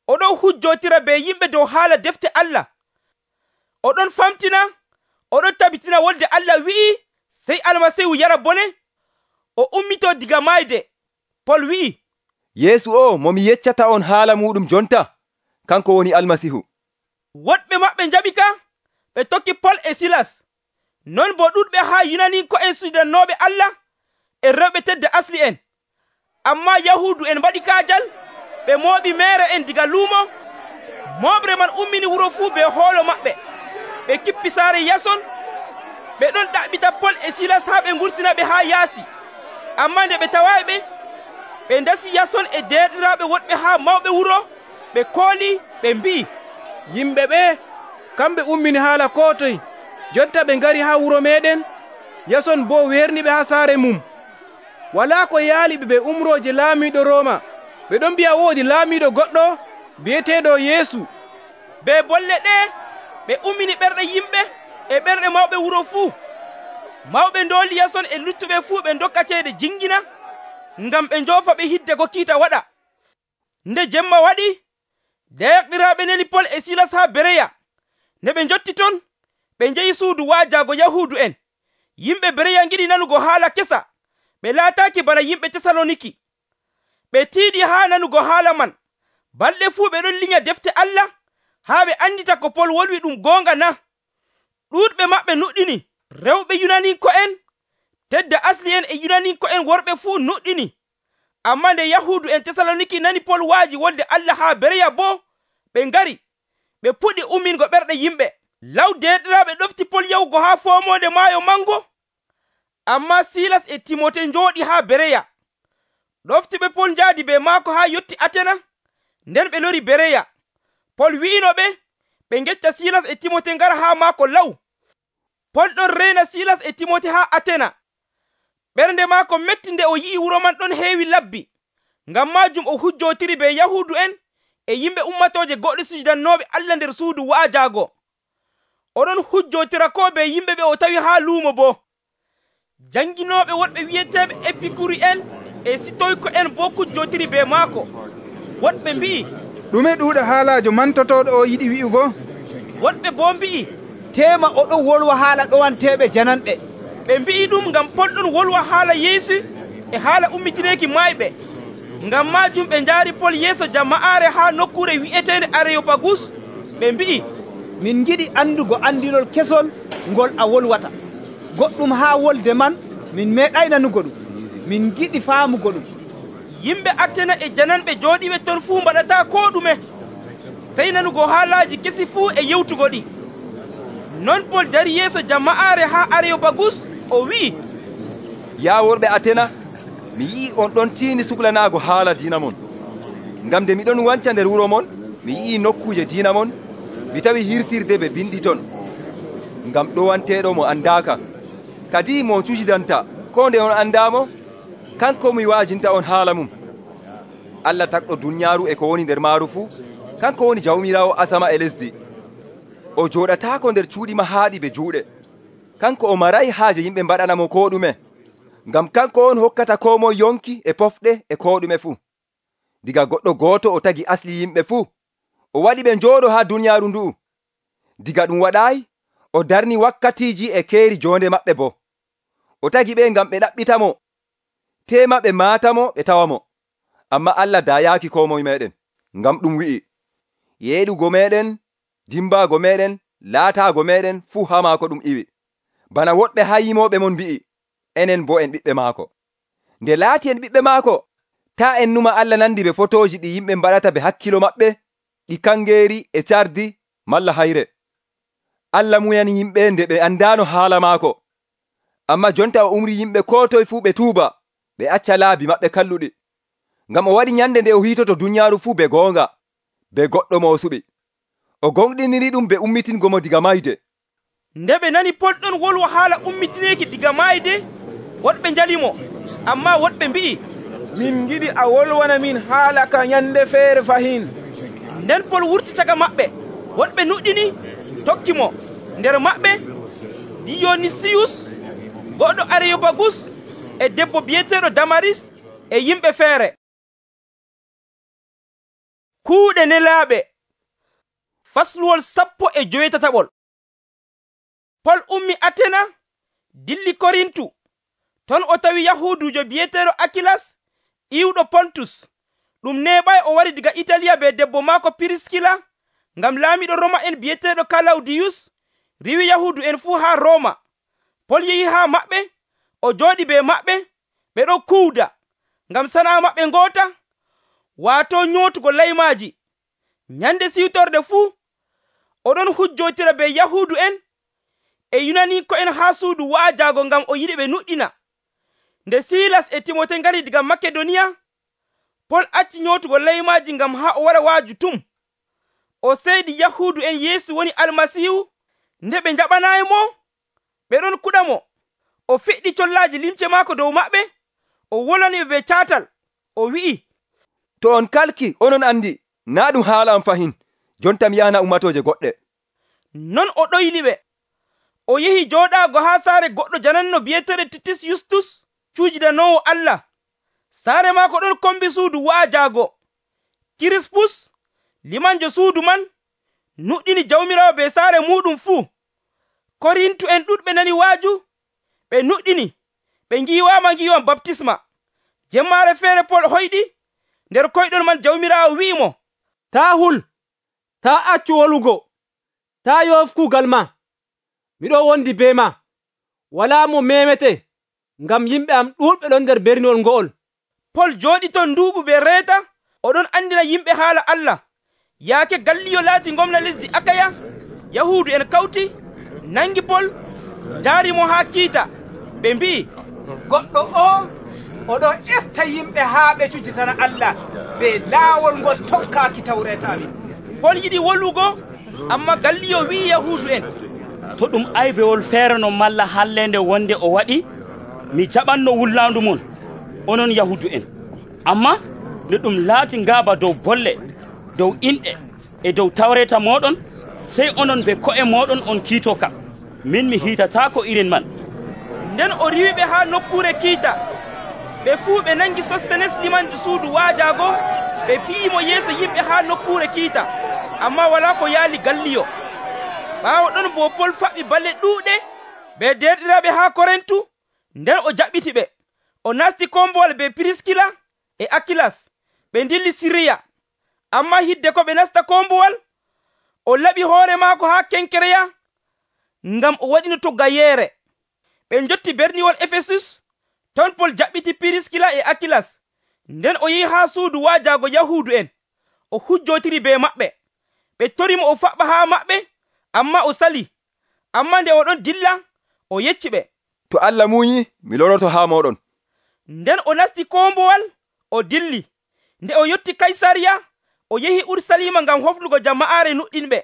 oɗon hujjotira be yimɓe dow haala defte Allah. Oɗon famtina, oɗon tabitina wolde Allah wi'i sey Almasiihu yara bone, o ummito diga mayde. Pol wi'i, Yeesu o mo mi yeccata on haala muɗum jonta, kanko woni Almasiihu. Woɗɓe maɓɓe njaɓi ka, ɓe tokki Pol e Silas. Non bo ɗuɗɓe haa Yunaninko'en suudannoɓe Allah e rewɓe tedda asli en. Ammaa Yahuudu en mbaɗi kaajal, ɓe mooɓi meere en diga luumo. Mooɓre man ummini wuro fuu be hoolo maɓɓe. Ɓe kippi saare Yason, ɓe ɗon ɗaɓɓita Pol e Silas haa ɓe ngurtina ɓe haa yaasi. Ammaa nde ɓe tawaayi ɓe, ɓe ndasi Yason e derɗiraaɓe woɗɓe haa mawɓe wuro, ɓe kooli, ɓe mbi'i, yimɓe ɓe kamɓe ummini haala ko toye, jotta ɓe ngari haa wuro meɗen. Yason boo werniɓe haa saare mum. Walaa ko yaaliɓe ɓe umrooje laamiiɗo Rooma. Ɓe ɗon mbi'a woodi laamiiɗo goɗɗo bi'eteeɗo Yeesu. Be bolle ɗe ɓe ummini ɓerɗe yimɓe e ɓerɗe mawɓe wuro fuu. Mawɓe ndooli Yason e luttuɓe fuu ɓe ndokka ceede jingina, ngam ɓe njoofa ɓe hidde ko kiita waɗa. Nde jemma waɗi, deyaɗiraaɓe neli Pol e Silas haa Bereya. Nde ɓe njotti ton, ɓe njehi suudu waajaago Yahuudu en. Yimɓe Bereya ngiɗi nanugo haala kesa, ɓe laataaki bana yimɓe Tesaloniki. Ɓe tiiɗi haa nanugo haala man. Balɗe fuu ɓe ɗon linya defte Allah, haa ɓe andita ko Pol wolwi ɗum goonga na. Ɗuuɗɓe maɓɓe nuɗɗini, rewɓe Yunaninko'en, tedda asli en e Yunaninko'en worɓe fuu nuɗɗini. Ammaa nde Yahuudu en Tesaloniki nani Pol waaji wolde Allah haa Bereya boo, ɓe ngari, ɓe puɗɗi ummingo ɓerɗe yimɓe. Law derɗiraaɓe ɗofti Pol yahugo haa foomonde maayo mango. Ammaa Silas e Timote njooɗi haa Bereya. Ɗoftiɓe Pol njaadi be maako haa yotti Atena, nden ɓe lori Bereya. Pol wi'ino ɓe, ɓe ngecca Silas e Timote ngara haa maako law. Pol ɗon reyna Silas e Timote haa Atena. Ɓernde maako metti nde o yi'i wuro man ɗon heewi labbi. Ngam maajum o hujjotiri be Yahuudu en e yimɓe ummatooje goɗɗo sujudannooɓe Allah nder suudu waajaago. Oɗon hujjotira ko be yimɓe ɓe o tawi haa luumo boo. Janginooɓe woɗɓe wi'eteeɓe Epikuri en e Sitoyko en boo hujjotiri be maako. Woɗɓe mbi'i, ɗume ɗuuɗa haalaajo mantotoɗo o yiɗi wi'ugo? Woɗɓe boo mbi'i, tema oɗon wolwa haala ɗowanteɓe jananɓe. Ɓe mbi'i ɗum ngam Pol ɗon wolwa haala Yeesu e haala ummitineeki maayɓe. Ngam maajum ɓe njaari Pol yeeso jama'aare haa nokkure wi'eteende Areyopagus. Ɓe mbi'i, min ngiɗi andugo andinol kesol ngol a wolwata. Goɗɗum haa wolde man min meeɗay nanugo ɗum. Min giɗi faamugo ɗum. Yimɓe Atena e jananɓe jooɗiɓe ton fuu mbaɗataa koo ɗume, sey nanugo haalaaji kesi fuu e yewtugo ɗi. Non Pol dari yeeso jama'aare haa Areyopagus o wi'i, yaa worɓe Atena, mi yi'i on ɗon tiini suɓlanaago haala diina mon. Ngam nde miɗon wanca nder wuro mon, mi yi'i nokkuuje diina mon, mi tawi hirsirde ɓe bindi ton. Ngam ɗowanteeɗo mo andaaka, kadi mo cujidanta ko nde on andaamo, kanko mi waajinta on haala mum. Allah takɗo dunyaaru e ko woni nder maaru fuu, kanko woni jawmiraawo asama e lesdi. O jooɗataako nder cuuɗi mahaaɗi be juuɗe. Kanko o maray haaje yimɓe mbaɗanamo ko ɗume, ngam kanko on hokkata ko moye yonki e pofɗe e ko ɗume fuu. Diga goɗɗo gooto o tagi asli yimɓe fuu, o waɗi ɓe njooɗo haa dunyaaru ndu'u. Diga ɗum waɗaayi, o darni wakkatiiji e keeri joonde maɓɓe boo. O tagi ɓe ngam ɓe ɗaɓɓitamo, tema ɓe maatamo ɓe tawamo. Amma Allah dayaaki ko moye meɗen, ngam ɗum wi'i, yeeɗugo meɗen, dimbaago meɗen, laataago meɗen fuu haa maako ɗum iwi. Bana woɗɓe haa yimooɓe mon mbi'i, enen bo en ɓiɓɓe maako. Nde laati en ɓiɓɓe maako, taa en numa Allah nandi be fotooji ɗi yimɓe mbaɗata be hakkilo maɓɓe, ɗi kangeeri e cardi malla hayre. Allah muyani yimɓe nde ɓe andaano haala maako. Amma jonta o umri yimɓe ko toye fuu ɓe tuuba, ɓe acca laabi maɓɓe kalluɗi. Ngam o waɗi nyande nde o hiitoto dunyaaru fuu be goonga, be goɗɗo mo o suɓi. O gonɗiniri ɗum be ummitingo mo diga mayde. Nde ɓe nani Pol ɗon wolwa haala ummitineeki diga maayde, woɗɓe njalimo, ammaa woɗɓe mbi'i, min giɗi a wolwana min haala ka nyande feere fahin. Nden Pol wurti caga maɓɓe, woɗɓe nuɗɗini tokki mo, nder maɓɓe Diyonisiyus goɗɗo Areyobagus e debbo biyeteeɗo Damaris e yimɓe feere. Kuuɗe nelaaɓe fasluwol sappo e joweetataɓol. Pol ummi Atena dilli Korintu, ton o tawi Yahuudujo biyeteeɗo Akilas iwɗo Pontus. Ɗum neeɓay o wari diga Italiya be debbo maako Piriskila, ngam laamiɗo Roma en biyeteeɗo Kalawdiyus riwi Yahuudu en fuu haa Roma. Pol yehi haa maɓɓe, o jooɗi be maɓɓe, ɓe ɗo kuuda, ngam sana'a maɓɓe ngoota, waato nyootugo laymaaji. Nyande siwtorde fuu, oɗon hujjotira be Yahuudu en e Yunaniiko'en haa suudu waajaago ngam o yiɗi ɓe nuɗɗina. Nde Silas e Timote ngari diga Makedoniya, Pol acci nyootugo laymaaji ngam haa o wara waaju tum. O seydi Yahuudu en Yeesu woni Almasiihu. Nde ɓe njaɓanaayi mo, ɓe ɗon kuɗa mo. O feƴƴi collaaji limce maako dow maɓɓe, o wolaniɓe be caatal, o wi'i, to on kalki onon andi naa ɗum haala am fahin, jonta mi yahana ummatooje goɗɗe. Non o ɗoyliɓe. O yehi jooɗaago haa saare goɗɗo jananno biyeteeɗo Titus Yustus, cuujidanoowo Allah. Saare maako ɗon kombi suudu waajaago. Kirispus, limanjo suudu man, nuɗɗini jawmirawo be saare muɗum fuu. Korintu en ɗuɗɓe nani waaju, ɓe nuɗɗini, ɓe ngiiwaama ngiiwam baptisma. Jemmaare feere Pol hoyɗi, nder koyɗol man jawmirawo wi'i mo, taa hul, taa accu wolugo, taa yoof kuugal ma. Miɗo wondi be ma, walaa mo memete, ngam yimɓe am ɗuuɗɓe ɗon nder berniwol ngo'ol. Pol jooɗi ton nduuɓu be reeta, oɗon andina yimɓe haala Allah. Yaake Galliyo laati gomna lesdi Akaya, Yahuudu en kawti, nangi Pol, jaari mo haa kiita. Ɓe mbi'i, goɗɗo o oɗo esta yimɓe haa ɓe cujitana Allah be laawol ngol tokkaaki tawreeta amin. Pol yiɗi wolugo, amma Galliyo wi'i Yahuudu en, to ɗum aybewol feere no malla hallende wonde o waɗi, mi jaɓanno wullaandu mon, onon Yahuudu en. Amma nde ɗum laati ngaaba dow bolle, dow inɗe e dow tawreeta moɗon, sey onon be ko'e moɗon on kiito kam. Min mi hiitataako irin man. Nden o riwiɓe haa nokkuure kiita. Ɓe fuu ɓe nangi Sostenes limanjo suudu waajaago, ɓe pi'imo yeeso yimɓe haa nokkuure kiita, amma walaa ko yaali Galliyo. Ɓaawo ɗon bo Pol faɓɓi balle ɗuuɗe be derɗiraaɓe haa Korintu, nden o jaɓɓiti ɓe. O nasti kombowal be Piriskila e Akilas, ɓe ndilli Siriya. Amma hidde ko ɓe nasta kombowal, o laɓi hoore maako haa Kenkereya, ngam o waɗino to gayeere. Ɓe njotti berniwol Efesus, ton Pol jaɓɓiti Piriskila e Akilas. Nden o yehi haa suudu waajaago Yahuudu en, o hujjotiri be maɓɓe. Ɓe torimo o faɓɓa haa maɓɓe, amma o sali. Amma nde oɗon dilla, o yecci ɓe, to Allah muuyi, mi loroto haa moɗon. Nden o nasti kombowal, o dilli. Nde o yotti Kaysariya, o yehi Ursalima ngam hoflugo jama'aare nuɗɗinɓe.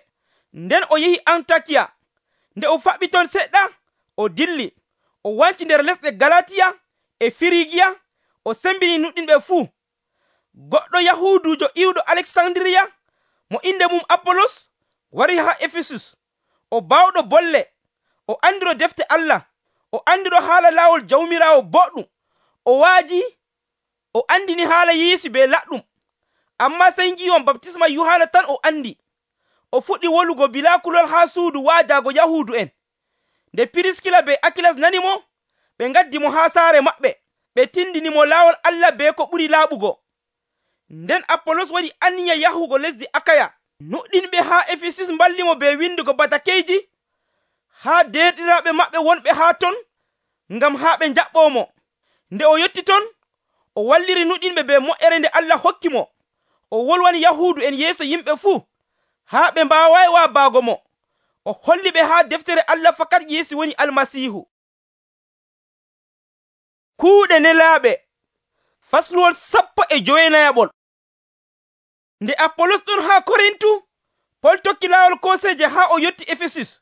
Nden o yehi Antakiya. Nde o faɓɓi ton seɗɗa, o dilli. O wanci nder lesɗe Galatiya e Firigiya, o sembini nuɗɗinɓe fuu. Goɗɗo Yahuudujo iwɗo Aleksandiriya, mo inde mum Apolos, wari haa Efesus. O baawɗo bolle, o andiro defte Allah, o andiro haala laawol jawmirawo boɗɗum. O waaji, o andini haala Yeesu be laɗɗum. Amma sey ngiiwam baptisma Yohana tan o andi. O fuɗɗi wolugo bilaa kulol haa suudu waajaago Yahuudu en. Nde Piriskila be Akilas nani mo, ɓe ngaddi mo haa saare maɓɓe, ɓe tindini mo laawol Allah be ko ɓuri laaɓugo. Nden Apolos waɗi aniya yahugo lesdi Akaya. Nuɗɗinɓe haa Efesus mballi mo be windugo batakeeji haa derɗiraaɓe maɓɓe wonɓe haa ton, ngam haa ɓe njaɓɓoo mo. Nde o yotti ton, o walliri nuɗɗinɓe be moƴƴere nde Allah hokki mo. O wolwani Yahuudu en yeeso yimɓe fuu, haa ɓe mbaawayi waabaago mo. O holli ɓe haa deftere Allah fakat Yeesu woni Almasiihu. Kuuɗe nelaaɓe fasluwol sappo e jowenayaɓol. Nde Apolos ɗon haa Korintu, Pol tokki laawol koseeje haa o yotti Efesus.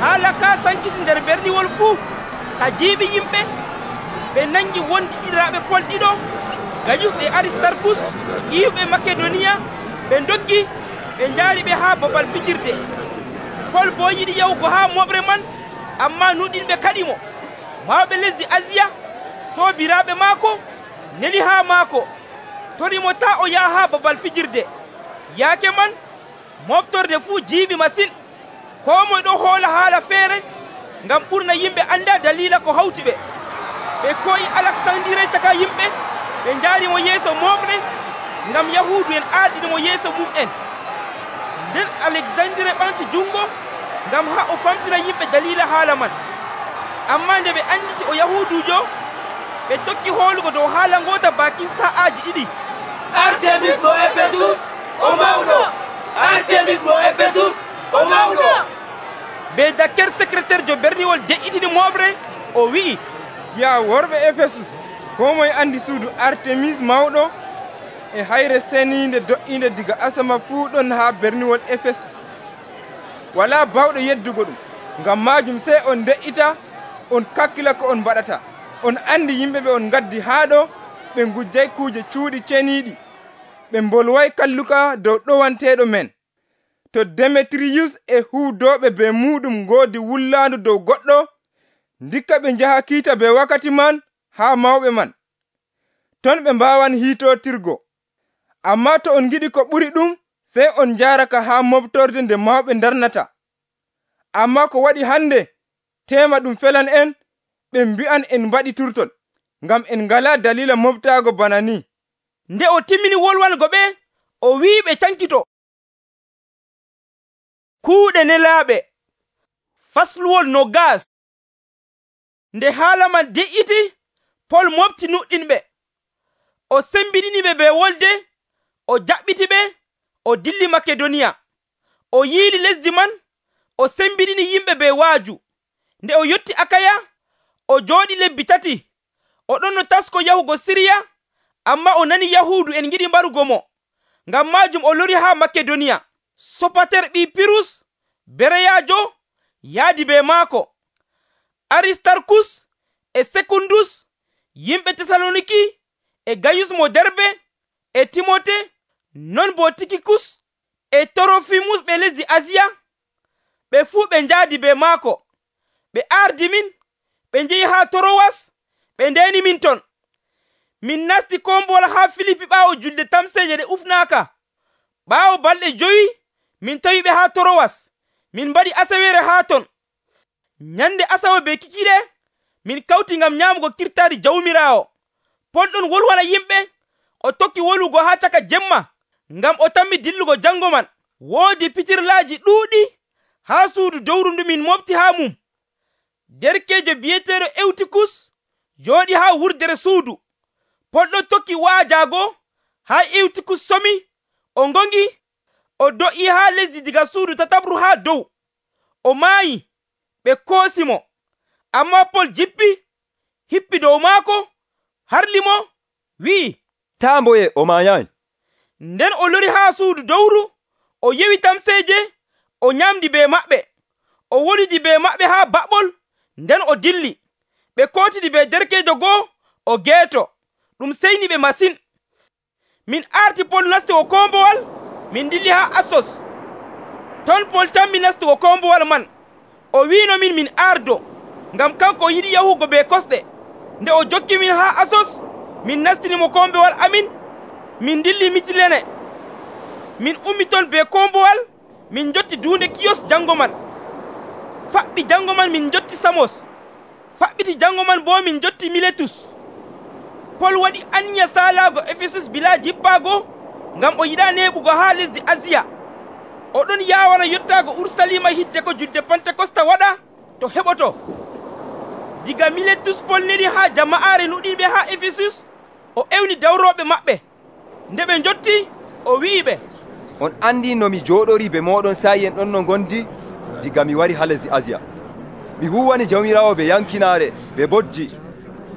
haala ka sankiti nder berniwol fuu ka jiiɓi yimɓe. Ɓe nangi wondi ɗiɗiraɓe pol ɗiɗo, Gayus e Aristarkus, iwɓe Makedoniya. Ɓe doggi ɓe njaari ɓe haa babal fijirde. Pol bo yiɗi yahugo haa moɓre man, amma nuɗinɓe kaɗimo. Mawɓe lesdi Asiya soobiraaɓe maako neli haa maako, torimo taa o yaha haa babal fijirde. Yaake man moftorde fuu jiiɓi masin. Koo moye ɗo hoola haala feere, ngam ɓurna yimɓe anda dalila ko hawti ɓe. Ɓe koyi Alaksandire caka yimɓe, ɓe njaarimo yeeso moɓre, ngam yahuudu en aaɗinimo yeeso mum'en. Nden Alexandire ɓamti jungo ngam haa o famtina yimɓe dalila haala man. Amma nde ɓe anditi o yahuudujo, ɓe tokki hoolugo dow haala ngoota bakin sa'aaji ɗiɗi. Artemis mo Efesus o mawɗo! Artemis mo Efesus o mawɗo! be dakker secrétaire berniwol de'itini moɓre o wi'i, ya worɓe Efesus, koo moye andi suudu Artemis mawɗo e hayre seniinde do'inde diga asama fuu ɗon haa berniwol Efesus. Walaa bawɗo yeddugo ɗum, ngam maajum sey on de'ita on kakkila ko on mbaɗata. On andi yimɓe ɓe on ngaddi haa ɗo ɓe ngujjay kuuje cuuɗi ceniiɗi, ɓe mbolway kalluka dow ɗowanteeɗo men. To Demetriyus e huudooɓe be muuɗum ngoodi wullaandu dow goɗɗo, ndikka ɓe njaha kiita be wakkati man haa mawɓe man, ton ɓe mbaawan hiitootirgo. Ammaa to on ngiɗi ko ɓuri ɗum, sey on njaaraka haa moɓtorde nde mawɓe ndarnata. Ammaa ko waɗi hande, teema ɗum felan en, ɓe mbi'an en mbaɗi turtol, ngam en ngalaa dalila moɓtaago bana ni. Nde o timmini wolwango ɓe, o wi'i ɓe cankito. Kuuɗe nelaaɓe fasluwol nogas. Nde haala man de'iti, Pol mofti nuɗɗinɓe. O sembiɗiniɓe be wolde, o jaɓɓiti ɓe, o dilli Makedoniya. O yiili lesdi man, o sembiɗini yimɓe be waaju. Nde o yotti Akaya, o jooɗi lebbi tati. O ɗon no tasko yahugo Siriya, amma o nani Yahuudu en ngiɗi mbarugo mo. Ngam maajum o lori haa Makedoniya. Sopater ɓii Pirus, Bereyaajo, yaadi be maako. Aristarkus e Sekundus, yimɓe Tesaloniki, e Gayus mo Derbe, e Timote, non bo Tikikus, e Torofimus ɓe lesdi Asiya, ɓe fuu ɓe njaadi be maako. Ɓe ardi min, ɓe njehi haa Torowas, ɓe ndeni min ton. Min nasti kombowal haa Filipi ɓaawo julde tamseeje ɗe ufnaaka. Ɓaawo balɗe jowi, min tawi ɓe haa Torowas. Min mbaɗi asawere haa ton. Nyande asawe be kikiɗe, min kawti ngam nyaamugo kirtaari Jawmiraawo. Pol ɗon wolwana yimɓe, o tokki wolugo haa caka jemma, ngam o tammi dillugo jango man. Woodi pitirlaaji ɗuuɗi haa suudu dowru ndu min mofti haa mum. Derkeejo bi'eteeɗo Ewtikus jooɗi haa wurdere suudu. Pol ɗon tokki waajaago haa Ewtikus somi, o ngongi, o do'i haa lesdi diga suudu tatabru haa dow. O maayi, ɓe koosi mo. Ammaa Pol jippi, hippi dow maako, harli mo, wi'i, taa mboye o maayayi. Nden o lori haa suudu dowru, o yewi tamseeje, o nyamdi be maɓɓe. O wonidi be maɓɓe haa baɓɓol, nden o dilli. Ɓe kootidi be derkeejo goo, o geeto. Ɗum seyni ɓe masin. Min arti Pol nastugo kombowal, min dilli haa Assos. Ton Pol tammi nastugo kombowal man. O wiino min min ardo, ngam kanko yiɗi yahugo be kosɗe. Nde o jokki min haa Assos, min nastinimo kombowal amin, min dilli Mitilene. Min ummi ton be kombowal, min jotti duunde Kiyos jango man. Faɓɓi jango man min jotti Samos. Faɓɓiti jango man bo min jotti Miletus. Pol waɗi anya salaago Efesus bila jippaago, ngam o yiɗa neɓugo haa lesdi Asiya. O ɗon yaawana yottaago Ursalima hidde ko julde Pentekosta waɗa to heɓoto. Diga Miletus Pol neli haa jama'aare nuɗiiɓe haa Efesus, o ewni dawrooɓe maɓɓe. Nde ɓe njotti, o wi'iɓe, on andi no mi jooɗori be moɗon sa'i en ɗon no gondi diga mi wari haa lesdi Asiya. Mi huwani Jawmiraawo be yankinaare be bojji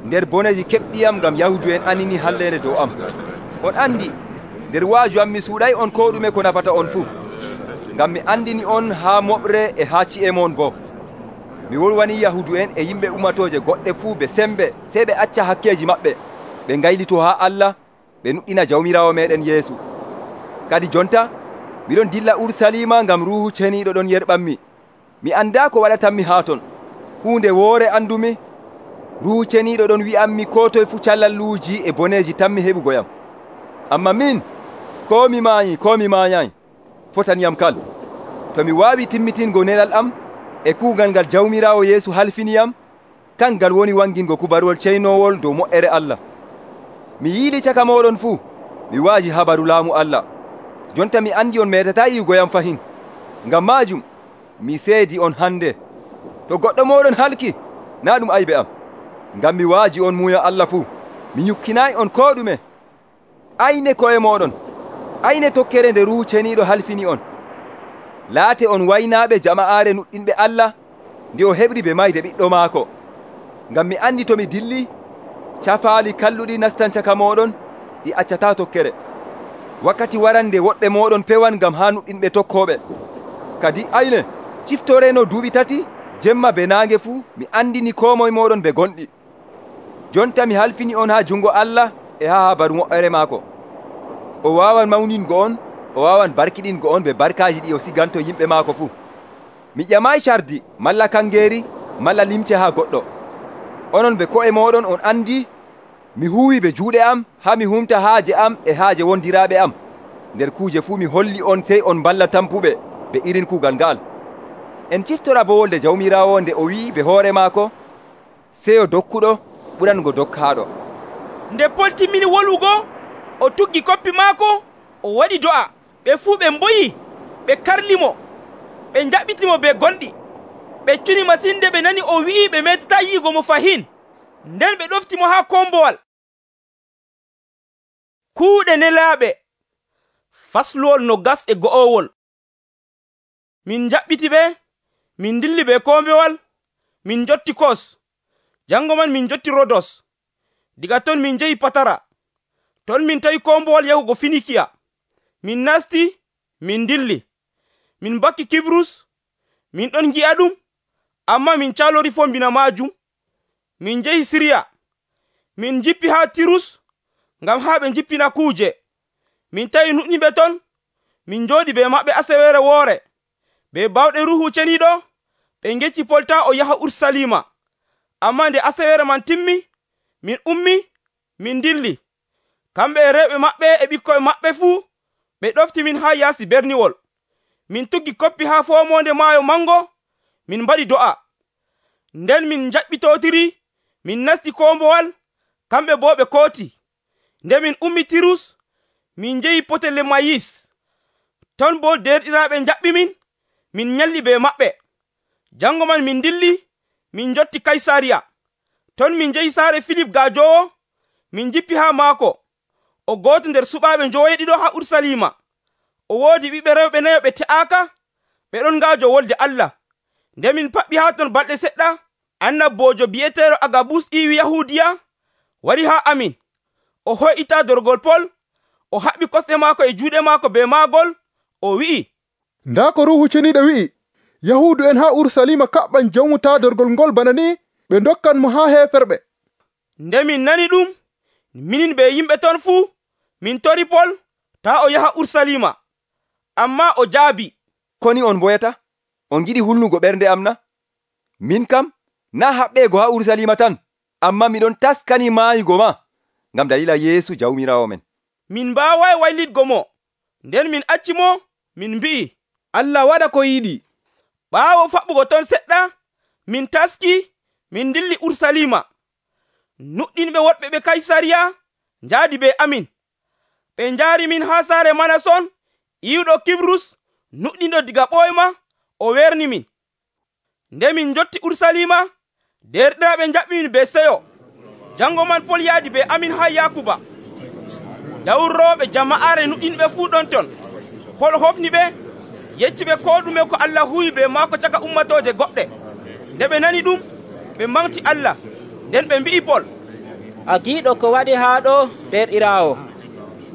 nder boneji keɓɗiyam ngam Yahudu en anini hallende dow am. On andi nder waaju am mi suuɗay on ko ɗume ko nafata on fuu, ngam mi andini on haa moɓre e haa ci'e mon bo. Mi wolwani Yahudu en e yimɓe ummatoje goɗɗe fuu be sembe sey ɓe acca hakkeji maɓɓe, ɓe ngaylito haa Allah, ɓe nuɗɗina Jawmiraawo meɗen Yeesu. Kadi jonta miɗon dilla Ursalima ngam Ruuhu Ceniiɗo ɗon yerɓanmi. Mi anda ko waɗatanmi haa ton. Huunde woore andumi, Ruuhu Ceniiɗo ɗon wi'anmi ko toye fuu callalluuji e boneji tanmi heɓugoyam. Amma min, ko mi maayi ko mi maayayi, fotaniyam kal. To mi waawi timmitingo nelal am e kuugal ngal Jawmiraawo Yeesu halfiniyam, kangal woni wangingo kubarol ceynowol dow moƴƴere Allah. Mi yiili caka moɗon fuu, mi waaji habaru laamu Allah. Jonta mi andi on metata yi'ugoyam fahin. Ngam maajum, mi seedi on hande. To goɗɗo moɗon halki, na ɗum aybe am. Ngam mi waaji on muuya Allah fuu, mi nyukkinayi on ko ɗume. Ayne koye moɗon, ayne tokkere nde Ruuhu Ceniiɗo halfini on. laate on waynaaɓe jama'aare nuɗɗinɓe Allah nde o heɓri ɓe mayde ɓiɗɗo maako. Ngam mi andi to mi dilli, cafaali kalluɗi nastan caka mooɗon ɗi accataa tokkere. Wakkati waran nde woɗɓe mooɗon pewan ngam haa nuɗɗinɓe tokkooɓe. Kadi ayne, ciftoreno duuɓi tati, jemma be naange fuu mi andini koo moye mooɗon ɓe gonɗi. Jonta mi halfini on haa jungo Allah e haa habaru moƴƴere maako. O waawan mawningo on, o waawan barkiɗingo on ɓe barkaaji ɗi o siganto yimɓe maako fuu. Mi ƴamaayi cardi malla kangeeri malla limce haa goɗɗo. Onon ɓe ko'e mooɗon on andi mi huuwi ɓe juuɗe am haa mi humta haaje am e haaje wondiraaɓe am. Nder kuuje fuu mi holli on sey on balla tampuɓe ɓe irin kuugal nga'al. En ciftora bo wolde Jawmiraawo nde o wi'i ɓe hoore maako, seyo dokkuɗo ɓurango dokkaaɗo. Nde Pol timmini wolwugo, o tuggi koppi maako, o waɗi do'a. Ɓe fuu ɓe mboyi, ɓe karlimo, ɓe njaɓɓitimo be gonɗi. Ɓe cuni masinde ɓe nani o wi'i ɓe metata yi'igo mo fahin. Nden ɓe ɗoftimo haa kombowal. Kuuɗe nelaaɓe fasluwol no gas e go'owol. Min njaɓɓiti ɓe, min dilli be kombewal, min jotti Kos. Jango man min jotti Rodos. Diga ton min jehi Patara. Ton min tawi kombowal yahugo Finikiya. Min nasti, min dilli. Min bakki Kibrus, min ɗon gi'a ɗum, amma min calori fombina majum. Min jehi Siriya. Min jippi haa Tirus, ngam haa ɓe jippina kuuje. Min tawi nuɗɗiɓe ton, min jooɗi be maɓɓe asewere woore. Be bawɗe Ruhu Ceniiɗo, ɓe ngecci Pol taa o yaha Urusalima. Amma nde asewere man timmi, min ummi, min dilli. Kamɓe e rewɓe maɓɓe e ɓikkoye maɓɓe fuu, ɓe ɗofti min haa yaasi berniwol. Min tuggi koppi haa foomonde maayo mango, min mbaɗi do'a. Nden min jaɓɓitotiri, min nasti kombowal, kamɓe bo ɓe kooti. Nde min ummi Tirus, min jehi Potolemayis. Ton bo derɗiraaɓe njaɓɓi min, min nyalli be maɓɓe. Jango man min dilli, min jotti Kaysariya. Ton min jehi saare Filip gaajowo, min jippi haa maako. O gooto nder suɓaaɓe njoweeɗiɗo haa Urusalima. O woodi ɓiɓɓe rewɓe nayo ɓe te'aaka, ɓe ɗon ngaajo wolde Allah. Nde min paɓɓi haa ton balɗe seɗɗa, annabbojo bi'eteeɗo Agabus iwi Yahuudiya wari haa amin. O hoyɗita dorgol Pol, o haɓɓi kosɗe maako e juuɗe maako be maagol, o wi'i, ndaa ko Ruuhu Ceniiɗo wi'i, Yahuudu en haa Urusalima kaɓɓan jawmu taadorgol ngol bana ni, ɓe ndokkan mo haa heeferɓe. Nde min nani ɗum, minin be yimɓe ton fuu, min tori Pol taa o yaha Urusalima. Amma o jaabi, koni on boyata? On giɗi hulnugo ɓernde am na? Min kam, na haɓɓeego haa Urusalima tan, amma miɗon taskani maayugo ma, ngam dalila Yeesu Jawmiraawo men. Min mbaaway waylitgo mo. Nden min acci mo, min mbi'i, Allah waɗa ko yiɗi. Ɓaawo faɓɓugo ton seɗɗa, min taski, min dilli Urusalima. Nuɗɗinɓe woɗɓe ɓe Kaysariya njaadi be amin. Ɓe njaari min haa saare Manason, iwɗo Kibrus, nuɗɗinɗo diga ɓoyma, o werni min. Nde min jotti Urusalima, derɗiraaɓe njaɓɓi min be seyo. Jango man Pol yaadi be amin haa Yakuba. Dawrooɓe jama'aare nuɗɗinɓe fuu ɗon ton. Pol hofni ɓe, yecci ɓe ko ɗume ko Allah huwi be maako caka ummatooje goɗɗe. Nde ɓe nani ɗum, ɓe manti Allah. Nden ɓe mbi'i Pol, a giiɗo ko waɗi haa ɗo derɗiraawo.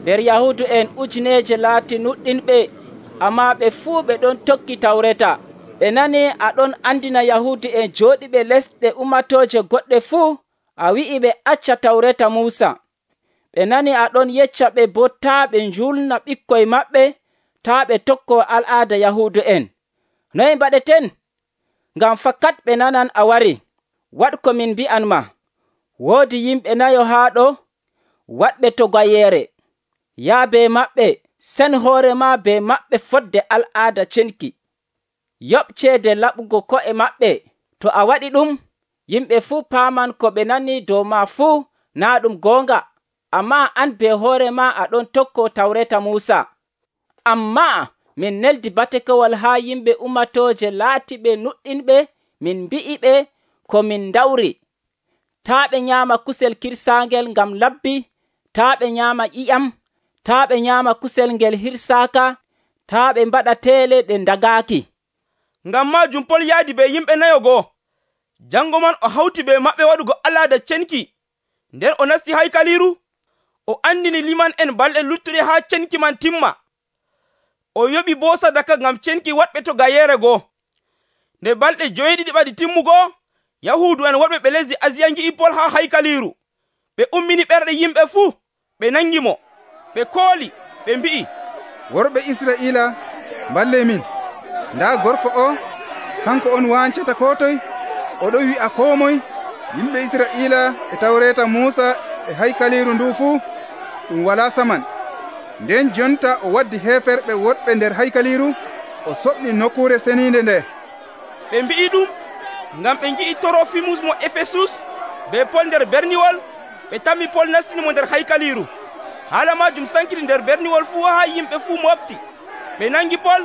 Nder Yahuudu en ujineeje laati nuɗɗinɓe, amma ɓe fuu ɓe ɗon tokki Tawreta. Ɓe nani aɗon andina Yahuudu en jooɗiɓe lesɗe ummatooje goɗɗe fuu, a wi'i ɓe acca Tawreta Muusa. Ɓe nani aɗon yecca ɓe bo taa ɓe njulna ɓikkoy maɓɓe, taa ɓe tokko al'aada Yahuudu en. Noy mbaɗeten? Ngam fakat ɓe nanan a wari. Waɗ ko min mbi'an ma. Woodi yimɓe nayo haa ɗo, waɗɓe to gwayeere. Yaa be maɓɓe, sen hoore ma be maɓɓe fodde al'aada cenki. Yoɓ ceede laɓugo ko'e maɓɓe. To a waɗi ɗum, yimɓe fuu paaman ko ɓe nani dow ma fuu naa ɗum goonga. Amma an be hoore ma aɗon tokko Tawreta Muusa. Amma min neldi batekowal haa yimɓe ummatooje laatiɓe nuɗɗinɓe, min mbi'i ɓe ko min dawri. Taa ɓe nyaama kusel kirsaangel ngam labbi, taa ɓe nyaama ƴiƴam, taa ɓe nyaama kusel ngel hirsaaka, taa ɓe mbaɗa teele ɗe ndagaaki. Ngam maajum Pol yaadi be yimɓe nayo go'o. Jango man o hawti be maɓɓe waɗugo alaada cenki. Nden o nasti haykaliru, o andini liman en balɗe luttuɗe haa cenki man timma. O yoɓi boo sadaka ngam cenki waɗɓe to gayeere goo. Nde balɗe joyɗiɗi ɓadi timmugo, Yahuudu en wonɓe ɓe lesdi Asiya ngi'i Pol haa haykaliru. Ɓe ummini ɓerɗe yimɓe fuu, ɓe nangi mo. Ɓe kooli, ɓe mbi'i, worɓe Israa'iila, mballe min. Ndaa gorko o, kanko on wancata ko toye, oɗo wi'a koo moye, yimɓe Israa'iila e tawreeta Muusa e haykaliru ndu fuu ɗum walaa saman. Nden jonta o waddi heeferɓe woɗɓe nder haykaliru, o soɓni nokkuure seniinde nde. Ɓe mbi'i ɗum ngam ɓe ngi'i Torofimus mo Efesus be Pol nder berniwol, ɓe tammi Pol nastini mo nder haykaliru. Haala maajum sankiti nder berniwol fuu haa yimɓe fuu mofti. Ɓe nangi Pol,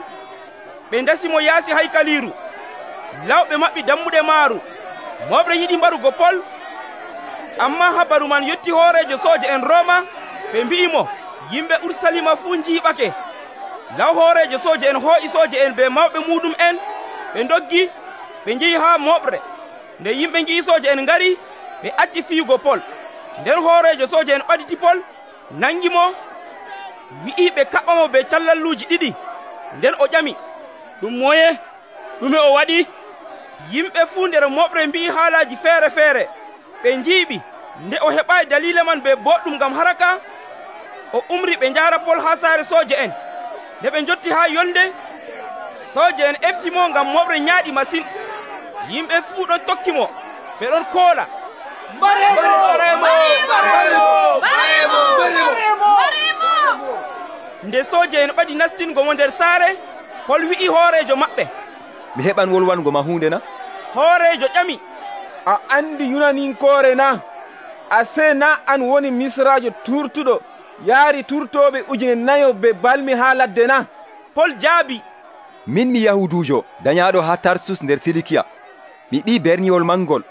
ɓe ndasi mo yaasi haykaliru. Lawɓe maɓɓi dammuɗe maaru. Moɓre yiɗi mbarugo Pol, amma habaru man yotti hoorejo sooje en Rooma. Ɓe mbi'i mo, yimɓe Urusalima fuu njiiɓake. Law hoorejo sooje en hoo'i sooje en be mawɓe muɗum en, ɓe ndoggi, ɓe njehi haa moɓre. Nde yimɓe ngi'i sooje en ngari, ɓe acci fiyugo Pol. Nden hoorejo sooje en ɓaditi Pol, nangi mo, wi'i ɓe kaɓɓa mo be callalluuji ɗiɗi. Nden o ƴami, ɗum moye? ɗume o waɗi? Yimɓe fuu nder moɓre mbi'i haalaaji feere feere. Ɓe njiiɓi. Nde o heɓaayi daliila man be boɗɗum ngam haraka, o umri ɓe njaara Pol haa saare sooje en. Nde ɓe njotti haa yolnde, sooje en efti mo ngam moɓre nyaaɗi masin. Yimɓe fuu ɗon tokki mo, ɓe ɗon koola, mbaremo, mbaremo, mbaremo, mbaremo. Nde sooje en ɓadi nastingo mo nder saare, Pol wi'i hoorejo maɓɓe, mi heɓan wolwango ma hunde na? Hoorejo ƴami, a andi yunaninkoore na? A sey na an woni misraajo turtuɗo yaari turtoɓe ujune nayo be balmi haa ladde na? Pol jaabi, min mi yahudujo dañaaɗo haa Tarsus nder Silikiya. Mi ɓii berniwol mangol.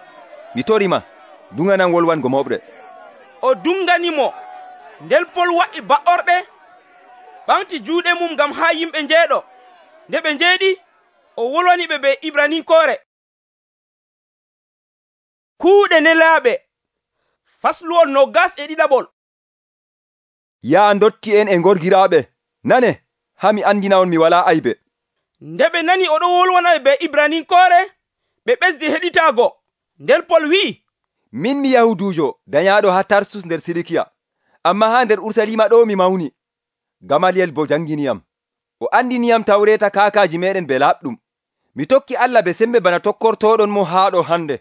Mi torima, dunganan wolwango moɓre. O dunganimo. Nden Pol wa'i ba'orɗe, ɓamti juuɗe mum ngam haa yimɓe njeeɗo. Nde ɓe njeeɗi, o wolwani ɓe be Ibraninkoore. Kuuɗe nelaaɓe fasluwol nogas e ɗiɗaɓol. Yaa ndotti en e gorgiraaɓe, nane, haa mi andina on mi walaa aybe. Nde ɓe nani oɗo wolwana be Ibraninkoore, ɓe ɓesdi heɗitaago. Nden Pol wi'i, min mi yahudujo dañaaɗo haa Tarsus nder Silikiya, amma haa nder Urusalima ɗo mi mawni. Gamaliyel bo janginiyam, o andiniyam tawreeta kaakaaji meɗen be laaɓɗum. Mi tokki Allah be sembe bana tokkortoɗon mo haa ɗo hande.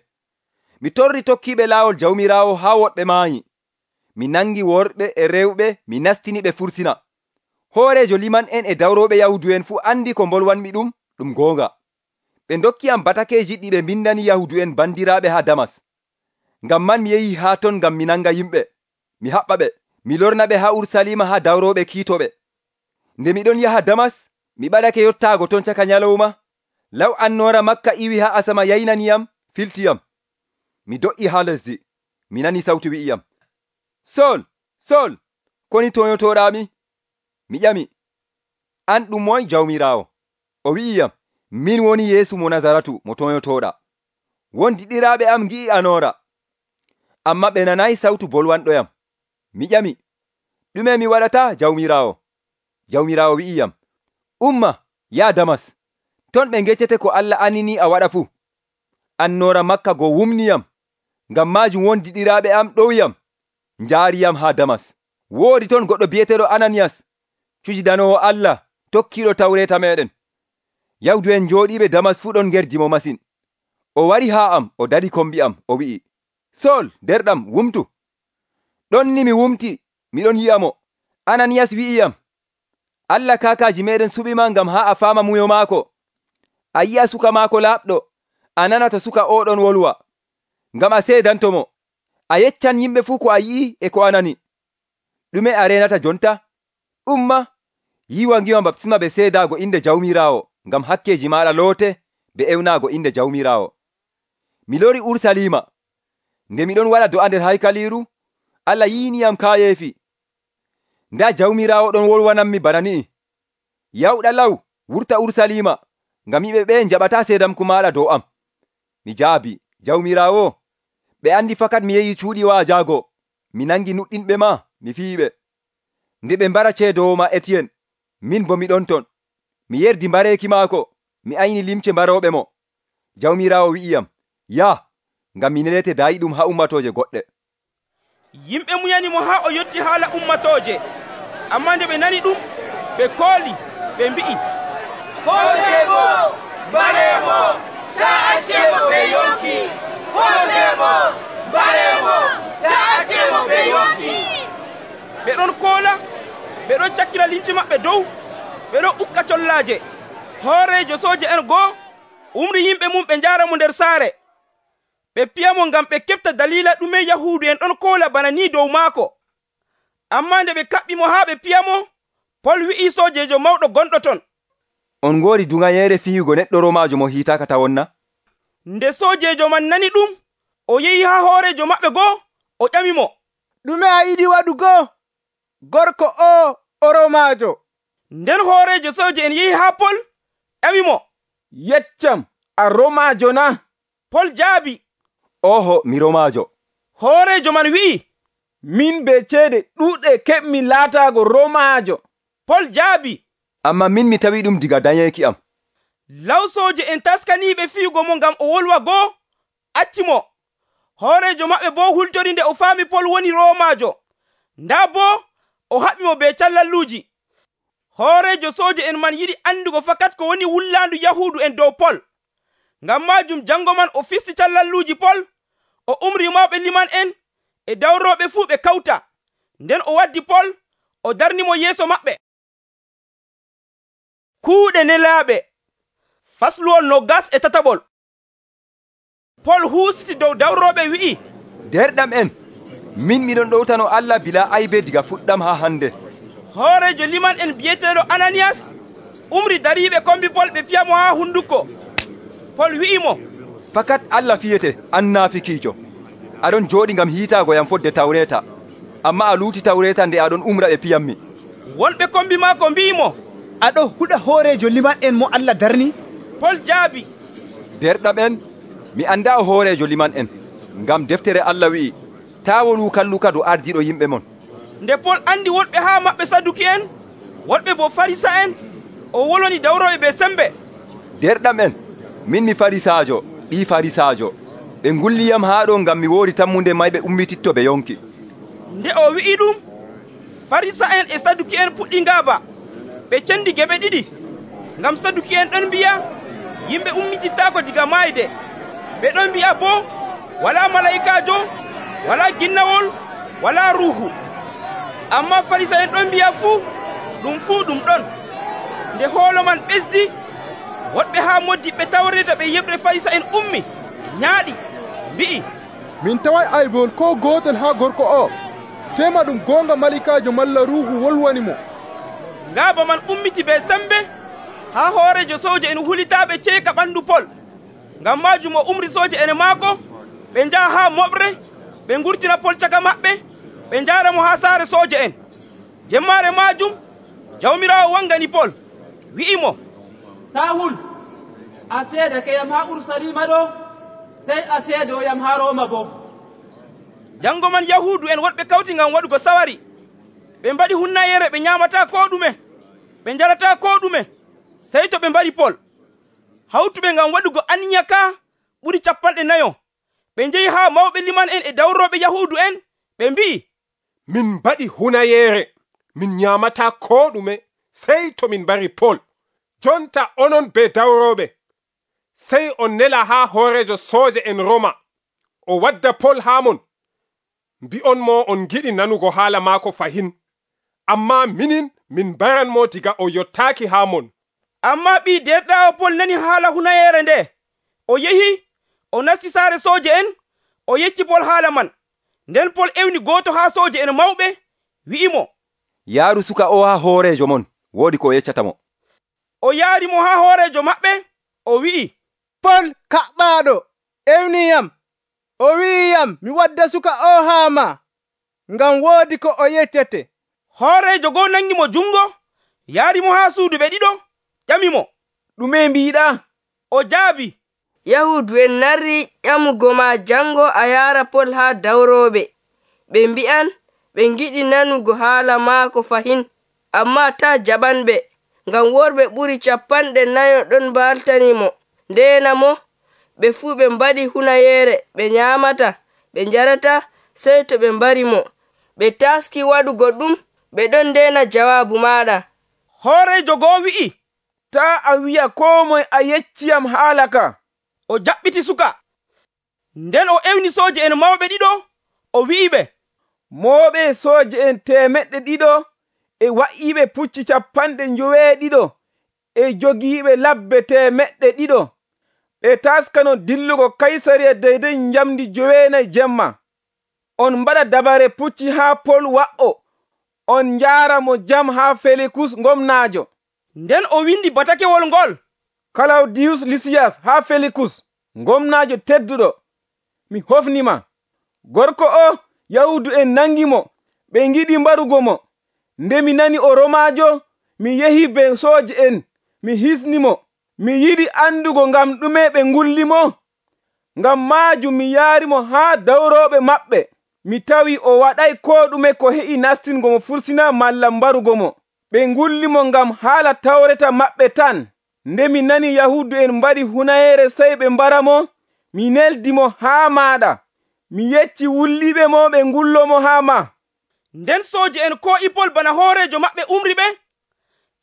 Mi torri tokkiɓe laawol Jawmiraawo haa woɗɓe maayi. Mi nangi worɓe e rewɓe, mi nastini ɓe fursina. Hoorejo liman en e dawroɓe Yahudu en fuu andi ko mbolwanmi ɗum ɗum goonga. Ɓe dokkiyam batakeeji ɗi ɓe mbindani Yahudu en bandiraaɓe haa Damas. Ngam man mi yehi haa ton ngam mi nanga yimɓe, mi haɓɓa ɓe, mi lorna ɓe haa Urusalima haa dawroɓe kiitoɓe. Nde miɗon yaha Damas, mi ɓadake yottaago ton caka nyalawma. Law annoora Makka iwi haa asama yaynaniyam, filtiyam. Mi do'i haa lesdi, mi nani sawtu wi'iyam, Sol, Sol, koni toyotoɗami? Mi ƴami, an ɗum moy Jawmiraawo? O wi'iyam, min woni Yeesu mo Nazaratu mo toyotoɗa. Wondi ɗiraaɓe am ngi'i anoora, amma ɓe nanayi sawtu bolwanɗoyam. Mi ƴami, ɗume mi waɗata Jawmiraawo? Jawmiraawo wi'iyam, umma, yaa Damas, ton ɓe geccete ko Allah anini a waɗa fuu. Annoora Makka go wumniyam, ngam maajum wondi ɗiraaɓe am ɗowyam, njaariyam haa Damas. Woodi ton goɗɗo bi'eteɗo Ananiyas, cujidanoowo Allah, tokkiiɗo tawreeta meɗen. Yahudu en jooɗiiɓe Damas fuu ɗon ngerdi mo masin. O wari haa am, o dari kombi am, o wi'i, Sol, derɗam, wumtu. Ɗon ni mi wumti, miɗon yi'a mo. Ananiyas wi'iyam, Allah kaakaaji meɗen suɓima ngam haa a faama muyo maako. A yi'a suka maako laaɓɗo, a nanata suka oɗon wolwa, ngam a seedantomo. A yeccan yimɓe fuu ko a yi'i e ko a nani. Ɗume a renata jonta? Umma, yiwa ngiwa baptisma be seedaago inde Jawmiraawo, ngam hakkeji maɗa loote be ewnaago inde Jawmiraawo. Mi lori Urusalima. Nde miɗon waɗa do'a nder haykaliru, Allah yiiniyam kaayeefi. Nda Jawmiraawo ɗon wolwanammi bana ni'i. yawɗa law wurta Urusalima, ngam yimɓe ɓe jaɓata seedamku maɗa dow am. Mi jaabi, Jawmiraawo, ɓe andi fakat mi yehi cuuɗi waajaago, mi nangi nuɗɗinɓe ma, mi fiyiɓe. Nde ɓe mbara ceedowo ma Etiyen, min bo mi ɗon ton. Mi yerdi mbareeki maako, mi ayni limce mbarooɓe mo. Jawmiraawo wi'iyam, yah, ngam mi nelete dayi ɗum ha ummatooje goɗɗe. Yimɓe muyani mo haa o yotti haala ummatooje. Ammaa nde ɓe nani ɗum, ɓe kooli, ɓe mbi'i, Hoosemo, mbaremo, taa accemo ɓe yonki. Hoosemo, mbaremo, taa accemo ɓe yonki. Ɓe ɗon koola, ɓe ɗon cakkira limce maɓɓe dow, ɓe ɗon ukka collaaje. Hooreejo sooje en goo umri yimɓe mum ɓe njaara mo nder saare. Ɓe piyamo ngam ɓe keɓta daliila ɗume Yahuudu en ɗon koola bana ni dow maako. Ammaa nde ɓe kaɓɓi mo haa ɓe piyamo, Pol wi'i soojeejo mawɗo gonɗo ton, on ngoodi duŋayeere fiyugo neɗɗo Roomaajo mo hiitaaka tawonna? Nde soojeejo man nani ɗum, o yehi haa hooreejo maɓɓe goo, o ƴamimo, ɗume a yiɗi waɗugo? Gorko o o Roomaajo. Nden hooreejo sooje en yehi haa Pol, ƴamimo, yeccam, a Roomaajo na? Pol jaabi, oho, mi Roomaajo. Hooreejo man wi'i, min be ceede ɗuuɗe keɓmi laataago Roomaajo. Pol jaabi, amma min mi tawi ɗum diga dayeeki am. Law sooje en taskaniiɓe fiyugo mo ngam o wolwa goo, acci mo. Hooreejo maɓɓe boo hultori nde o faami Pol woni Roomaajo. Ndaa boo o haɓi mo be callalluuji. Hooreejo sooje en man yiɗi andugo fakat ko woni wullaandu Yahuudu en dow Pol. Ngam maajum jango man o fisti callalluuji Pol, o umri mawɓe liman en e dawrooɓe fuu ɓe kawta. Nden o waddi Pol, o darnimo yeeso maɓɓe. Kuuɗe nelaaɓe fasluwol nogas e tataɓol. Pol huusiti dow dawrooɓe wi'i, derɗam en, min miɗon ɗowtano Allah bila aybe diga fuɗɗam haa hande. Hooreejo liman en biyeteeɗo Ananiyas umri dariiɓe kombi Pol ɓe piyamo haa hunduko. Pol wi'imo, fakat Allah fiyete annaafikiijo. Aɗon jooɗi ngam hiitaago yam fodde Tawreeta, amma a luuti Tawreeta nde aɗon umra ɓe piyammi. Wonɓe kombi maako mbi'imo, aɗo huɗa hooreejo liman en mo Allah darni? Pol jaabi, derɗam en, mi annda o hooreejo liman en, ngam deftere Allah wi'i, taa wolu kalluka do ardiɗo yimɓe mon. Nde Pol andi wonɓe haa maɓɓe Saduki en, wonɓe bo Farisa en, o woloni dawroɓe ɓe sembe. Derɗam en, min mi Farisaajo, ɓii Farisaajo. Ɓe ngulliyam haa ɗo ngam mi woori tammunde mayɓe ummititto ɓe yonki. Nde o wi'i ɗum, Farisa en e Saduki en puɗɗi ngaaba. Ɓe cendi geɓe ɗiɗi, ngam Saduki en ɗon mbi'a yimɓe ummitittaako diga maayde. Ɓe ɗon mbi'a boo walaa malayikaajo, walaa ginnawol, walaa ruuhu. Ammaa Farisa en ɗon mbi'a fuu ɗum fuu ɗum ɗon. Nde hoolo man ɓesdi, woɗɓe haa moddiɓɓe Tawreeta ɓe yeɓre Farisa en ummi, ñaaɗi, mbi'i, min taway aybol ko gootel haa gorko o. Tema ɗum goonga malikaajo malla ruuhu wolwani mo. Ngaaba man ummiti be sembe haa hooreejo sooje en hulitaaɓe ceeka ɓandu Pol. Ngam maajum o umri sooje en maako, ɓe njaha haa moɓre, ɓe ngurtina Pol caka maɓɓe, ɓe njaara mo haa saare sooje en. Jemmaare maajum Jawmiraawo wangani Pol, wi'imo, taa hul, a seedake yam haa Urusalima ɗo, sey a seedoyam haa Rooma bo. Jango man Yahuudu en woɗɓe kawti ngam waɗugo sawari. Ɓe mbaɗi hunnayere ɓe nyaamata ko ɗume, ɓe njarata ko ɗume, sey to ɓe mbari Pol. Hawtuɓe ngam waɗugo aniya ka ɓuri capanɗe nayo. Ɓe njehi haa mawɓe liman en e dawrooɓe Yahuudu en, ɓe mbi'i, min mbaɗi hunayere, min nyaamata ko ɗume, sey to min mbari Pol. Jonta onon be dawrooɓe, sey on nela haa hooreejo sooje en Roma, o wadda Pol haa mon. Mbi'on mo on giɗi nanugo haala maako fahin, amma minin min mbaranmo diga o yottaaki haa mon. Amma ɓii derɗaawo Pol nani haala hunayere nde. O yehi, o nasti saare sooje en, o yecci Pol haala man. Nden Pol ewni gooto haa sooje en mawɓe, wi'imo, yaaru suka o haa hooreejo mon, woodi ko yeccata mo. O yaari mo haa hooreejo maɓɓe, o wi'i, Pol kaɓɓaaɗo ewniyam, o wi'iyam mi wadda suka o haa ma, ngam woodi ko o yeccete. Hooreejo goo nangi mo jungo, yaarimo haa suudu ɓe ɗiɗo ƴamimo, ɗume mbiɗa? o jaabi, yahudu en narri ƴamugo ma jango a yaara pol haa dawroɓe. Ɓe mbi'an ɓe ngiɗi nanugo haala maako fahin, amma taa jaɓanɓe, ngam worɓe ɓuri capanɗe nayo ɗon mbaltanimo. Ndeena mo, ɓe fuu ɓe mbaɗi hunayeere, ɓe nyaamata, ɓe njarata, sey to ɓe mbari mo. Ɓe taski waɗugo ɗum, ɓe ɗon ndeena jawaabu maaɗa. Hooreejo goo wi'i, taa a wi'a koo moye a yecciyam haala ka. O jaɓɓiti suka. Nden o ewni sooje en mawɓe ɗiɗo, o wi'iɓe, mooɓe sooje en temeɗɗe ɗiɗo e wa'iiɓe pucci capanɗe njoweeɗiɗo e jogiiɓe labbe temeɗɗe ɗiɗo ɓe taskano dillugo Kaysariya deydey njamdi joweenayi jemma. On mbaɗa dabare pucci haa Pol wa'o, on njaara mo jam haa Felikus gomnaajo. Nden o windi batakewol ngol, Kalawdiyus Lisiyas haa Felikus, gomnaajo tedduɗo, mi hofnima. Gorko o Yahudu en nangi mo, ɓe ngiɗi mbarugo mo. Nde mi nani o Romaajo, mi yehi be sooje en, mi hisni mo. Mi yiɗi andugo ngam ɗume ɓe ngulli mo. Ngam maajum mi yaari mo haa dawrooɓe maɓɓe. Mi tawi o waɗay koo ɗume ko heƴi nastingo mo fursina malla mbarugo mo. Ɓe ngulli mo ngam haala tawreta maɓɓe tan. Nde mi nani Yahudu en mbaɗi hunayeere sey ɓe mbara mo, mi neldi mo haa maaɗa. Mi yecci wulliɓe mo ɓe ngullo mo haa ma. Nden sooje en ko Ipol bana hooreejo maɓɓe umri ɓe,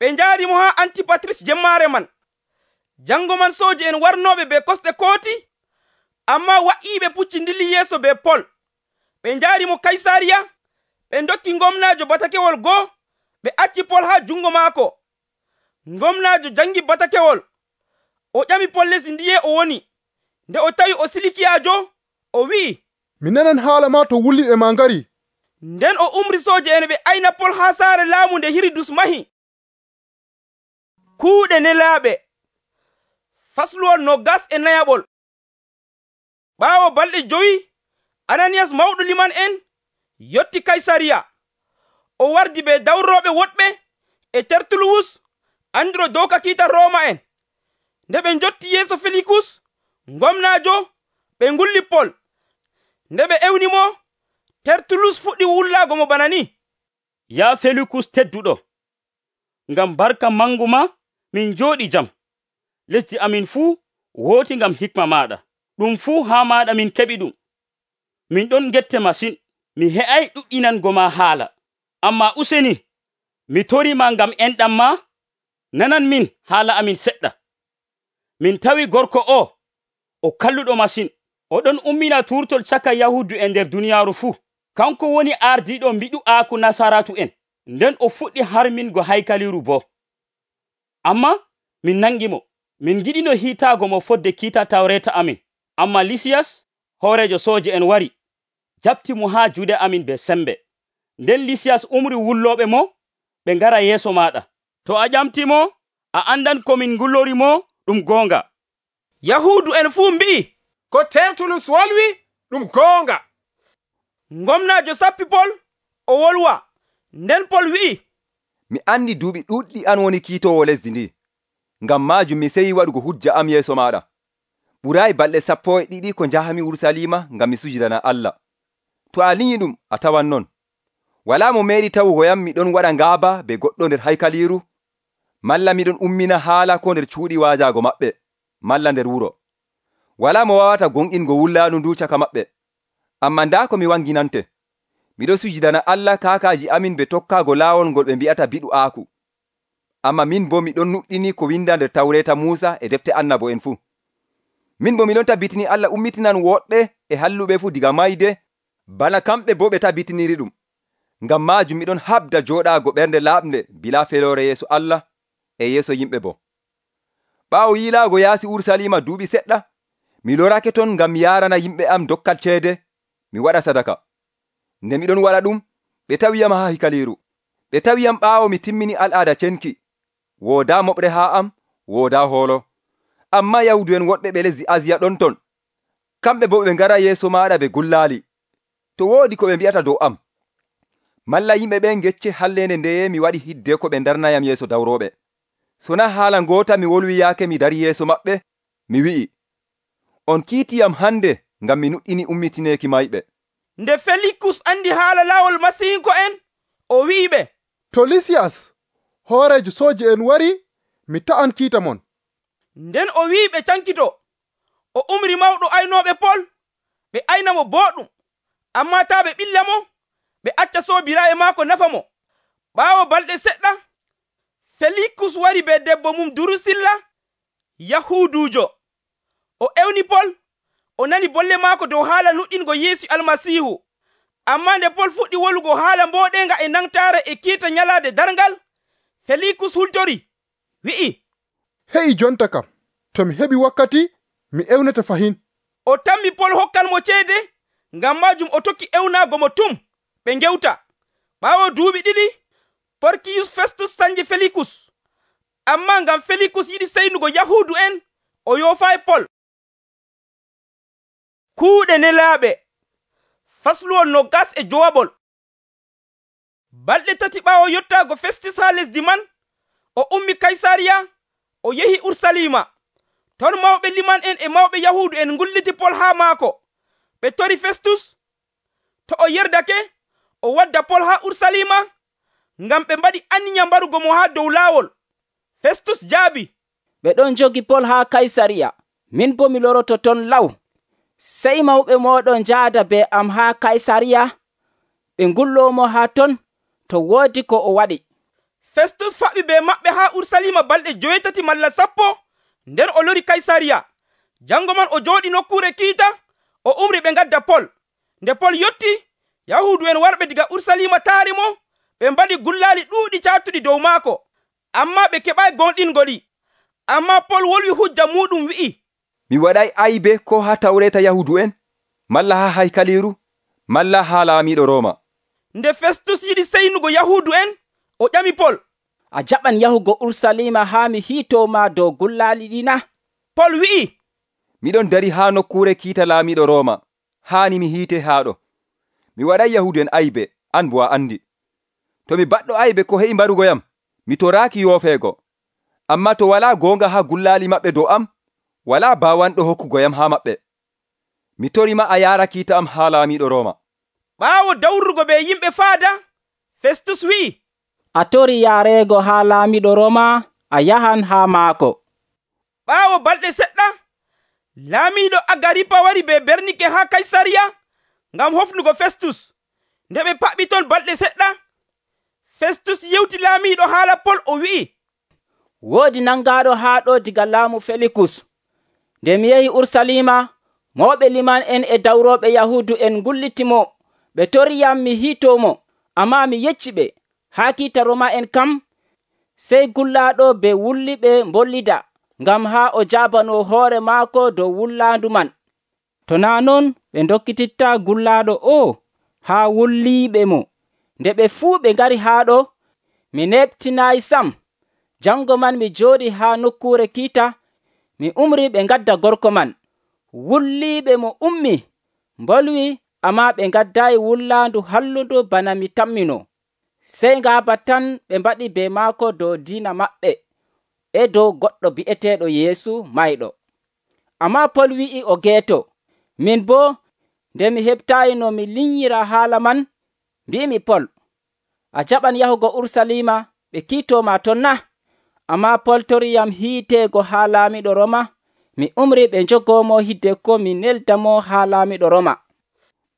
ɓe njaari mo haa Antipatris jemmaare man. Jango man sooje en warnooɓe be kosɗe kooti, amma wa'iiɓe pucci ndilli yeeso be Pol. Ɓe njaari mo Kaysariya, ɓe ndokki gomnaajo batakewol goo, ɓe acci Pol haa jungo maako. Gomnaajo jangi batakewol, o ƴami Pol lesdi ndiye o woni. Nde o tawi o Silikiyaajo, o wi'i, mi nanan haala ma to wulliɓe ma ngari. Nden o umri sooje en ɓe ayna Pol haa saare laamu nde Hiridus mahi. Kuuɗe nelaaɓe fasluwol nogas e nayaɓol. Ɓaawo balɗe jowi, Ananiyas mawɗo liman en yotti Kaysariya. O wardi be dawrooɓe woɗɓe e Tertuluwus, andiro dow kiita Rooma en. Nde ɓe njotti yeeso Felikus, gomnaajo, ɓe ngulli Pol. Nde ɓe ewni mo, Tertulus fuɗɗi wullaago mo bana ni. Ya Felikus tedduɗo, ngam barka mangu ma min njooɗi jam. Lesdi amin fuu wooti ngam hikma maɗa. Ɗum fuu haa maɗa min keɓi ɗum. Min ɗon gette masin, mi he'ay ɗuɗɗinango ma haala. Amma useni, mi torima ngam enɗam ma, nanan min haala amin seɗɗa. Min tawi gorko o, o kalluɗo masin, oɗon ummina turtol caka Yahudu e nder duniyaaru fuu. Kanko woni ardiiɗo mbiɗu'aaku Nasaratu en, nden o fuɗɗi harmingo haykaliru bo. Amma min nangi mo, min giɗino hiitaago mo fodde kiita tawreta amin. Amma Lisiyas, hoorejo sooje en wari, jaɓti mo haa juuɗe amin be sembe. Nden Lisiyas umri wullooɓe mo, ɓe ngara yeeso maɗa. To a ƴamti mo, a andan ko min ngullori mo ɗum goonga. Yahudu en fuu mbi'i, ko Tertulus wolwi ɗum goonga. Gomnaajo sappi Pol, o wolwa. Nden Pol wi'i, mi andi duuɓi ɗuɗɗi an woni kiitowo lesdi ndi. Ngam maajum mi seyi waɗugo hujja am yeeso maɗa. Ɓuraayi balɗe sappo e ɗiɗi ko njahami Urusalima ngam mi sujidana Allah. To a liyi ɗum a tawan non. Walaa mo meeɗi tawugo yam miɗon waɗa ngaaba be goɗɗo nder haykaliiru, malla miɗon ummina haala ko nder cuuɗi waajaago maɓɓe, malla nder wuro. Walaa mo wawata gonɗingo wullaanu ndu caka maɓɓe. Amma ndaa ko mi wanginante, miɗo sujidana Allah kaakaaji amin be tokkaago laawol ngol ɓe mbi'ata biɗu'aaku. Amma min bo miɗon nuɗɗini ko winda nder tawreeta Muusa e defte annabo en fuu. Min bo miɗon tabbitini Allah ummitinan woɗɓe e halluɓe fuu diga mayde, bana kamɓe bo ɓe tabbitiniri ɗum. Ngam maajum miɗon habda jooɗaago ɓernde laaɓnde bilaa feloore yeeso Allah e yeeso yimɓe bo. Ɓaawo yiilaago yaasi Urusalima duuɓi seɗɗa, mi lorake ton ngam mi yaarana yimɓe am dokkal ceede, mi waɗa sadaka. Nde miɗon waɗa ɗum, ɓe tawiyam haa hikaliiru. Ɓe tawiyam ɓaawo mi timmini al'aada cenki. Woodaa moɓre haa am, woodaa hoolo. Amma Yahudu en woɗɓe ɓe lesdi Asiya ɗon ton. Kamɓe bo ɓe ngara yeeso maaɗa ɓe gullaali. To woodi ko ɓe mbi'ata dow am. malla yimɓe ɓen gecce hallende ndeye mi waɗi hidde ko ɓe darnayam yeeso dawroɓe. Sona haala ngoota mi wolwi yaake mi dari yeeso maɓɓe, mi wi'i, on kiitiyam hande ngam mi nuɗɗini ummitineeki mayɓe. Nde Felikus andi haala laawol masihinko en, o wi'iɓe, to Lisiyas hoorejo sooji en wari, mi ta'an kiita mon. Nden o wi'iɓe cankito, o umri mawɗo aynooɓe Pol, ɓe aynamo booɗɗum, ammaa taa ɓe ɓilla mo, ɓe acca soobiraaɓe maako nafa mo. Ɓaawo balɗe seɗɗa, Felikus wari be debbo mum Durusilla, Yahuudujo. O ewni Pol, o nani bolle maako dow haala nuɗɗingo Yeesu Almasiihu. Ammaa nde Pol fuɗɗi wolugo haala mbooɗenga e nangtaare e kiita nyalaade darngal, Felikus hultori, wi'i, he'i jonta kam, to mi heɓi wakkati, mi ewnete fahin. O tammi Pol hokkan mo ceede, ngam maajum o tokki ewnaago mo tum, ɓe ngewta. Ɓaawo duuɓi ɗiɗi, Porkiyus Festus sanji Felikus. Ammaa ngam Felikus yiɗi seynugo Yahuudu en, o yoofaayi Pol. Kuuɗe nelaaɓe fasluwol no gas e jowaɓol. Balɗe tati ɓaawo yottaago Festus haa lesdi man, o ummi Kaysariya, o yehi Ursalima. Ton mawɓe liman en e mawɓe Yahuudu en ngulliti Pol haa maako. Ɓe tori Festus, to o yerdake, o wadda Pol haa Ursalima, ngam ɓe mbaɗi anniya mbarugo mo haa dow laawol. Festus jaabi, ɓe ɗon jogi Pol haa Kaysariya, min bo mi loroto ton law. Sey mawɓe mooɗon njaada be am haa Kaysariya, ɓe ngullomo haa ton, to woodi ko o waɗi. Festus faɓi be maɓɓe haa Ursalima balɗe joweetati malla sappo, nden o lori Kaysariya. Jango man o jooɗi nokkuure kiita, o umri ɓe ngadda Pol. Nde Pol yotti, Yahuudu en warɓe diga Ursalima taari mo, ɓe mbaɗi gullaali ɗuuɗi caatuɗi dow maako, ammaa ɓe keɓaayi gonɗingo ɗi. Ammaa Pol wolwi hujja muɗum wi'i, mi waɗay aybe ko haa tawreeta Yahuudu en, malla haa haykaliiru, malla haa laamiiɗo Rooma. Nde Festus yiɗi seynugo Yahuudu en, o ƴami Pol, a jaɓan yahugo Ursalima haa mi hiitoma dow gullaali ɗina? Pol wi'i, miɗon dari haa nokkuure kiita laamiiɗo Rooma, haani mi hiite haaɗo. Mi waɗay Yahuudu en aybe, an bo a andi. To mi baɗɗo aybe ko he'i mbarugoyam, mi toraaki yoofeego. Ammaa to walaa goonga haa gullaali maɓɓe dow am, walaa baawanɗo hokkugoyam haa maɓɓe. Mi torima a yaara kiita am haa laamiiɗo Rooma. Ɓaawo dawrugo be yimɓe faada, Festus wi'i, a tori yaareego haa laamiiɗo Rooma, a yahan haa maako. Ɓaawo balɗe seɗɗa, laamiiɗo Agaripa wari be Bernike haa Kaysariya ngam hofnugo Festus. Nde ɓe paɓɓi ton balɗe seɗɗa, Festus yewti laamiiɗo haala Pol, o wi'i, woodi nangaaɗo haa ɗo diga laamu Felikus. Nde mi yehi Ursalima, mawɓe liman en e dawroɓe Yahuudu en ngullitimo, ɓe toriyam mi hiitomo, ammaa mi yecci ɓe, haa kiita Roma en kam, sey gullaaɗo be wulliɓe mbollida, ngam haa o jaabano hoore maako dow wullaandu man. To naa non ɓe dokkititta gullaaɗo o haa wulliiɓe mo. Nde ɓe fuu ɓe ngari haa ɗo, mi neɓtinaayi sam. Jango man mi jooɗi haa nokkuure kiita, mi umri ɓe ngadda gorko man. Wulliiɓe mo ummi, mbolwi, ammaa ɓe ngaddaayi wullaandu hallundu bana mi tammino. Sey ngaaba tan ɓe mbaɗi be maako dow diina maɓɓe, e dow goɗɗo bi'eteeɗo Yeesu mayɗo. Ammaa Pol wi'i o geeto. Min boo, nde mi heɓtaayi no mi linyira haala man, mbi'imi Pol, a jaɓan yahugo Ursalima ɓe kiitoma ton na? Ammaa Pol toriyam hiiteego haa laamiiɗo Roma. Mi umri ɓe njogoomo hidde ko mi neldamo haa laamiiɗo Roma.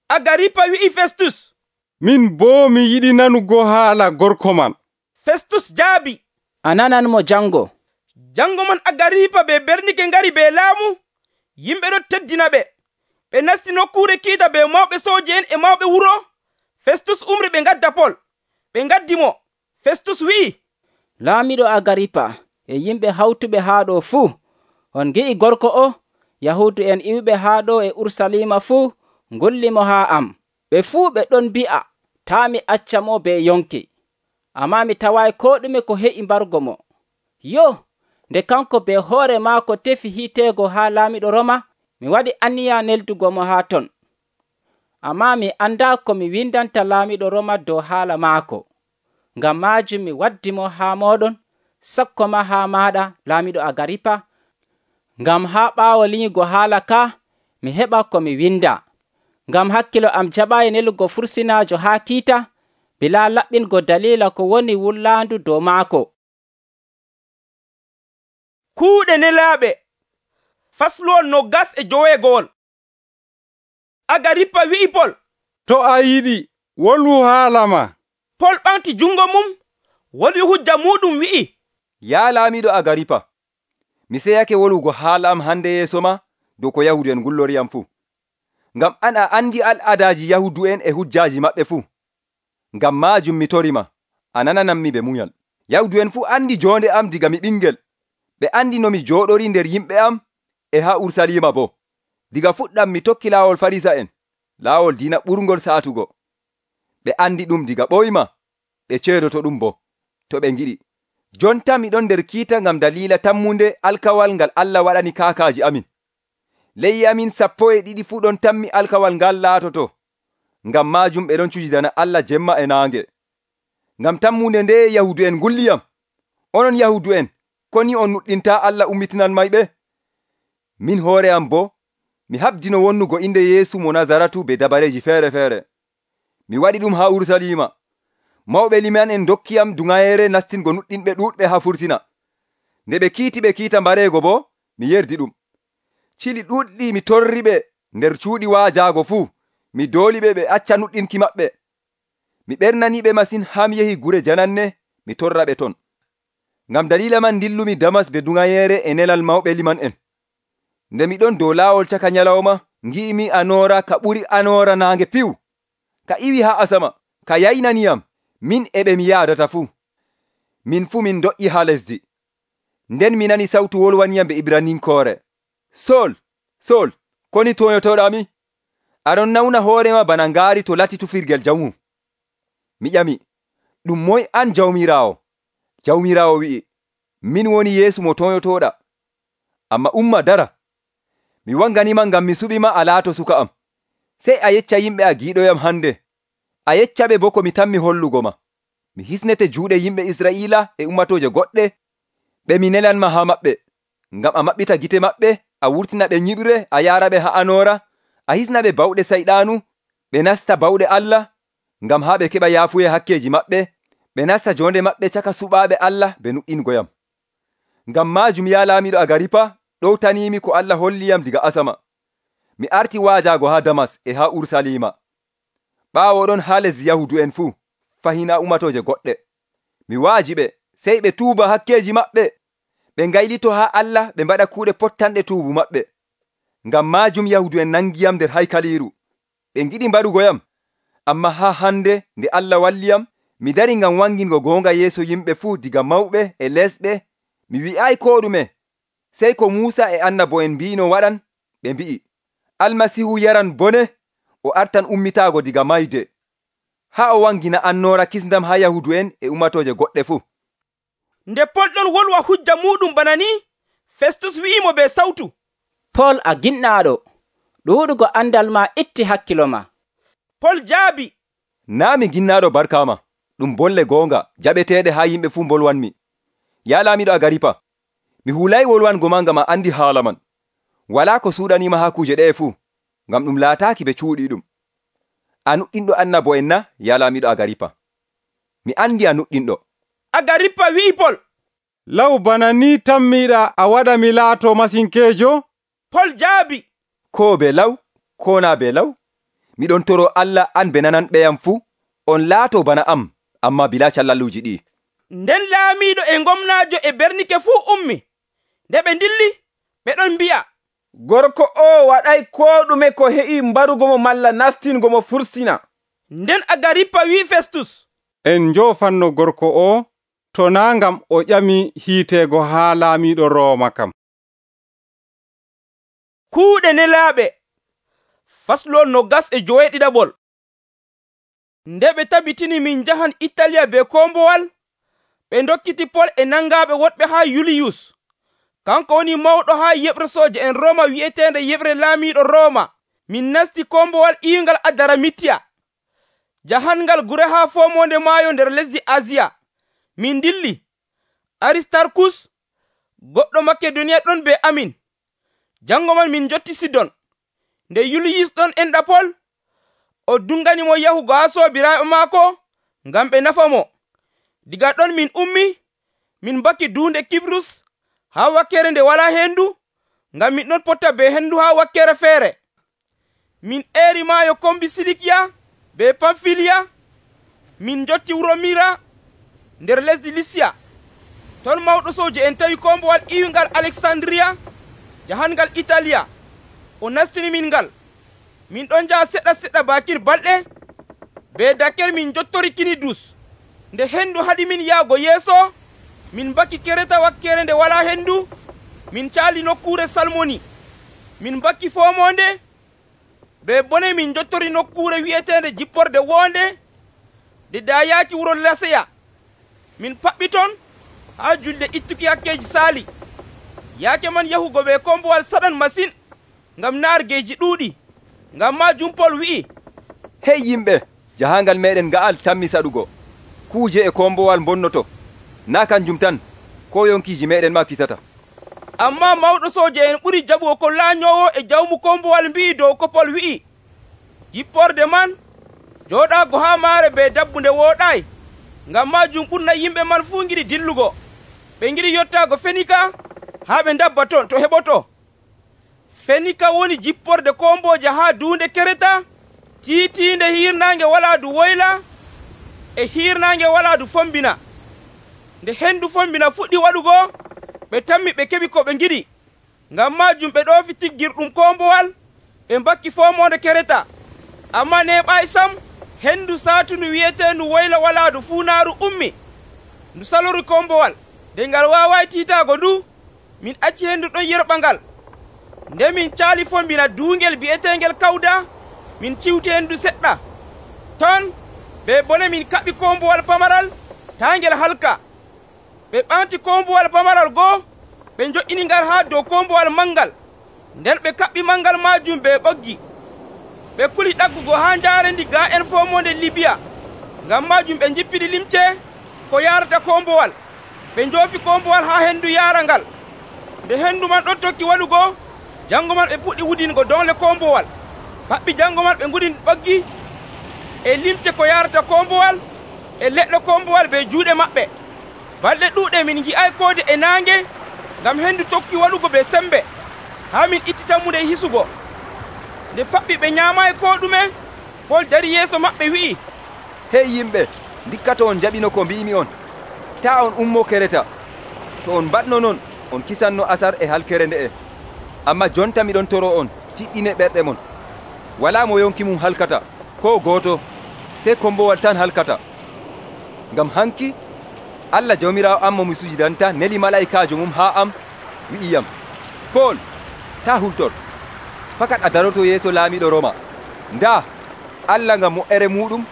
Agaripa wi'i Festus, min boo mi yiɗi nanugo haala gorko man. Festus jaabi, a nanan mo jango. Jango man Agaripa be Bernike ngari be laamu, yimɓe ɗo teddina ɓe. Ɓe nasti nokkuure kiita be mawɓe sooje en e mawɓe wuro. Festus umri ɓe ngadda Pol, ɓe ngaddi mo. Festus wi'i, laamiɗo Agaripa e yimɓe hawtuɓe haa ɗo fuu, on gi'i gorko o, Yahuudu en iwɓe haa ɗo e Ursalima fuu ngullimo haa am. Ɓe fuu ɓe ɗon mbi'a taa mi acca mo be yonki, ammaa mi tawaayi koo ɗume ko he'i mbargo mo. Yo, nde kanko be hoore maako tefi hiiteego haa laamiɗo Roma, mi waɗi anniya neldugo mo haa ton. ammaa mi andaa ko mi windanta laamiiɗo Roma dow haala maako. Ngam maajum mi waddi mo haa mooɗon, sakko ma haa maaɗa, laamiiɗo Agaripa, ngam haa ɓaawo linyugo haala ka mi heɓa ko mi winda. Ngam hakkilo am jaɓaayi nelugo fursinaajo haa kiita, bilaa laɓɓingo daliila ko woni wullaandu dow maako. Kuuɗe nelaaɓe fasluwol noggas e joweegowol. Agaripa wi'i Pol, to a yiɗi wolwu haala ma. Pol ɓamti jungo mum, wolwi hujja muɗum wi'i, yaa laamiiɗo Agaripa, mi seyake wolwugo haala am hande yeeso ma dow ko Yahudu'en ngulloriyam fuu. Ngam an a andi al'adaaji Yahudu'en e hujjaaji maɓɓe fuu. Ngam maajum mi torima, a nananammi be munyal. Yahudu'en fuu andi jonde am diga mi ɓingel. Ɓe andi no mi jooɗori nder yimɓe am e haa Urusalima bo. Diga fuɗɗam mi tokki laawol Farisa'en, laawol diina ɓurngol saatugo. Ɓe andi ɗum diga ɓoyma, ɓe ceedoto ɗum bo, to ɓe ngiɗi. Jonta miɗon nder kiita ngam daliila tammunde alkawal ngal Allah waɗani kaakaaji amin. Leyyi amin sappo e ɗiɗi fuu ɗon tammi alkawal ngal laatoto. Ngam maajum ɓe ɗon cujidana Allah jemma e naange. Ngam tammunde nde Yahudu'en ngulliyam. Onon Yahudu'en, ko ni on nuɗɗinta Allah ummitinan mayɓe? Min hoore am bo, mi habdino wonnugo inde Yeesu mo Nazaratu be dabareeji feere-feere. Mi waɗi ɗum haa Urusalima. Mawɓe liman en dokkiyam duŋayere nastingo nuɗɗinɓe ɗuuɗɓe haa fursina. Nde ɓe kiiti ɓe kiita mbareego bo, mi yerdi ɗum. Cili ɗuuɗɗi mi torri ɓe nder cuuɗi waajaago fuu, mi dooli ɓe ɓe acca nuɗɗinki maɓɓe. Mi ɓernani ɓe masin haa mi yehi gure jananne, mi torra ɓe ton. Ngam daliila man dillumi Damas be duŋayere e nelal mawɓe liman en. Nde miɗon dow laawol caka nyalawma, ngi'imi anoora ka ɓuri anoora naange piw, ka iwi haa asama, ka yaynaniyam, min e ɓe mi yaadata fuu. Min fuu min doƴƴi haa lesdi. Nden mi nani sawtu wolwaniyam be Ibraninkoore. Sol, Sol, koni toyotoɗami? Aɗon nawna hoorema bana ngaari to lati tufirgel jamu. Mi ƴami, ɗum moy an jawmiraawo? Jawmiraawo wi'i, min woni Yeesu mo toyotoɗa. Amma umma dara. Mi wanganima ngam mi suɓima a laato suka am. Sey a yecca yimɓe a giiɗoyam hande. A yeccaɓe bo ko mi tammi hollugo ma. Mi hisnete juuɗe yimɓe Israa'iila e ummatooje goɗɗe, ɓe mi nelanma haa maɓɓe. Ngam a maɓɓita gite maɓɓe, a wurtina ɓe nyiɓre, a yaaraɓe haa anoora, a hisnaɓe bawɗe sayɗaanu, ɓe nasta bawɗe Allah, ngam haa ɓe keɓa yaafuye hakkeeji maɓɓe, ɓe nasta jonde maɓɓe caka suɓaaɓe Allah ɓe nuɗɗingoyam. Ngam maajum yaa laamiiɗo Agaripa, ɗowtaniimi ko Allah holliyam diga asama. Mi arti waajaago haa Damas e haa Urusalima. Ɓaawo ɗon haa lesdi Yahudu'en fuu, fahina umatooje goɗɗe. Mi waaji ɓe, sey ɓe tuuba hakkeeji maɓɓe, ɓe ngaylito haa Allah ɓe mbaɗa kuuɗe pottanɗe tuubu maɓɓe. Ngam maajum Yahudu'en nangiyam nder haykaliiru. Ɓe ngiɗi mbaɗugoyam, amma haa hande nde Allah walliyam, mi dari ngam wangingo goonga yeeso yimɓe fuu diga mawɓe e lesɓe. Mi wi'aay koo ɗume, sey ko Muusa e annabo'en mbi'ino waɗan. Ɓe mbi'i, Almasihu yaran bone, o artan ummitaago diga mayde, haa o wangina annoora kisndam haa Yahudu'en e ummatooje goɗɗe fuu. Nde Pol ɗon wolwa hujja muɗum bana ni, Festus wi'imo be sawtu, Pol a ginɗaaɗo, ɗuuɗugo andal ma itti hakkilo ma. Pol jaabi, naa mi ginnaaɗo barkaama, ɗum bolle goonga jaɓeteeɗe haa yimɓe fuu mbolwanmi. Yaa laamiiɗo Agaripa, mi hulay wolwango ma ngam a andi haala man. Walaa ko suuɗaniima haa kuuje ɗe'e fuu, ngam ɗum laataaki ɓe cuuɗi ɗum. A nuɗɗinɗo annabo'en na, yaa laamiiɗo Agaripa? Mi andi a nuɗɗinɗo. Agaripa wi'i Pol, law bana ni tammiɗa a waɗa mi laato masinkeejo? Pol jaabi, ko be law, ko naa be law, miɗon toro Allah an be nananɓeyam fuu, on laato bana am, amma bilaa callalluuji ɗi. Nden laamiiɗo e gomnaajo e Bernike fuu ummi. Nde ɓe ndilli, ɓe ɗon mbi'a, gorko o waɗay koo ɗume ko heƴi mbarugomo malla nastingomo fursina. Nden Agaripa wi Festus, en njoofanno gorko o, to naa ngam o ƴami hiiteego haa laamiiɗo Rooma kam. Kuuɗe nelaaɓe faslol nogas e joweeɗiɗaɓol. Nde ɓe tabitini min njahan Italiya be kombowal, ɓe dokkiti Pol e nangaaɓe woɗɓe haa Yuliyus, kanko woni mawɗo haa yeɓre sooje en Rooma wi'eteende yeɓre laamiiɗo Rooma. min nasti kombowal iwingal Adaramitiya, jahangal gure haa fomonde maayo nder lesdi Asiya. Min dilli. Aristarkus, goɗɗo Makedoniya ɗon be amin. Jango man min jotti Sidon. Nde Yuliyus ɗon enɗa Pol, o dunganimo yahugo haa soobiraaɓe maako ngam ɓe nafa mo. Diga ɗon min ummi, min bakki duunde Kibrus haa wakkere nde walaa hendu, ngam min ɗon potta be hendu haa wakkere feere. Min eeri maayo kombi Silikiya be Pamfiliya, min jotti wuro Mira nder lesdi Lisiya. Ton mawɗo sooje en tawi kombowal iwingal Alexandriya, jahangal Italiya. O nastini min ngal. Min ɗon njaha seɗɗa seɗɗa bakin balɗe, be dakkel min jottori Kinidus. Nde hendu haɗi min yaago yeeso, min bakki Kereta wakkere nde walaa hendu, min caali nokkure Salmoni. Min bakki fomonde, be bone min jottori nokkure wi'etende jipporde wonde, de dayaaki wuro Laseya. Min paɓɓi ton haa julde ittuki hakkeji saali. Yaake man yahugo be kombowal saɗan masin, ngam naargeeji ɗuuɗi. Ngam maajum Pol wi'i, hey yimɓe, jahangal meɗen nga'al tammi saɗugo. Kuuje e kombowal bonnoto, na kanjum tan, ko yonkiiji meɗen ma kisata. Amma mawɗo sooje en ɓuri jaɓugo ko laanyowo e jawmu kombowal mbi'i dow ko Pol wi'i. Jipporde man jooɗaago haa maare be dabbunde wooɗaayi. Ngam maajum ɓurna yimɓe man fuu ngiɗi dillugo. Ɓe ngiɗi yottaago Fenika haa ɓe dabba ton to heɓoto. Fenika woni jipporde komboje haa duunde Kereta, tiitiinde hiirnaange walaadu woyla e hiirnaange walaadu fombina. Nde hendu fombina fuɗɗi waɗugo, ɓe tammi ɓe keɓi ko ɓe ngiɗi. Ngam maajum ɓe ɗoofi tiggirɗum kombowal, ɓe mbakki fomonde Kereta. Amma neeɓaayi sam, hendu saatundu wi'eteendu woyla walaadu fuunaaru ummi. Ndu salori kombowal. Nde ngal waawaay tiitaago ndu, min acci hendu ɗon yerɓa ngal. Nde min caali fombina duungel bi'eteengel Kawda, min ciwti hendu seɗɗa. Ton ɓe bone min kaɓi kombowal pamaral taa ngel halka. Ɓe ɓanti kombowal pamaral goo, ɓe njo'ini ngal haa dow kombowal mangal. Nden ɓe kaɓɓi mangal maajum be ɓoggi. Ɓe kuli ɗaggugo haa njaarendi ga en fomonde Libiya. Ngam maajum ɓe njippiɗi limce ko yaarata kombowal. Ɓe njoofi kombowal haa hendu yaara ngal. Nde hendu man ɗon tokki waɗugo, jango man ɓe puɗɗi wudingo dongle kombowal. Paɓɓi jango man ɓe ngudini ɓoggi e limce ko yaarata kombowal e leɗɗo kombowal be juuɗe maɓɓe. Balɗe ɗuuɗe min ngi'ay koode e naange, ngam hendu tokki waɗugo be sembe, haa min itti tammude hisugo. Nde faɓɓi ɓe nyaamaayi ko ɗume, Pol dari yeeso maɓɓe wi'i, hey yimɓe, ndikkato on jaɓino ko mbi'imi on. Ta on ummo Kereta. To on mbaɗno non, on kisanno asar e halkere nde'e. Amma jonta miɗon toro on, tiɗɗine ɓerɗe mon. Walaa mo yonki mum halkata, ko gooto, sey kombowal tan halkata. Ngam hanki, Allah jawmiraawo am mo mi sujidanta neli malaikaajo mum haa am, wi'iyam, Pol, ta hultor. Fakat a daroto yeeso laamiɗo Roma. Ndaa, Allah ngam mo'ere muɗum,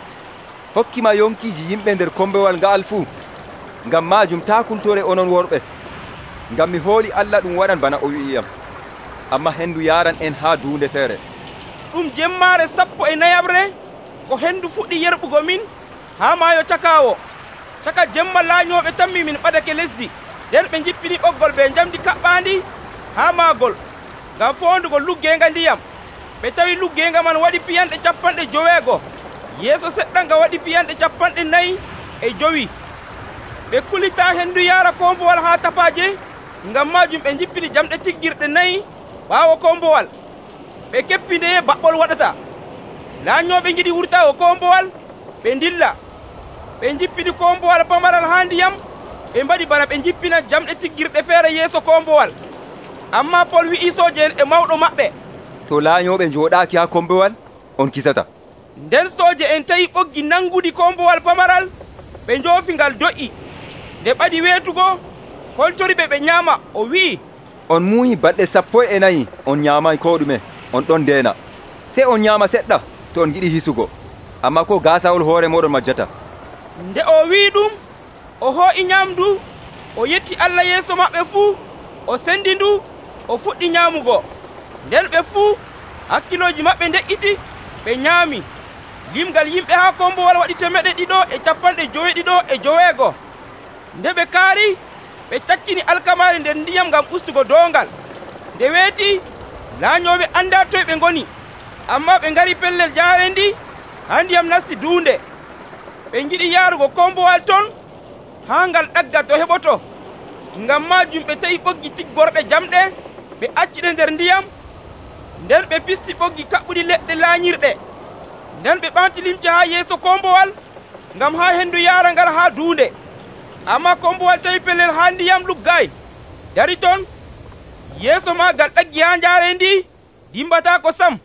hokkima yonkiiji yimɓe nder kombowal nga'al fuu. Ngam maajum taa kultore onon worɓe. Ngam mi hooli Allah ɗum waɗan bana o wi'iyam. Amma hendu yaran en haa duunde feere. Ɗum jemmaare sappo e nayabre, ko hendu fuɗɗi yerɓugo min haa maayo Cakaawo. Caka jemma laañooɓe tammi min ɓadake lesdi. Nden ɓe jippini ɓoggol be njamdi kaɓɓaandi haa maagol, ngam foondugo luggeenga ndiyam. Ɓe tawi luggeenga man waɗi piyanɗe capanɗe joweego, yeeso seɗɗa nga waɗi piyanɗe capanɗe nayi e jowi. Ɓe kulitaa hendu yaara kombowal haa tapaaje, ngam maajum ɓe jippini jamɗe tiggirɗe nayi ɓaawo kombowal. Ɓe keppi ndeye baɓɓol waɗata. Laañooɓe ngiɗi wurtaago kombowal, ɓe ndilla. Ɓe jippini kombowal pamaral haa ndiyam, ɓe mbaɗi bana ɓe jippina jamɗe tiggirɗe feere yeeso kombowal. Amma Pol wi'i sooje en e mawɗo maɓɓe, to laañooɓe njooɗaaki haa kombowal, on kisata. Nden sooje en tawi ɓoggi nangudi kombowal pamaral, ɓe njoofi ngal do'i. Nde ɓaɗi weetugo, koltoriɓe ɓe nyaama, o wi'i, on muuyi balɗe sappo e nayi on nyaamay ko ɗume, on ɗon ndeena. Sey on nyaama seɗɗa to on giɗi hisugo, amma ko gaasawol hoore moɗon majjata. Nde o wi'i ɗum, o hoo'i nyaamdu, o yetti Allah yeeso maɓɓe fuu, o sendi ndu, o fuɗɗi nyaamugo. Nden ɓe fuu hakkilooji maɓɓe nde'iti, ɓe nyaami. Limgal yimɓe haa kombowal waɗi temeɗe ɗiɗo e capanɗe joweeɗiɗo e joweego. Nde ɓe kaari, ɓe cakkini alkamaari nder ndiyam ngam ustugo doongal. Nde weeti, laañooɓe andaa toye ɓe ngoni, ammaa ɓe ngari pellel jaareendi haa ndiyam nasti duunde. Ɓe ngiɗi yaarugo kombowal ton haa ngal ɗagga to heɓoto. Ngam maajum ɓe ta'i ɓoggi tiggorɗe jamɗe, ɓe acciɗe nder ndiyam, nden ɓe pisti ɓoggi kaɓɓuɗi leɗɗe laañirɗe. Nden ɓe ɓanti limce haa yeeso kombowal ngam haa hendu yaara ngal haa duunde. Ammaa kombowal tawi pellel haa ndiyam luggaay, dari ton, yeeso maagal ɗaggi haa njaarendi dimbataako sam.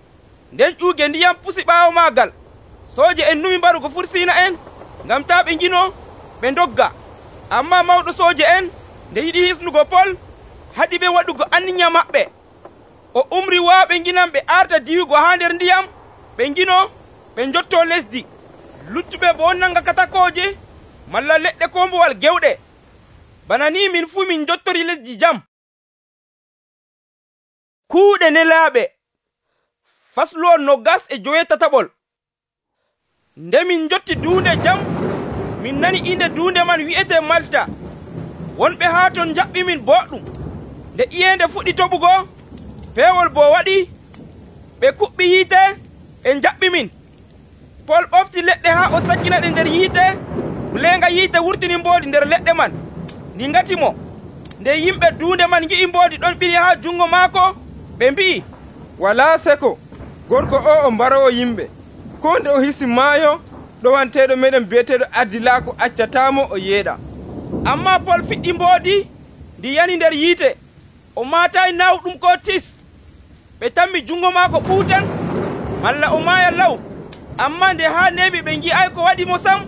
Nden ƴuuge ndiyam pusi ɓaawo maagal. Sooje en numi mbarugo fursiina en ngam taa ɓe ngino ɓe ndogga. Ammaa mawɗo sooje en nde yiɗi hisnugo Pol, haɗi ɓe waɗugo anniya maɓɓe. O umri waaɓe nginan ɓe arta diwugo haa nder ndiyam, ɓe ngino ɓe njottoo lesdi. Luttuɓe boo nanga katakooje malla leɗɗe kombowal gewɗe. Bana ni min fuu min njottori lesdi jam. Kuuɗe nelaaɓe fasluwol nogas e joweetataɓol. Nde min njotti duunde jam, min nani inde duunde man wi'etee Malta. Wonɓe haa ton njaɓɓi min boɗɗum. Nde iyeende fuɗɗi toɓugo, peewol boo waɗi, ɓe kuɓɓi yiite, ɓe njaɓɓi min. Pol ɓofti leɗɗe haa o sakkina ɗe nder yiite, buleenga yiite wurtini mboodi nder leɗɗe man, ndi ngati mo. Nde yimɓe duunde man ngi'i mboodi ɗon ɓili haa jungo maako, ɓe mbi'i, walaa seko, gorko o o mbarowo yimɓe. Koo nde o hisi maayo, ɗowanteeɗo meɗen bi'eteeɗo Ardilaako accataamo o yeeɗa. Ammaa Pol fiɗɗi mboodi ndi yani nder yiite, o maataayi nawɗum koo tis. Ɓe tammi jungo maako ɓuutan, malla o maaya law. Ammaa nde haa neeɓi ɓe ngi'ay ko waɗi mo sam,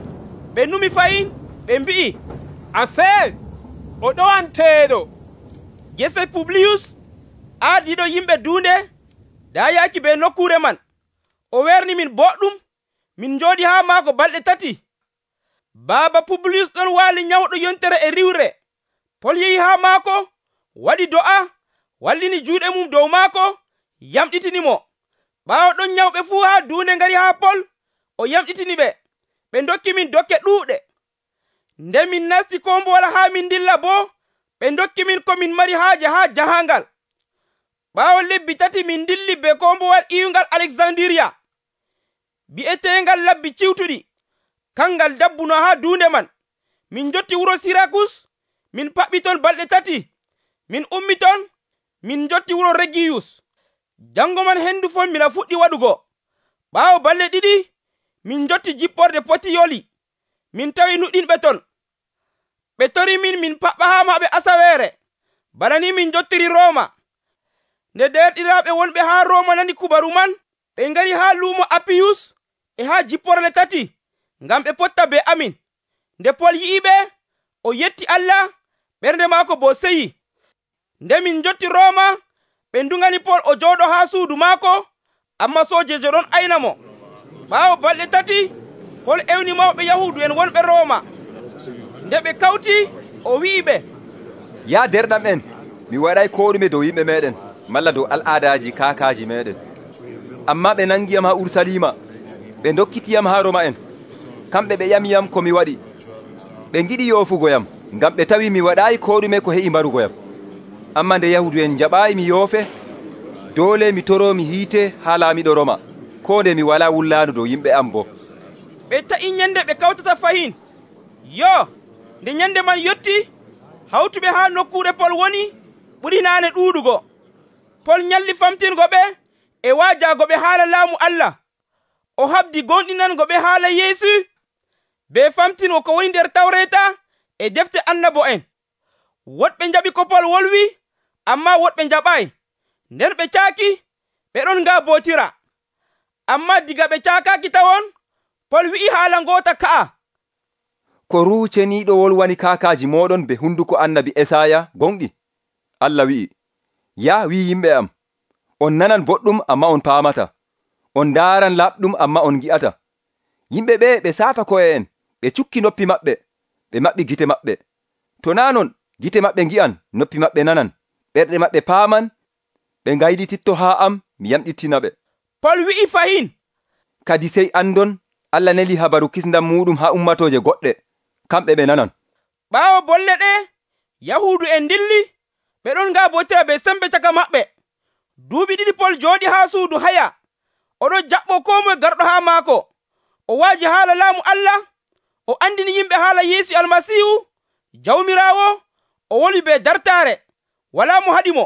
ɓe numi fayin, ɓe mbi'i, ase o ɗowanteeɗo. Gese Publiyus aadiiɗo yimɓe duunde daayaaki be nokkuure man. O werni min boɗɗum, min njooɗi haa maako balɗe tati. Baaba Publiyus ɗon waali nyawɗo yontere e riwre. Pol yehi haa maako, waɗi do'a, wallini juuɗe mum dow maako, yamɗitini mo. Ɓaawo ɗon nyawɓe fuu haa duunde ngari haa Pol, o yamɗitini ɓe. Ɓe ndokki min dokke ɗuuɗe. Nde min nasti kombowal haa min dilla boo, ɓe ndokki min ko min mari haaje haa jahaangal. Ɓaawo lebbi tati min dilli be kombowal iwungal Alexandiriya, bi'eteengal labbi ciwtuɗi. Kangal dabbuno haa duunde man. Min njotti wuro Sirakus, min paɓɓi ton balɗe tati. Min ummi ton, min njotti wuro Regiyus. Jango man hendu fombina fuɗɗi waɗugo. Ɓaawo balɗe ɗiɗi, min njotti jipporde Potiyoli. Min tawi nuɗɗinɓe ton. Ɓe tori min min paɓɓa haa maɓɓe asaweere. Bana ni min njottiri Rooma. Nde derɗiraaɓe wonɓe haa Rooma nani kubaru man, ɓe ngari haa luumo Apiyus e haa jipporle tati, ngam ɓe potta be amin. Nde Pol yi'i ɓe, o yetti Allah, ɓernde maako boo seyi. Nde min njotti Rooma, ɓe ndungani Pol o jooɗo haa suudu maako, amma soojejo ɗon ayna mo. Ɓaawo balɗe tati, Pol ewni mawɓe Yahuudu en wonɓe Rooma. Nde ɓe kawti, o wi'i ɓe, ya derɗam en, mi waɗay ko ɗume dow yimɓe meɗen malla dow al'aadaji kaakaaji meɗen. Amma ɓe nangiyam haa Urusalima, ɓe dokkitiyam haa Roma en. Kamɓe ɓe ƴamiyam ko mi waɗi. Ɓe ngiɗi yoofugoyam, ngam ɓe tawi mi waɗaayi ko ɗume ko heƴi mbarugoyam. Amma nde Yahudu en jaɓaayi mi yoofe, doole mi toro mi hiite haa laamiɗo Roma, ko nde mi walaa wullaandu dow yimɓe am boo. Ɓe ta'i nyande ɓe kawtata fahin. Yo, nde nyande man yotti, hawtuɓe haa nokkuure Pol woni ɓuri naane ɗuuɗugo. Pol nyalli famtingo ɓe e waajaago ɓe haala laamu Allah. O habdi gonɗinango ɓe haala Yeesu, be famtingo ko woni nder Tawreeta e defte annabo'en. Woɗɓe njaɓi ko Pol wolwi, ammaa woɗɓe njaɓaayi. Nden ɓe caaki, ɓe ɗon ngaabootira. Ammaa diga ɓe caakaaki tawon, Pol wi'i haala ngoota ka'a. Ko ruuceniiɗo wolwani kaakaaji mooɗon be hunduko annabi Esaya gonɗi. Allah wi'i, ya wi yimɓe am, on nanan boɗɗum amma on paamata, on ndaaran laɓɗum amma on ngi'ata. Yimɓe ɓe ɓe saata ko'e en, ɓe cukki noppi maɓɓe, ɓe maɓɓi gite maɓɓe. To naa non, gite maɓɓe ngi'an, noppi maɓɓe nanan, ɓerɗe maɓɓe paaman, ɓe ngayɗititto haa am, mi yamɗittina ɓe. pol wi'i fahin, kadi sey andon Allah neli habaru kisndam muɗum ha ummatooje goɗɗe, kamɓe ɓe nanan. ɓaawo bolle ɗe yahuudu en dilli, ɓe ɗon ngaabotira be sembe caka maɓɓe. Duuɓi ɗiɗi pol jooɗi haa suudu haya, oɗon jaɓɓo koo moye garɗo haa maako. O waaji haala laamu Allah, o andini yimɓe haala Yeesu Almasiihu, Jawmiraawo, o woli be dartaare, walaa mo haɗimo.